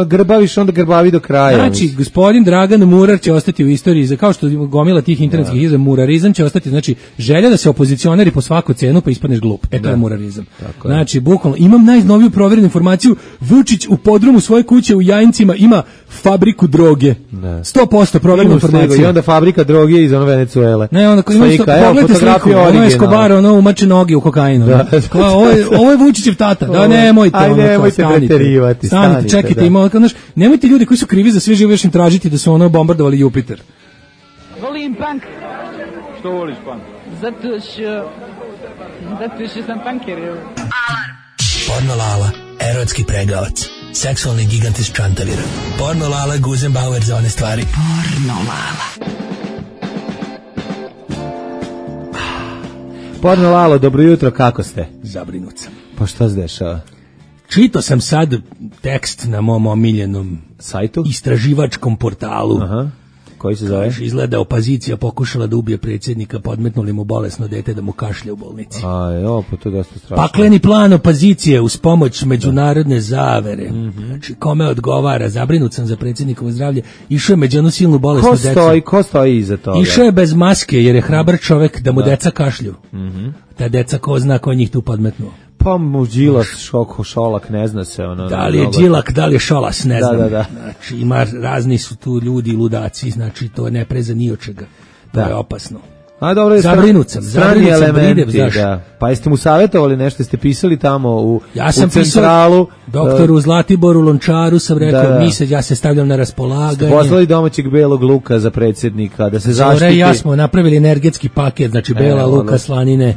grbaviš, onda grbavi do kraja. Znači, gospodin Dragan Murar će ostati u istoriji, kao što gomila tih internetskih izraz, murarizam će ostati, znači, želja da se opozicioneri po svaku cenu pa ispadneš glup. To je murarizam. Znači, bukvalno, imam najnoviju proverenu informaciju, Vučić u podrumu svoje kuće u Jajincima ima fabriku droge. 100% proverena informacija. I onda fabrika droge iz ono Venecuele. Ne, onda ima pogledajte sliku, ono je Escobar, ono umače noge u kokainu. Ovo je Vučićev tata. Da, nemojte. Aj, nemojte preterivati. Stanite, čekajte, nemojte ljudi koji su krivi za sve živo još im tražiti da su ono bombardovali Jupiter. Volim punk. Što voliš punk? Zato što sam punker. Alarm. Porno Lala, erotski pregavac. Seksualni gigant iz Čantavira. Porno Lala, Guzenbauer za one stvari. Porno Lala. Porno Lalo, dobro jutro, kako ste? Zabrinut sam. Pa šta se dešava? Čitao sam sad tekst na mom omiljenom sajtu, istraživačkom portalu. Aha. Koji se zove? Izgleda opozicija pokušala da ubije predsjednika, podmetnuli mu bolesno dete da mu kašlje u bolnici. Pa to je dosta strašno. Pakleni plan opozicije uz pomoć međunarodne zavere. Znači, kome odgovara? Zabrinut sam za predsjednikovo zdravlje. Išao je među onu silnu bolesnu decu. Ko stoji iza toga? Išao je bez maske jer je hrabar čovek da mu deca kašlju. Ta deca ko zna ko njih tu podmetnuo. Pa mu Đilas, Šolak, ne zna se. Da li je Đilak, da li je Šolas, ne znam. Da. Znači, ima razni su tu ljudi, ludaci, znači to ne preza ni od čega. To je opasno. Dobro, zabrinut sam, elementi, Pa jeste mu savjetovali nešto, jeste pisali tamo u centralu? Doktoru Zlatiboru Lončaru sam rekao, ja se stavljam na raspolaganje. Poslali domaćeg belog luka za predsjednika, da se zaštiti. Zore i ja smo napravili energetski paket, znači bela luka, slanine,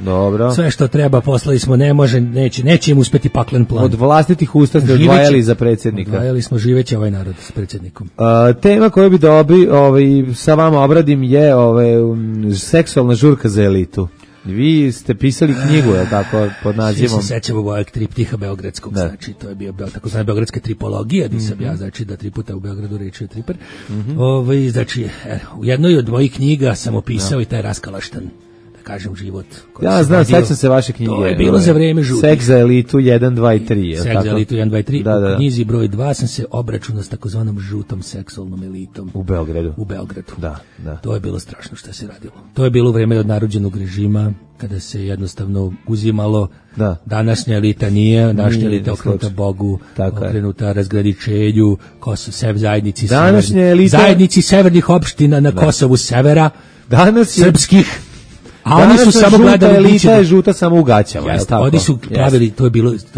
sve što treba poslali smo, neće im uspeti paklen plan. Od vlastitih usta ste odvajali za predsjednika. Odvajali smo živeći ovaj narod s predsjednikom. Tema koju bi sa vama obradim je seksualna žurka za elitu. Vi ste pisali knjigu, je tako, pod nazivom? Svi se sećamo ovog triptiha beogradskog, znači to je bio tako zvana beogradska tripologija, gdje sam ja, znači da 3 puta u Beogradu rečio triper. Znači, u jednoj od mojih knjiga sam opisao i taj raskalaštan, da kažem, život. Ja znam, sećam se vaše knjige. To je bilo za vreme žutih. Seks za elitu 1, 2 i 3. Seks za elitu 1, 2 i 3. U knjizi broj 2 sam se obračunao s takozvanom žutom seksualnom elitom. U Beogradu. Da. To je bilo strašno što se radilo. To je bilo vreme od narođenog režima, kada se jednostavno uzimalo. Današnja elita nije, današnja elita okrenuta Bogu, okrenuta razgraničenju, zajednici severnih opština na Kosovu severa, srpskih. A oni su samo gledali elita je žuta samo u gaćama. Oni su pravili, to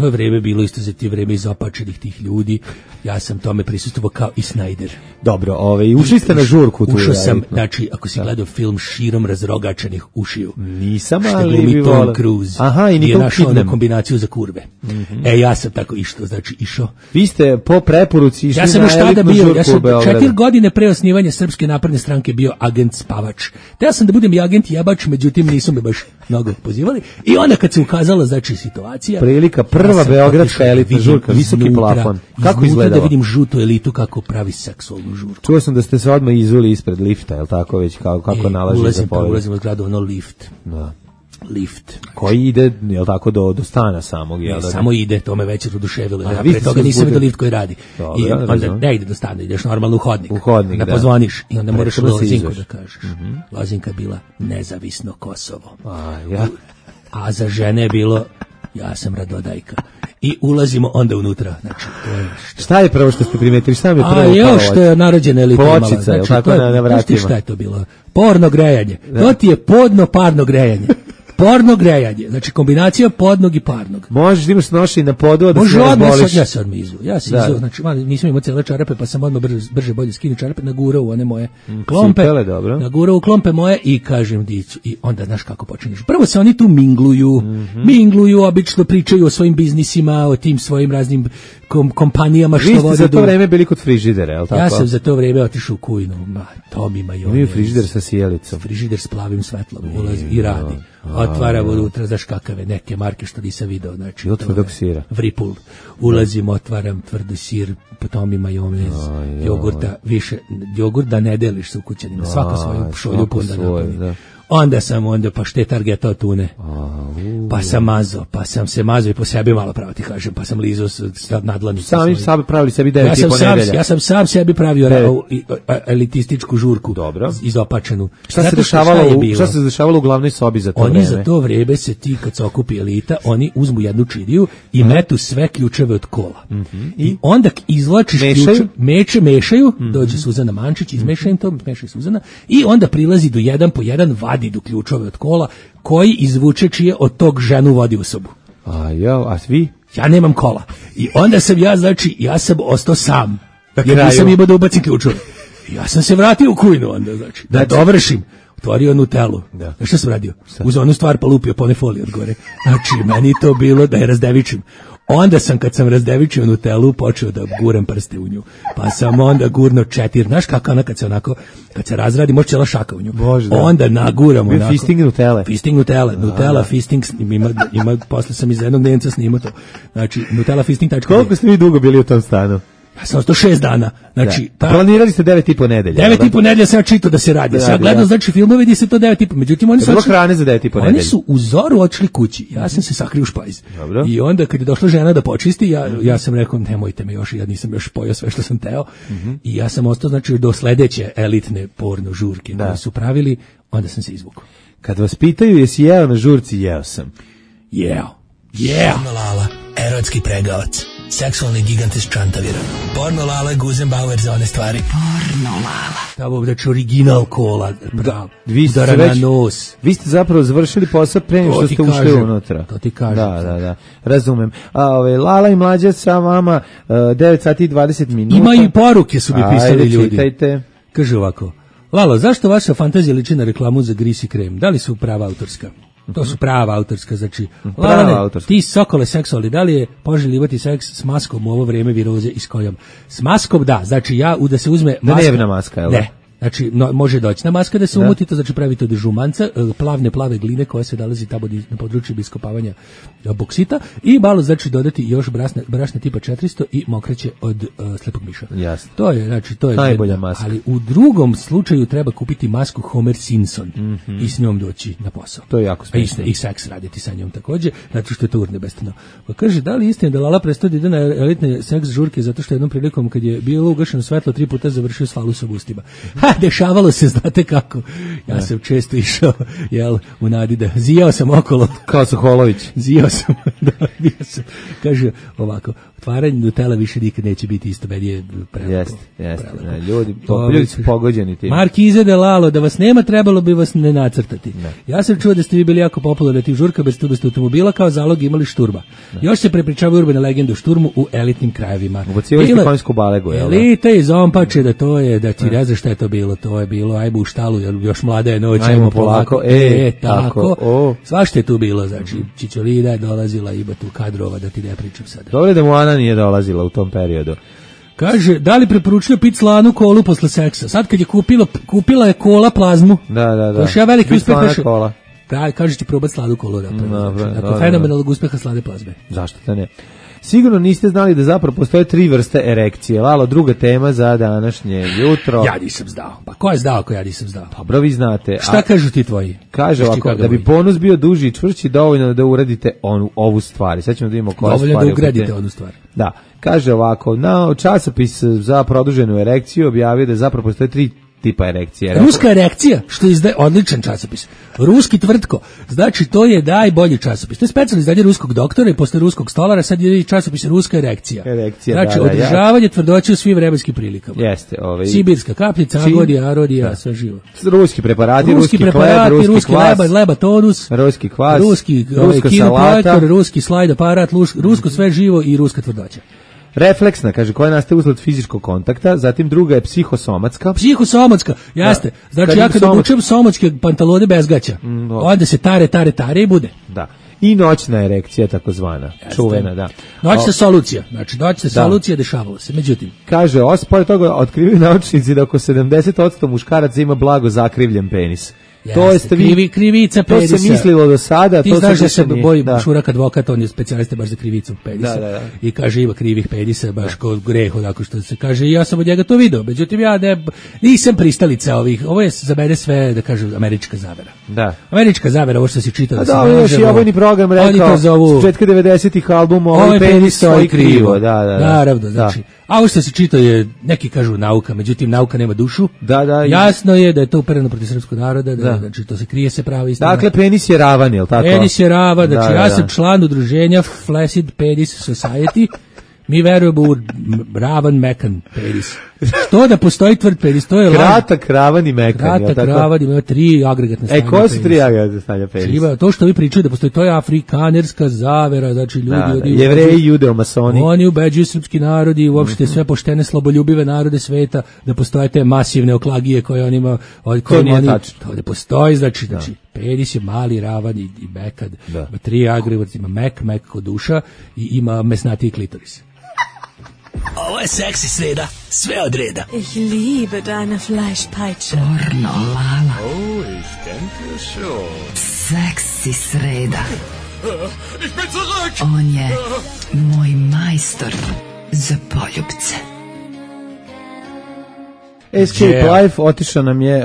je vreme bilo isto vreme izopačenih tih ljudi. Ja sam tome prisustvovao kao i Snyder. Dobro, ušli ste na žurku tu. Ušao sam, znači, ako si gledao film Širom razrogačenih ušiju. Nisam, ali bi volao. Tom Cruise. Aha, i Nicole Kidman. Je našao kombinaciju za kurve. Ja sam tako išao. Vi ste po preporuci išli na elitnu žurku u Beogradu. Ja sam 4 godine pre osnivanja Srpske napredne stranke bio agent spavač. Teo sam da budem i agent jebač, međutim nisu me baš mnogo pozivali. I onda kad se ukazala, znači, situacija. Prilika, prva beogradska elitna žurka, visoki plafon. Kako izgleda? Da vidim žutu elitu kako pravi seksualnu žurku. Čuo sam da ste se odmah izuli ispred lifta, je li tako već, kako nalaži za povijek? Ulazim u zgradu, lift. Da. Lift. Koji ide, je li tako, do stana samog? Ne, samo ide, to me već oduševilo. Pre toga nisam vidio lift koji radi. I onda ne ide do stana, ideš normalno u hodnik. Da pozvoniš i onda moraš Lozinku da kažeš. Lozinka bila nezavisno Kosovo. A za žene je bilo ja sam Radodajka. I ulazimo onda unutra. Znači, to je šta je prvo što ste primetili? Šta mi je prvo upalo? Što je narođena elita imala. Pločica, je tako na vratima? Šta je to bilo? Porno grejanje. To ti je podno parno grejanje. Porno grejanje, znači kombinacija podnog i parnog. Možeš da imaš noši na podu, a da se razboliš. Ja se odmah izu. Znači, nisam imao cijele čarape, pa sam odmah brže bolje skinuo čarape, nagurao u one moje klompe. Cipele, dobro. Nagurao u klompe moje i kažem dicu. I onda, znaš kako počinješ. Prvo se oni tu mingluju, obično pričaju o svojim biznisima, o tim svojim raznim kompanijama što vode. Vi ste za to vreme bili kod frižidera, je li tako? Ja sam za to vreme otišao u Kujnu. Tomi majonez. Imaju frižider sa sjelicom. Frižider s plavim svetlom ulazi i radi. Otvara unutra, znaš kakave neke marke što nisam video. Znači, i od tvrdog sira. Vripul. Ulazim, otvaram tvrdi sir, Tomi majonez, jogurta, više, jogurt da ne deliš sa ukućanima. Svako svoju šoljupu onda napravi. Onda sam paštet Argeta od tune. Pa sam mazao, i po sebi malo pravo ti kažem, pa sam lizao nadlanicu. Sami sebi pravili sebi 9,5 nedelja. Ja sam sam sebi pravio elitističku žurku. Dobro. Izopačenu. Šta se dešavalo u glavnoj sobi za to vreme? Oni za to vreme se ti kad se okupi elita, oni uzmu jednu čidiju i metu sve ključeve od kola. I onda izvlačiš ključe, mešaju, dođe Suzana Mančić, izmeša im to, meša Suzana, i onda prilazi do jedan po jedan, vadi do ključove od kola, koji izvuče čije od tog ženu vodi u sobu. A svi? Ja nemam kola. I onda sam ja sam ostao sam. Jer nisam imao da ubacim ključove. Ja sam se vratio u Kujnu onda, znači, da dovršim. Otvorio Nutellu. Šta sam radio? Uz onu stvar pa lupio pone folije od gore. Znači, meni to bilo da je razdevičim. Onda sam, kad sam razdevičio Nutellu, počeo da guram prste u nju. Pa sam onda gurno 4. Znaš kako ona kad se razradi, može cijela šaka u nju. Onda naguram onako. Fisting Nutelle. Fisting Nutelle. Nutella fisting ima, posle sam iz jednog dnevnica snimao to. Znači, Nutella fisting. Koliko ste vi dugo bili u tom stanu? Ja sam ostao 6 dana. Znači, planirali ste 9,5 nedelja. 9,5 nedelja sam čitao da se radi. Sad gledam, znači, filmove gdje se to 9,5. Međutim, oni su hrane za 9,5 nedelja. Oni su u zoru otišli kući. Ja sam se sakrio u špajz. I onda kad je došla žena da počisti, ja sam rekao, nemojte me još, ja nisam još pojao sve što sam teo. I ja sam ostao, znači, do sledeće elitne porno žurke koje su pravili, onda sam se izvukao. Kad vas pitaju jesi jeo na žurci, jeo sam. Jeo. Porno Lala, erotski pregavac. Seksualni gigant iz Čantavira. Porno Lala, Guzenbauer za one stvari. Porno Lala. Tamo, znači, original kola. Vi ste zapravo završili posao pre nego što ste ušli unutra. To ti kažem. Da. Razumem. Lala i Mlađa sa vama 9 sati i 20 minuta. Ima i poruke su mi pisali ljudi. Čitajte. Kaže ovako. Lalo, zašto vaša fantazija liči na reklamu za gris i krem? Da li su prava autorska? To su prava autorska, znači. Ti sokole seksualni, da li je poželjivati seks s maskom u ovo vrijeme viroze i s kojom? S maskom, da, znači da se uzme maska. Dnevna maska, jel? Ne. Znači, može doći na maska da se umuti, to znači pravite od žumanca, plave gline koja se nalazi tamo na području iskopavanja boksita i malo, znači, dodati još brašna tipa 400 i mokraće od slepog miša. Jasno. To je, znači, najbolja maska. Ali u drugom slučaju treba kupiti masku Homer Simpson i s njom doći na posao. To je jako smiješno. I seks raditi sa njom također, zato što je to urnebestano. Pa kaže, da li istina da Lala prestao da ide na elitne seks žurke zato što jednom prilikom kad je bilo ugašeno svetlo 3 puta završio s falus u ustima? Dešavalo se, znate kako. Ja sam često išao, u nadi da zijao sam okolo. Kao Soholović. Zijao sam. Kaže ovako, otvaranje Nutella više nikad neće biti isto, meni je prelepo. Jeste. Ljudi su pogođeni tim. Markize de Lalo, da vas nema, trebalo bi vas ne nacrtati. Ja sam čuo da ste vi bili jako popularni na tih žurka bez automobila, kao zalog imali šturba. Još se prepričavaju urbane legende o šturmu u elitnim krajevima. Ubacivali ste konjsku balegu, jel? Elita iz Zompače, da ti ne znaš šta je to bilo. To je bilo, ajmo u štalu, još mlada je noć, ajmo polako. Tako. Svašta je tu bilo, znači, Čičolina je dolazila, ima tu kadrova, da ti ne pričam sada. Dobro da mu Ana nije dolazila u tom periodu. Kaže, da li preporučuje pit slanu kolu posle seksa? Sad kad je kupila je kola plazmu. Da. To je veliki uspeh. Kola. Kaže ti probati slanu kolu. Dakle, fenomenalnog uspeha slane plazme. Zašto da ne? Sigurno niste znali da zapravo postoje 3 vrste erekcije. Lalo, druga tema za današnje jutro. Ja nisam znao. Pa ko je znao ako ja nisam znao? Dobro, vi znate. Šta kažu ti tvoji? Kaže ovako, da bi bonus bio duži i čvršći, dovoljno da uradite ovu stvar. Sad ćemo da vidimo koja stvar. Dovoljno da ugradite onu stvar. Da. Kaže ovako, časopis za produženu erekciju objavio da zapravo postoje tipa erekcija. Ruska erekcija, što izdaje odličan časopis. Ruski tvrtko, znači to je najbolji časopis. To je specijalno izdanje ruskog doktora i posle ruskog stolara, sad je časopis Ruska erekcija. Znači, održavanje tvrdoće u svim vremenskim prilikama. Jeste, Sibirska kapljica, agodija, arodija, sve živo. Ruski preparati, ruski hleb, ruski kvas, leba tonus, ruski kvas, ruska salata, ruski slajd aparat, rusko sve živo i ruska tvrdoća. Refleksna, kaže, koja nastaje usled fizičkog kontakta, zatim druga je psihosomatska. Psihosomatska, jeste. Znači, ja kad obučem somatske pantalone bez gaća, onda se tare i bude. Da. I noćna erekcija, takozvana, čuvena, da. Noćna solucija, znači noćna solucija dešavalo se, međutim. Kaže, pored toga otkrivaju naučnici da oko 70% muškaraca ima blago zakrivljen penis. To je krivica penisa. To se mislilo do sada. Ti znaš da se boji Šurak advokat, on je specijalista baš za krivicu penisa. Da. I kaže, ima krivih penisa, baš kod greh, onako što se kaže, i ja sam od njega to video. Međutim, ja nisam pristalica ovih, ovo je za mene sve, da kažem, američka zavera. Da. Američka zavera, ovo što se čita da se možemo. Da, još i ovojni program rekao, s početka 90-ih albuma, ovaj penis stoji krivo. Da. Naravno, znači. A ovo što se čita je, neki kažu nauka, međutim nauka nema dušu. Da. Jasno je da je to upereno protiv srpskog naroda, znači to se krije se prava istina. Dakle, penis je ravan, je li tako? Penis je ravan, znači ja sam član udruženja Flaccid Penis Society. Mi verujemo u ravan mekan penis. Što da postoji tvrd penis, to je kratak, ravan i mekan. Kratak, ravan, ima 3 agregatne stanja. Koje su 3 agregatne stanja penisa? To što vi pričaju da postoji, to je afrikanerska zavera, znači ljudi... Jevreji, judeo-masoni. Oni ubeđuju srpski narod i uopšte sve poštene, sloboljubive narode sveta da postoje te masivne oklagije koje on ima... To nije tačno. To da postoji, znači penis je mali, ravan i mekad. Ima 3 agregat, ima mek kod duša i ima mesnatiji klitoris. Ovo je seksi sreda, sve od reda. Ich liebe deine Fleischpeitsche. Pornolala. Oh, ich denke schon. Seksi sreda. Ich bin zurück! On je moj majstor za poljubce. Escape Life, otišao nam je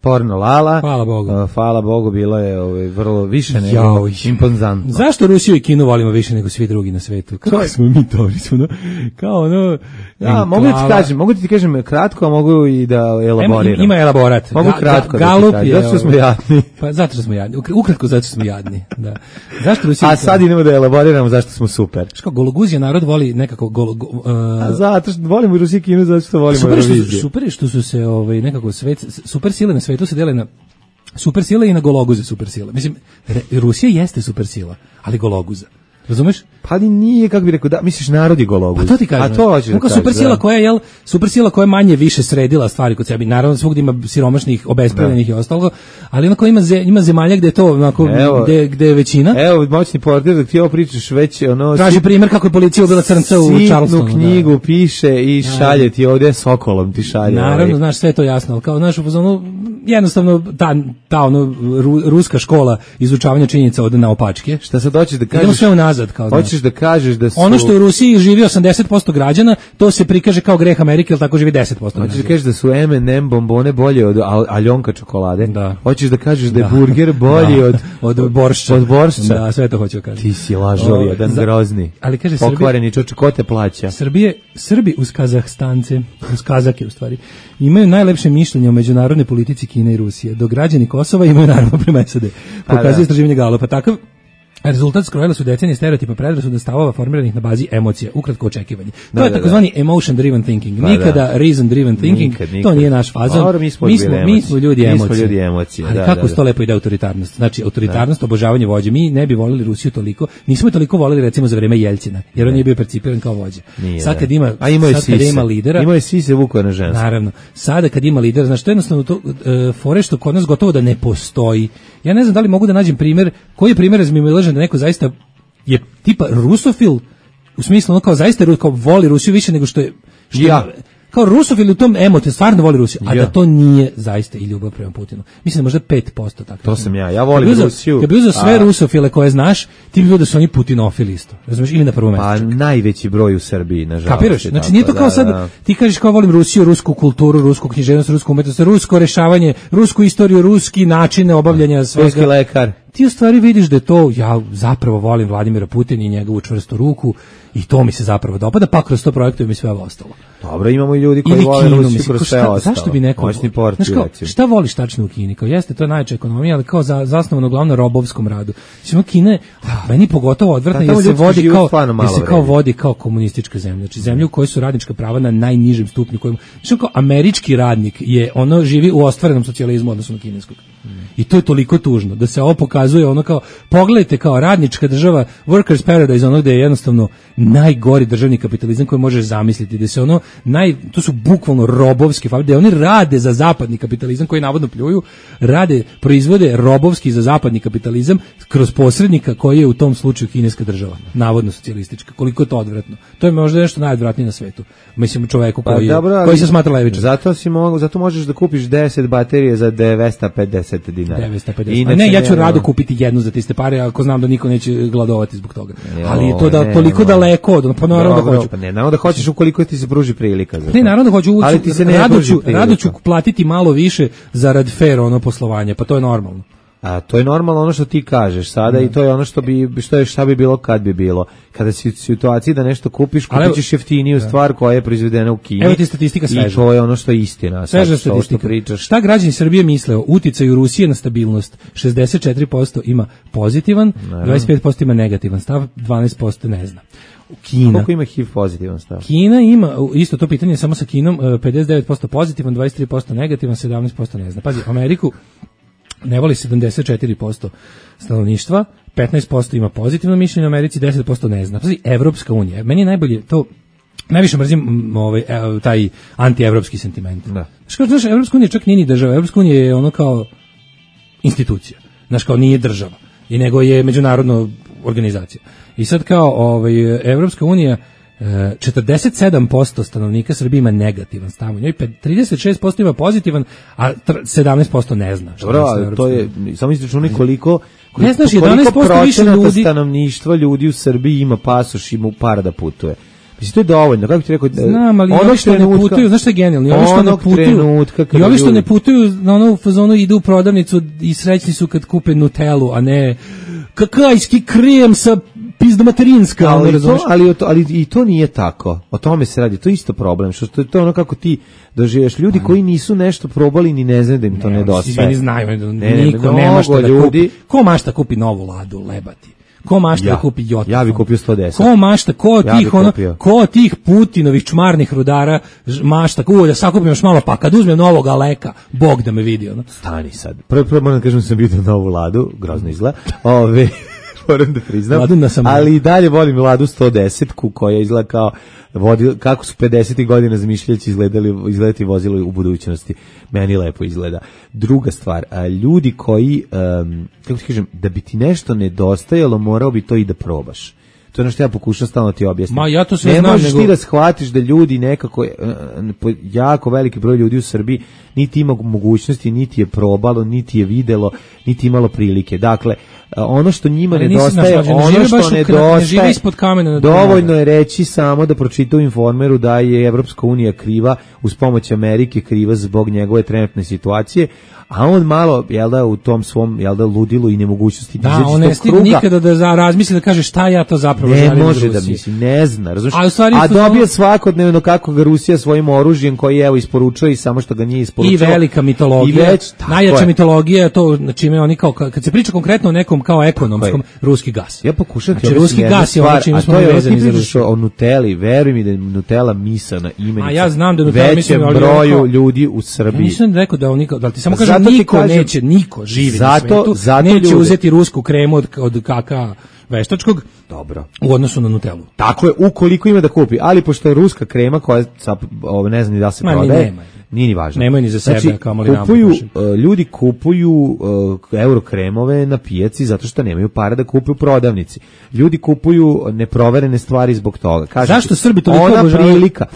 Pornolala. Hvala Bogu. Hvala Bogu, bilo je vrlo više nego imponzantno. Zašto Rusiju i Kinu volimo više nego svi drugi na svetu? Kako smo mi to? Kao ono... Ja, mogu ti kažem kratko, a mogu i da elaboriram. Ima elaborat. Mogu kratko Galup da ti kažem. Zato što smo jadni. Pa zato što smo jadni. Ukratko zato što smo jadni. Da. Zašto Rusija... A sad idemo da elaboriramo zašto smo super. Što Gologuzija narod voli nekako... A zato što volimo i Rusiju i Kinu, zato što volimo Euroviziju. Super je što su se nekako super sile na svetu se dele na supersile i na gologuze supersile. Mislim, Rusija jeste supersila, ali gologuza. Razumeš? Pa nije, kako bi rekao, da, misliš narod je gologuz. Pa to ti kažem. A to hoćeš da kažeš. Supersila koja je manje više sredila stvari kod sebi. Naravno, svugdje ima siromašnih, obespravljenih i ostalo, ali onako ima zemalja gde je to, onako, gde je većina. Evo, moćni portir, dok ti ovo pričaš već, traži primjer kako je policija ubila crnca u Charlestonu. Sitnu knjigu piše i šalje ti ovdje sokolom ti šalje. Naravno, znaš, sve to jasno, ali kao, znaš, jednostavno, ta ruska škola izučavanja činjenica ode na opačke. Šta sad hoćeš da kažeš? Idemo sve unazad, kao hoćeš da kažeš da su... Ono što u Rusiji živi 80% građana, to se prikaže kao greh Amerike, ali tako živi 10% građana. Hoćeš da kažeš da su M&M bombone bolje od Aljonka čokolade? Da. Hoćeš da kažeš da je burger bolji od boršča? Od boršča? Da, sve to hoću da kažem. Ti si lažov, jedan grozni. Ali kaže pokvareni čoče, ko te plaća? Srbi uz Kazahstance, uz Kazake u stvari, imaju najlepše mišljenje o međunarodnoj politici Kine i Rusije, dok građani Kosova imaju naravno prema SAD. Pokazuje istraživanje Galupa. Takav rezultat skrojila su decenije stereotipa predrasuda stavova formiranih na bazi emocija, ukratko očekivanje. To je takozvani emotion driven thinking. Nikada reason driven thinking. To nije naš fazon. Mi smo ljudi emocije. Ali kako se to lepo ide autoritarnost? Znači autoritarnost, obožavanje vođe. Mi ne bi volili Rusiju toliko. Nismo toliko volili recimo za vreme Jeljcina, jer on je bio percipiran kao vođa. Sad kad ima lidera, imao je sise vukao na žensko. Naravno. Sada kad ima lidera, znači to je jednostavno to fore što kod nas gotovo da ne postoji. Ja ne znam da li mogu da nađem primjer, koji je primjer da neko zaista je tipa rusofil, u smislu ono kao zaista kao voli Rusiju više nego što je kao rusofil u tom emote stvarno voli Rusiju, a da to nije zaista i ljubav prema Putinu. Mislim možda 5% tako. To sam ja volim Rusiju. Kad bi uzeo sve rusofile koje znaš, ti ljudi su oni putinofili isto. Razumeš, ili na prvom mjestu. Pa najveći broj u Srbiji, nažalost. Kapiraš? Znači nije to kao sad ti kažeš kao volim Rusiju, rusku kulturu, rusku književnost, rusku umetnost, rusko rešavanje, rusku istoriju, ruski načine obavljanja svega. Ruski lekar. ti u stvari vidiš da je to, ja zapravo volim Vladimira Putina i njegovu čvrstu ruku i to mi se zapravo dopada, pa kroz to projektujem i sve ovo ostalo. Dobro, imamo i ljudi koji vole Rusiju kroz sve ostalo. Zašto bi neko... šta voliš tačno u Kini? Kao jeste, to je najjača ekonomija, ali kao zasnovano uglavnom na robovskom radu. Znači, Kina, meni pogotovo odvratno, jer se vodi kao komunistička zemlja. Znači, zemlja u kojoj su radnička prava na najnižem stupnju. Znači, kao američki radnik je, ono živi u ostvarenom socijalizmu odnosno na kineskog. I to je toliko tužno, da se ovo pokazuje ono kao, pogledajte kao radnička država, workers paradise, ono gde je jednostavno najgori državni kapitalizam koji možeš zamisliti, da se ono, to su bukvalno robovski fabrike, oni rade za zapadni kapitalizam koji navodno pljuju, proizvode robovski za zapadni kapitalizam kroz posrednika koji je u tom slučaju kineska država, navodno socijalistička. Koliko je to odvratno. To je možda nešto najodvratnije na svetu. Mislim, čoveku koji se smatra levičar. Zato možeš da kupiš 10 baterije za 950 dinara. 950. Ne, ja ću rado kupiti jednu za tiste pare, ako znam da niko neće gladovati zbog toga. Ali je to da toliko daleko od, pa naravno da hoću. Pa ne, naravno da hoćeš ukoliko ti se pruži prilika za to. Ne, naravno da hoću, rado ću platiti malo više zarad fair ono poslovanja, pa to je normalno. A to je normalno ono što ti kažeš sada i to je ono šta bi bilo kad bi bilo. Kada si u situaciji da nešto kupiš, kupit ćeš jeftiniju stvar koja je proizvedena u Kini. Evo ti statistika sveža. I to je ono što je istina. Sveža statistika. Šta građani Srbije misle o uticaju Rusije na stabilnost? 64% ima pozitivan, 25% ima negativan stav, 12% ne zna. Kina. Koliko ima HIV pozitivan stav? Kina ima, isto to pitanje samo sa Kinom, 59% pozitivan, 23% negativan, 17% ne zna. Pazi, Ameriku ne voli 74% stanovništva, 15% ima pozitivno mišljenje o Americi, 10% ne zna. Pazi, Evropska unija, meni je najbolje to, najviše mrzim taj antievropski sentiment. Da. Znaš, Evropska unija čak nije ni država, Evropska unija je ono kao institucija, znaš, kao nije država, i nego je međunarodna organizacija. I sad kao Evropska unija, 47% stanovnika Srbije ima negativan stav u njoj, 36% ima pozitivan, a 17% ne zna. Dobro, to je, samo izračunaj koliko ne znaš, 11% više ljudi stanovništva ljudi u Srbiji ima pasoš, ima para da putuje. Mislim, to je dovoljno, kako ti rekao... Znam, ali ovi što ne putuju, znaš što je genijalno? I ovi što ne putuju na onu fazonu idu u prodavnicu i srećni su kad kupe Nutellu, a ne kakajski krem sa pizdomaterinska. Ali i to nije tako. O tome se radi. To je isto problem. Što to je ono kako ti doživeš. Ljudi koji nisu nešto probali ni ne znaju da im to nedostaje. Svi znaju. Niko nema šta da kupi. Ko mašta kupi novu Ladu, lebati? Ko mašta da kupi Jota? Ja bih kupio 110. Ko mašta, ko tih Putinovih čmarnih rudara mašta, da sakupim još malo, pa kad uzmem novog Aleka, Bog da me vidi. Ono. Stani sad. Prvo moram da kažem sam vidio novu Ladu, grozno izgleda. Moram da priznam, ali i dalje volim Ladu 110-ku koja izgleda kao kako su 50. godina zamišljajući izgledati vozilo u budućnosti. Meni lepo izgleda. Druga stvar, ljudi koji, kako ti kažem, da bi ti nešto nedostajalo, morao bi to i da probaš. To je ono što ja pokušam stalno ti objasniti. Ja to sve ne možeš ti da shvatiš da ljudi nekako, jako veliki broj ljudi u Srbiji niti ima mogućnosti, niti je probalo, niti je videlo, niti imalo prilike. Dakle, ono što njima nedostaje, dovoljno je reći samo da pročita u Informeru da je Evropska unija kriva, uz pomoć Amerike kriva zbog njegove trenutne situacije, a on malo, u tom svom, ludilu i nemogućnosti da, on ne stigne nikada da razmisli da kaže šta ja to zapravo želim. Ne može da misli, ne zna, razumiješ? A dobije svakodnevno kako ga Rusija svojim oružjem koji isporučuje i samo što ga nije isporučio. I velika mitologija, najjača mitologija je to, na čime oni kao, kad se priča konkretno o nekom kao ekonomskom, ruski gas. Ja pokušam ti ruski gas je ono čime smo vezani za Rusiju. O Nutelli, veruj mi da je Nutella misana imenica. A ja znam da Nutella većem broju ljudi u Srbiji. Nisam rekao da on da ti samo kažem niko živi na svetu, neće uzeti rusku kremu od kaka veštačkog. Dobro. U odnosu na Nutellu. Tako je, ukoliko ima da kupi, ali pošto je ruska krema koja ne znam ni da se prodaje. Nije ni važno. Nemoj ni za sebe, znači, ljudi kupuju euro kremove na pijaci zato što nemaju para da kupuju u prodavnici. Ljudi kupuju neproverene stvari zbog toga. Zašto Srbi toliko obožavaju? Prilika.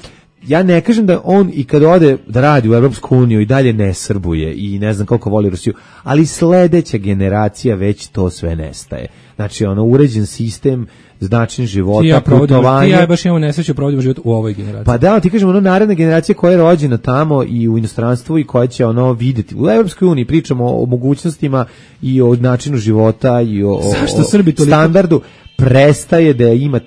ja ne kažem da on i kad ode da radi u Evropsku uniju i dalje ne srbuje i ne znam koliko voli Rusiju, ali sledeća generacija već to sve nestaje. Znači, uređen sistem, način života, putovanje. Ja baš imamo nesreću provodimo život u ovoj generaciji. Pa da, ti kažemo, naredna generacija koja je rođena tamo i u inostranstvu i koja će vidjeti. U Evropskoj uniji pričamo o mogućnostima i o načinu života i o standardu. Prestaje da ima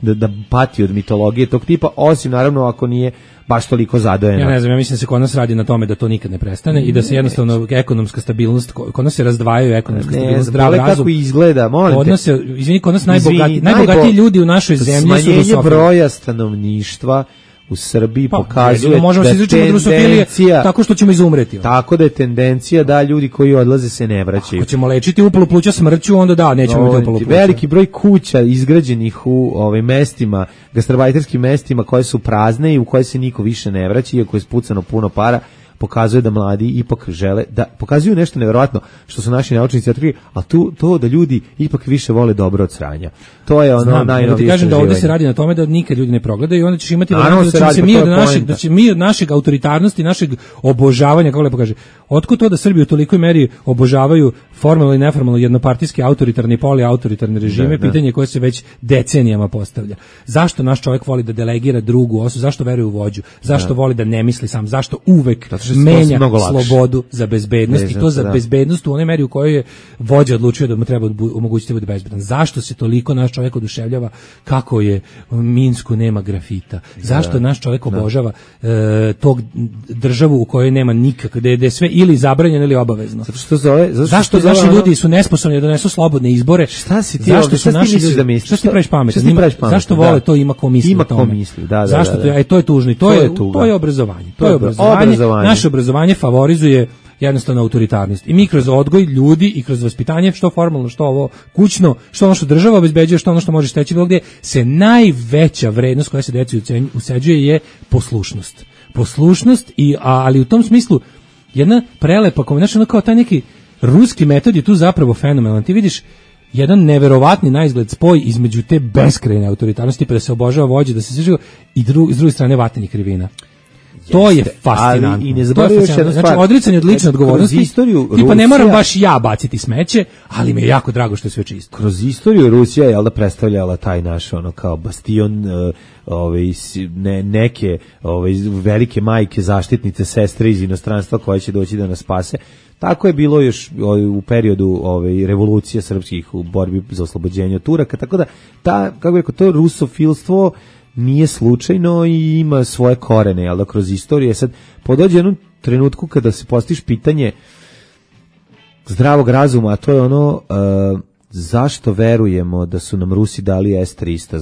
da pati od mitologije tog tipa, osim naravno ako nije baš toliko zadojeno. Ja ne znam, ja mislim da se kod nas radi na tome da to nikad ne prestane i da se jednostavno ekonomska stabilnost, kod nas se razdvajaju ekonomska stabilnost, zdrav razum. Kako izgleda, molim te. Kod nas najbogatiji ljudi u našoj zemlji su rusofili. Smanjenje broja stanovništva u Srbiji pokazuje možemo se izreći od rusofilije tako što ćemo izumreti. Tako da je tendencija da ljudi koji odlaze se ne vraćaju. Ako ćemo lečiti upalu pluća smrću, onda da, nećemo imati upalu pluća. Veliki broj kuća izgrađenih u mestima, gastarbajterskim mestima koje su prazne i u koje se niko više ne vraća, iako je spucano puno para, pokazuje da mladi ipak žele, da pokazuju nešto neverovatno što su naši naučnici otkrili, a to da ljudi ipak više vole dobro od sranja. To je najnovije. Ti kažem da ovdje se radi na tome da nikad ljudi ne progledaju i onda ćeš imati da će mi od našeg autoritarnosti, našeg obožavanja, kako lepo kaže, otkud to da Srbi u tolikoj meri obožavaju formalno i neformalno jednopartijske autoritarne i poliautoritarne režime, pitanje koje se već decenijama postavlja. Zašto naš čovjek voli da delegira drugu osobu, zašto veruje u vođu, zašto voli da ne misli sam, zašto uvek menja slobodu za bezbednost i to za bezbednost u onoj meri u kojoj je vođa odlučio da mu treba omogućiti da bude bezbedan. Zašto se toliko naš čovjek oduševljava kako je u Minsku nema grafita? Zašto naš čovjek obožava tog državu u kojoj nema nikak, gde je sve ili zabranjeno ili obavezno? Zašto naši ljudi su nesposobni da donesu slobodne izbore? Šta si ti misliš da misliš? Šta ti praviš pametan? Zašto vole to ima ko misli o tome? Zašto to? To je tužno i to je obrazovanje. To je obrazovanje. Naše obrazovanje favorizuje jednostavno autoritarnost. I mi kroz odgoj ljudi i kroz vaspitanje, što formalno, što ovo kućno, što ono što država obezbeđuje, što ono što može steći bilo gdje, se najveća vrednost koja se deci useđuje je poslušnost. Poslušnost, ali u tom smislu jedna prelepa kombinacija, kao taj neki ruski metod je tu zapravo fenomenalan. Ti vidiš jedan neverovatni naizgled spoj između te beskrajne autoritarnosti, pa da se obožava vođa, da se sviđa, i s druge strane vatanje krivina. To je fascinantno. I ne zaboravio još jednu stvar. Znači, odricanje od lične odgovornosti. Tipa, ne moram baš ja baciti smeće, ali mi je jako drago što je sve čisto. Kroz istoriju Rusija je predstavljala taj naš kao bastion neke velike majke, zaštitnice, sestre iz inostranstva koje će doći da nas spase. Tako je bilo još u periodu revolucije srpskih u borbi za oslobođenje od Turaka, tako da to rusofilstvo nije slučajno i ima svoje korene, ali da kroz istorije sad podođe jednom trenutku kada se postiš pitanje zdravog razuma, a to je zašto verujemo da su nam Rusi dali S-300,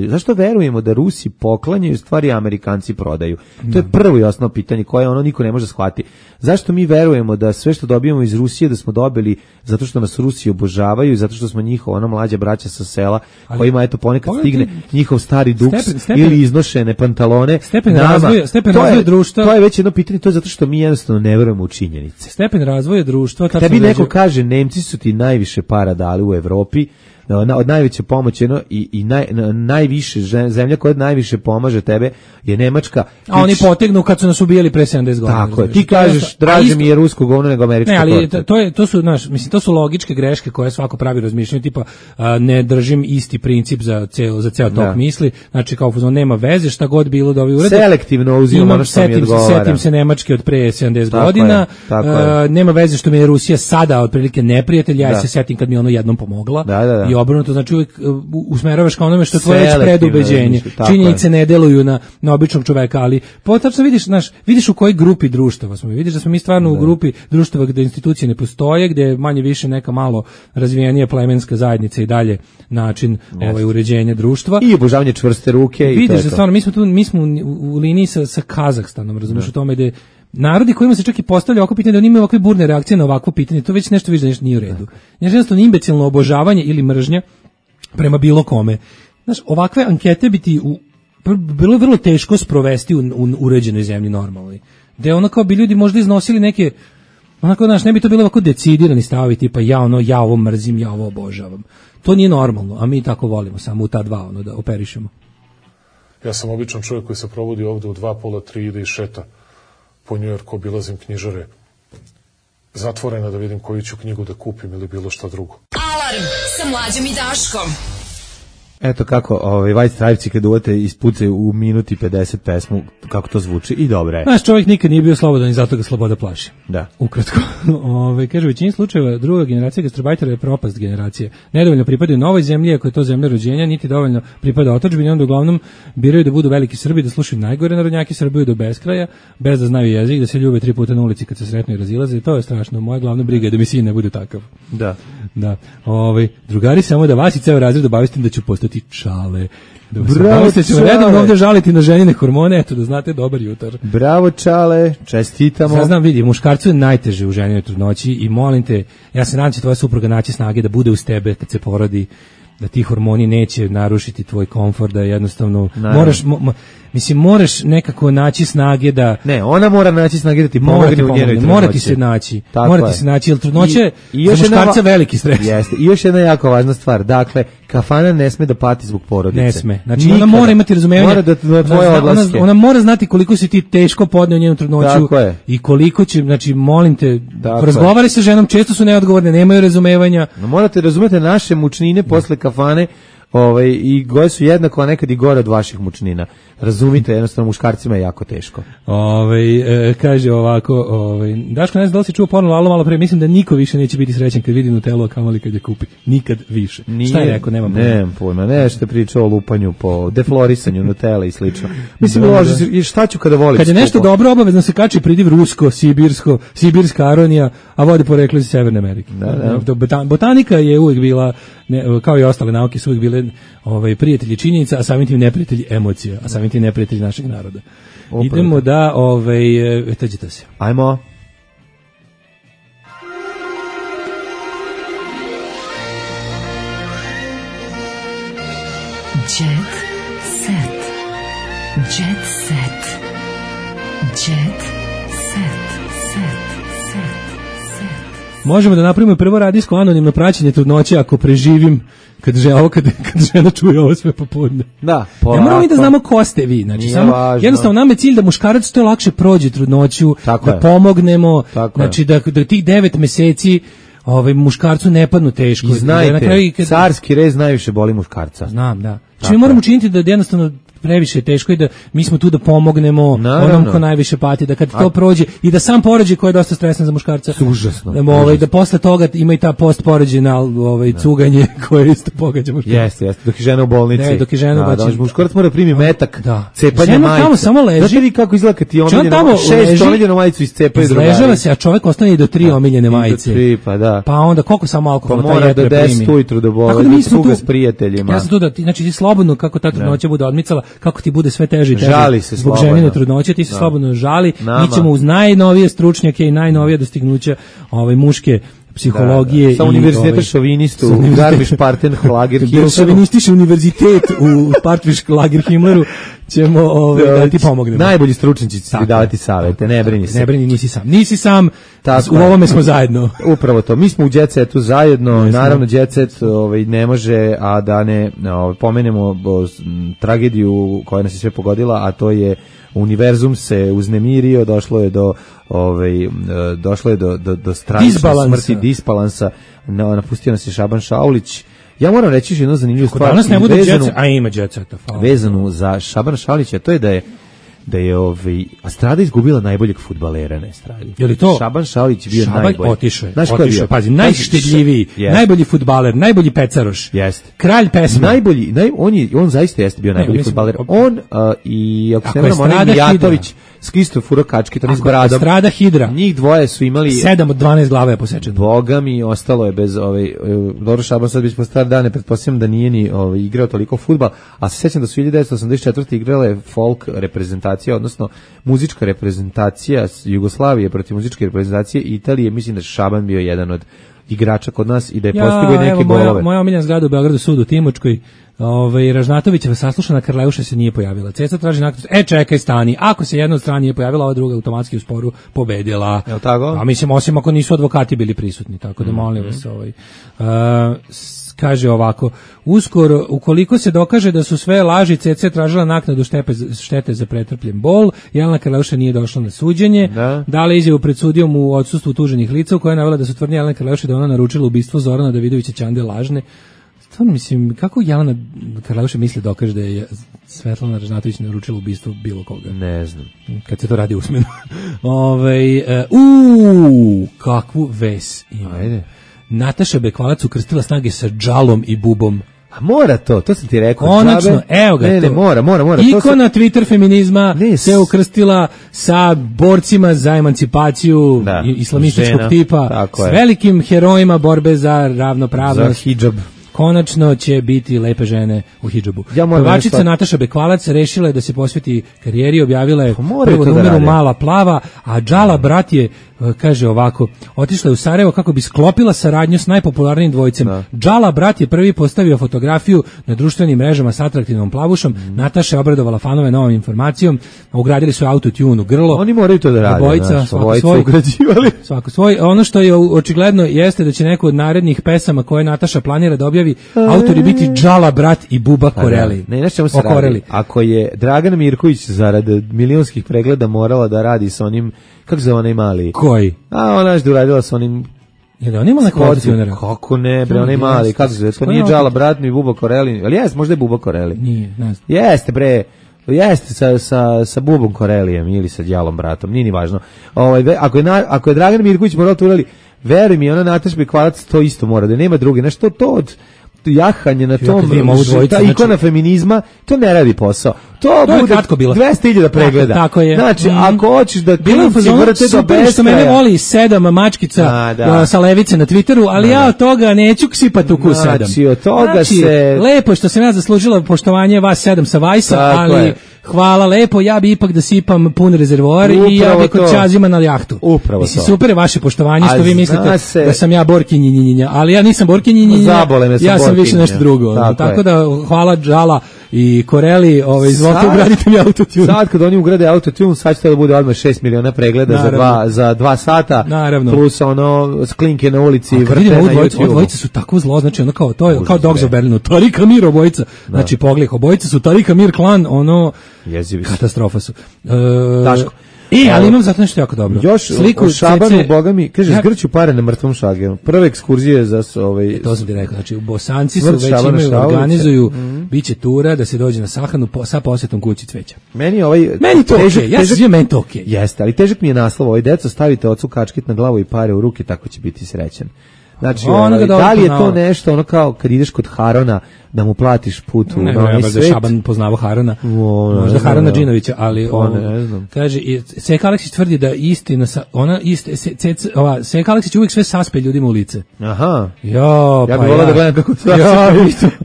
zašto verujemo da Rusi poklanjaju stvari, Amerikanci prodaju. To je prvo i osnovno pitanje koje niko ne može shvatiti. Zašto mi verujemo da sve što dobijemo iz Rusije da smo dobili zato što nas Rusi obožavaju i zato što smo njihova mlađa braća sa sela kojima ponekad stigne njihov stari duks ili iznošene pantalone. Stepen razvoja društva. To je već jedno pitanje, to je zato što mi jednostavno ne verujemo u činjenice. Stepen razvoja društva. Tebi neko kaže Nemci su ti najviše para dali u Evropi, od najveće pomoći i najviše zemlja koja najviše pomaže tebe je Nemačka. A oni potegnu kad su nas ubijali pre 70 godina. Tako je. Ti kažeš draže mi je rusko govno nego američko. Ne, ali to su logičke greške koje svako pravi razmišljanje, tipa ne držim isti princip za ceo tok misli. Znači kao nema veze šta god bilo da ovi urede. Selektivno uzimam ono što mi odgovara. Setim se Nemačke od pre 70 godina. Nema veze što mi je Rusija sada otprilike neprijatelj, ja se setim kad mi ono jednom pomogla. I obrnuto, znači uvijek usmeravaš ka onome što je tvoje već predubeđenje. Činjenice ne deluju na običnog čoveka, ali potačno vidiš u kojoj grupi društava smo. Vidiš da smo mi stvarno u grupi društava gde institucije ne postoje, gde je manje više neka malo razvijenija plemenska zajednica i dalje način uređenja društva. I obožavanje čvrste ruke. Vidiš da stvarno, mi smo u liniji sa Kazahstanom, razumiješ, u tome da narodi kojima se čak i postavlja ovako pitanje, da oni imaju ovakve burne reakcije na ovakvo pitanje, to već nešto vidiš da nešto nije u redu. Jednostavno imbecilno obožavanje ili mržnja prema bilo kome. Znaš, ovakve ankete bi ti bilo je vrlo teško sprovesti u uređenoj zemlji normalnoj. Da kao bi ljudi možda iznosili neke, ne bi to bilo ovako decidirani stavovi, tipa ja ovo mrzim, ja ovo obožavam. To nije normalno, a mi tako volimo, samo u ta dva da operišemo. Ja sam običan čovjek koji se provodi ovde u 2, pola, 3, ide i šeta po Njujorku, obilazim knjižare zatvorena da vidim koju ću knjigu da kupim ili bilo šta drugo. Alarm sa Mlađom i Daškom. Eto kako White Stripesi kad uvate ispucaju u minuti 50 pesmu, kako to zvuči i dobro je. Naš čovjek nikad nije bio slobodan i zato ga sloboda plaši. Da. Ukratko. Kaže, u većini slučajeva druga generacija gastarbajtera je propast generacije. Nedovoljno pripadaju novoj zemlji, ako je to zemlja rođenja, niti dovoljno pripada otadžbini, onda uglavnom biraju da budu veliki Srbi, da slušaju najgore narodnjake, srbuju do beskraja, bez da znaju jezik, da se ljube 3 puta na ulici kad se sretnu i razilaze. I to je strašno. Moja glavna briga je da mi sin ne bude takav. Da. Da. Drugari, samo da vas i ceo razred obavestim da ću postati čale. Bravo, se ćemo redovno ovdje žaliti na ženine hormone, eto da znate, dobar jutar. Bravo, čale, čestitamo. Sad znam, vidi, muškarcu je najteže u ženinoj trudnoći i molim te, ja se nadam će tvoja supruga naći snage da bude uz tebe kad se porodi, da ti hormoni neće narušiti tvoj komfort, da jednostavno moraš nekako naći snage da... Ne, ona mora naći snage da ti pomogne u njenoj trudnoći. Mora ti se naći, jer trudnoće za muškarca veliki stres. Jeste. I još jedna jako važna stvar, dakle, kafana ne sme da pati zbog porodice. Ne sme. Znači, ona mora imati razumevanje. Mora da tvoje odlaske. Ona mora znati koliko si ti teško podneo njenu trudnoću i koliko će, znači, molim te, razgovaraj sa ženom, često su neodgovorne, nemaju razumevanja. Morate razumeti naše mučnine posle kafane, i gore su jednako, a nekad i gore od vaših mučnina. Razumite, jednostavno muškarcima je jako teško. Kaže ovako, Daško, ne znam da li si čuo porno Lalo malo pre, mislim da niko više neće biti srećan kad vidi Nutellu, a kamoli kad je kupi. Nikad više. Šta je rekao, nemam pojma. Nešto je pričao o lupanju po deflorisanju Nutelle i slično. Mislim, šta ću kada volim? Kad je nešto dobro, obavezno se kači pridiv rusko, sibirska aronija, a vodi poreklo iz Severne Amerike. Botanika je uvijek bila, kao i ostale nauke, su uvijek bile prijatelji činjenica, a samim tim neprijatelji emocija, a samim tim neprijatelji našeg naroda. Idemo da, tađite se. Ajmo. Jet set. Jet set. Jet set. Možemo da napravimo prvo radijsko anonimno praćenje trudnoće ako preživim kad žena čuje ovo sve popodne. Da, polako. Ne moramo i da znamo ko ste vi. Znači, samo, jednostavno nam je cilj da muškarac to lakše prođe trudnoću, da pomognemo, znači da tih 9 meseci muškarcu ne padnu teško. I znajte, carski rez najviše boli muškarca. Znam, da. Znači mi moramo učiniti da jednostavno previše je teško i da mi smo tu da pomognemo onom ko najviše pati, da kad to prođe i da sam porođaj koji je dosta stresan za muškarca. Užasno. Da posle toga ima i ta postporođena cuganje koje isto pogađa muškarca. Jeste, dok je žena u bolnici. Ne, dok je žena u bolnici. Muškarac mora primi metak, cepanje majice. Tamo samo leži. Znate li kako izgleda kad ti omiljeno 6 omiljenu majicu iscepaju drugari? Izležava se, a čovjek ostane i do 3 omiljene majice. Do 3, pa da. Pa onda koliko samo alkohola taj jed primi. Pa mora do 10 ujutru da boli, cuga s prijateljima. Ja sam tu da, znači ti slobodno kako ta trudnoća bude odmicala, kako ti bude sve teže i teže. Žali se zbog ženine trudnoće, ti se slobodno žali. Mi ćemo uz najnovije stručnjake i najnovije dostignuća muške psihologije. Sa univerziteta šovinistu u Garmisch-Partenkirchen. Šovinistički univerzitet u Partenkirchen ćemo da ti pomognemo. Najbolji stručnjaci će ti davati savete, ne brini se. Ne brini, nisi sam, u ovome smo zajedno. Upravo to, mi smo u Jet Setu zajedno, naravno Jet Set ne može, a da ne pomenemo tragediju koja nas je sve pogodila, a to je univerzum se uznemirio, došlo je do strašne smrti, disbalansa, napustio nas je Šaban Šaulić. Ja moram reći jednu zanimljivu stvar. Danas ne bude Jet Set, a ima Jet Seta. Vezanu za Šabana Šaulića, to je da je Astrada izgubila najboljeg fudbalera na Estradi. Je li to? Šaban Šaulić bio najbolji. Otišao, pazi, najštedljiviji, najbolji fudbaler, najbolji pecaroš. Jeste. Kralj pesma. Najbolji, on zaista jeste bio najbolji fudbaler. On i ako se ne vrlo, Mijatović isto furo kačke, to s bradom. Estrada Hidra. Njih dvoje su imali 7 od 12 glava je posečeno. Boga mi, ostalo je bez dobro, Šaban sad već po star dane, pretpostavljam da nije ni igrao toliko fudbal, a se sjećam da su 1984. igrale folk reprezentacija, odnosno muzička reprezentacija Jugoslavije protiv muzičke reprezentacije Italije. Mislim da je Šaban bio jedan od igrača kod nas i da je postigao i neke golove. Moja omiljena zgrada u Beogradu, sud u Timočkoj, Ražnatovićeva saslušana Karleuša se nije pojavila. Ceca traži nakon, čekaj, stani. Ako se jedna od strana nije pojavila, ova druga automatski u sporu pobedila. Je li tako? A mislim, osim ako nisu advokati bili prisutni, tako da molim vas. kaže ovako, uskoro, ukoliko se dokaže da su sve laži, CC tražila naknadu štete za pretrpljen bol, Jelena Karleuša nije došla na suđenje, dala izjavu pred sudijom u odsustvu tuženih lica, u kojoj je navela da su tvrdnje Jelena Karleuša da ona naručila ubistvo Zorana Davidovića Ćande lažne. Stvarno mislim, kako Jelena Karleuša misli dokaže da je Svetlana Ražnatović naručila ubistvo bilo koga? Ne znam. Kad se to radi usmeno. Kakvu ves ima. Ajde. Nataša Bekvalac ukrstila snage sa džalom i bubom. A mora to sam ti rekao. Konačno, evo ga. Ne, mora. Ikona Twitter feminizma se ukrstila sa borcima za emancipaciju islamističkog tipa, s velikim herojima borbe za ravnopravnost. Za hidžab. Konačno će biti lepe žene u hidžabu. Pevačica Nataša Bekvalac rešila je da se posveti karijeri, objavila je prvo numeru Mala plava, a Džala brat je, kaže ovako, otišla je u Sarajevo kako bi sklopila saradnju s najpopularnijim dvojicem. Džala brat je prvi postavio fotografiju na društvenim mrežama s atraktivnom plavušom. Nataša je obradovala fanove novom informacijom, ugradili su autotune u grlo. Oni moraju to da rade. Obojica, svako svoj. Ono što je očigledno jeste da će neko od narednih pesama koje Nataša planira da objavi autori biti Džala brat i Buba Koreli. Ne, znaš čemu se radi? Ako je Dragana Mirković zarad milionskih pregleda morala da radi sa onim, kako se onaj mali? Koji? A ona je uradila sa onim... Je da on ima neko autotunera? Kako ne, bre, onaj mali, kako se to nije Džala brat ni Buba Koreli, ali jeste, možda je Buba Koreli. Nije, ne znam. Jeste, bre. Jeste sa Bubom Korelijem ili sa Djalom bratom, nije ni važno. Ako je Dragan Mirković morao to uraditi, veruj mi, ona Nataša Bekvalac to isto mora, da nema druge. Nešto to od jahanje na tom, ta ikona feminizma, to ne radi posao. To bude 200.000 pregleda. Tako je. Znači, ako hoćeš da klinci vrte do beskraja. Što mene voli 7 mačkica sa levice na Twitteru, ali ja od toga neću sipati u kus 7. Znači, od toga se... Lepo što sam ja zaslužila poštovanje vas 7 sa Vajsa, ali hvala lepo, ja bi ipak da sipam pun rezervoar i ja bi kod Čazima na jahtu. Upravo to. Super je vaše poštovanje što vi mislite da sam ja borkinjinjinja, ali ja nisam borkinjinjinja, ja sam više nešto drugo. Tako da hvala Džala i Koreli, izvolite ugradite mi autotune. Sad kad oni ugrade autotune, sad će to da bude odmah 6 miliona pregleda za 2 sata, plus sklinke na ulici, vrte na YouTube. Obojice su tako zlo, znači ono kao Dogs of Berlinu, Tarika Mir obojica, znači pogledaj, obojice su Tarika Mir klan, katastrofa su. Daško. Ali imam zato nešto jako dobro. Još sliku o Šabanu, boga mi, kaže, zgrću pare na mrtvom Šageru. Prve ekskurzije za to sam ti rekao, znači Bosanci su već imaju, organizuju, biće tura da se dođe na sahranu sa posjetom kući cveća. Meni to okej, ja se zvijem, meni to okej. Jeste, ali težak mi je naslov, deco, stavite ocu kačkit na glavu i pare u ruke, tako će biti srećan. Znači, da li je to nešto, ono kao kad ideš kod Harona, da mu platiš put u onaj svet? Da Šaban poznavao Harona, možda Harona Džinovića, ali kaže, Seka Aleksić tvrdi da istina, Seka Aleksić uvijek sve saspe ljudima u lice. Aha. Ja bih volao da gledam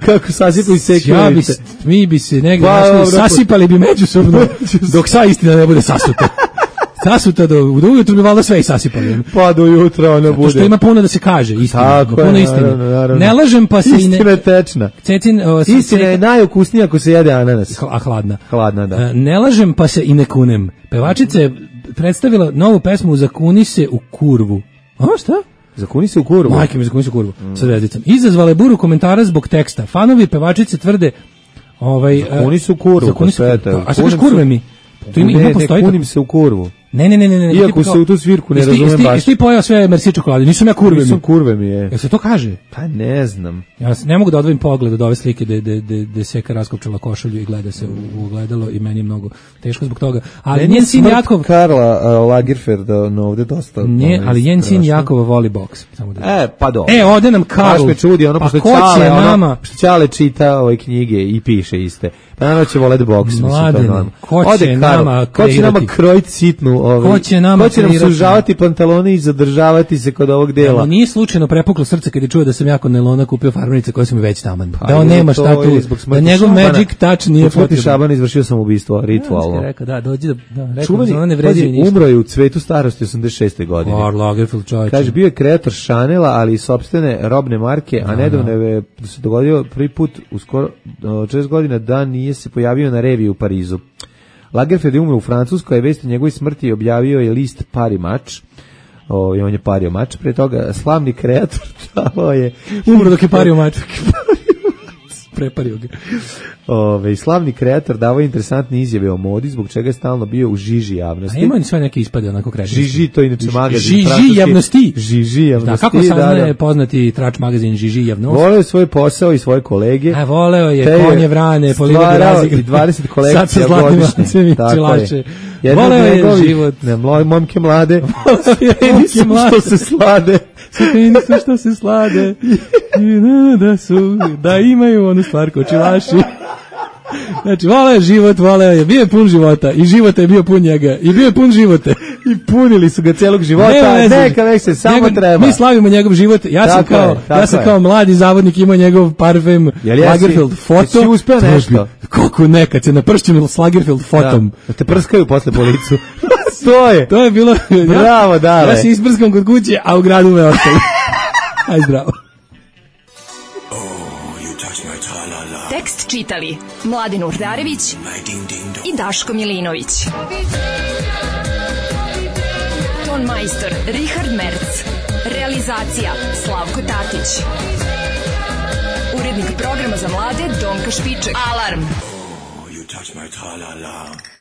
kako sasipaju Seka u lice. Mi bi se negdje sasipali bi međusobno, dok sva istina ne bude sasuta. Sasuta do ujutru bi valjda sve i sasipali. Pa do jutra ona bude. Što ima puno da se kaže, istina. Puno istine. Ne lažem pa se i ne... Istina je tečna. Istina je najukusnija ako se jede ananas. A hladna. Hladna, da. Ne lažem pa se i ne kunem. Pevačica je predstavila novu pesmu Zakuni se u kurvu. A šta? Zakuni se u kurvu? Majke mi, zakuni se u kurvu. Sa zvezdicom. Izazvala je buru komentara zbog teksta. Fanovi pevačice tvrde... Zakuni se u kurvu. A šta kaš kurve mi? Ne kunim se u kurvu. Ne. Iako se u tu svirku ne razumem baš. Jesi ti pojao sve Merci čokolade? Nisam ja kurve mi. Nisam kurve mi je. Jel se to kaže? Pa ne znam. Ja ne mogu da odvojim pogled od ove slike gde Seka raskopčala košulju i gleda se u ogledalo i meni je mnogo teško zbog toga. Ali njen sin Jakov... Karla Lagerfeld ovde dosta... Ne, ali njen sin Jakova voli boks. Pa do. Ode nam Karl. Baš me čudi, pošto Ćale čita ove knjige i piše iste. Pa naravno će volet boks. Mladen, ko će nama krojiti sitnu ko će nam sužavati pantalone i zadržavati se kod ovog dela. Da, nije slučajno prepuklo srce kad je čuo da sam ja kod Nelona kupio farmerice koje su mi već taman. Da on nema šta tu, da njegov magic touch nije potreban. Šaban izvršio sam ubistvo ritualno. Rekao, dođi da čuveni, umro je u cvetu starosti 86. godine. Karl Lagerfeld, čovječe. Kaže, bio je kreator Chanela, ali i sopstvene robne marke, a nedavno je se dogodio prvi put u skoro 6 godina da nije se pojavio na reviji u Parizu. Lagerfeld je umro u Francuskoj, a vest o njegovoj smrti objavio je list Paris Match. On je pario mač, pre toga slavni kreator davao je... Umro dok je pario mač. Prepario ga. Slavni kreator davao interesantne izjave o modi, zbog čega je stalno bio u žiži javnosti. A ima ni sve neke ispade onako kreativnosti. Žiži, to je inače magazin. Žiži javnosti. Žiži javnosti. Da, kako saznaje poznati trač magazin Žiži javnosti? Voleo je svoj posao i svoje kolege. A voleo je konje vrane, polivodi razigre. I 20 kolekcija godišnje. Tako je. Voleo je život. Momke mlade. Što se slade. Stepenicu što se slade. Da imaju onu stvar kočilaši. Znači, voleo je život, bio je pun života i života je bio pun njega i bio je pun živote. I punili su ga celog života, neka već se samo treba. Mi slavimo njegov život, ja sam kao mladi zavodnik imao njegov parfem Lagerfeld foto. Jesi uspeo nešto? Kako nekad se napršćem s Lagerfeld fotom. Da te prskaju posle po licu. To je bilo... Bravo, dale. Ja se isprskam kod kuće, a u gradu me ostali. Aj zdravo. Tekst čitali Mladin Urdarević i Daško Milinović. Ton majstor Richard Merc. Realizacija Slavko Tatić. Urednik programa za mlade Donka Špiček. Alarm! Oh, you touch my tra-la-la.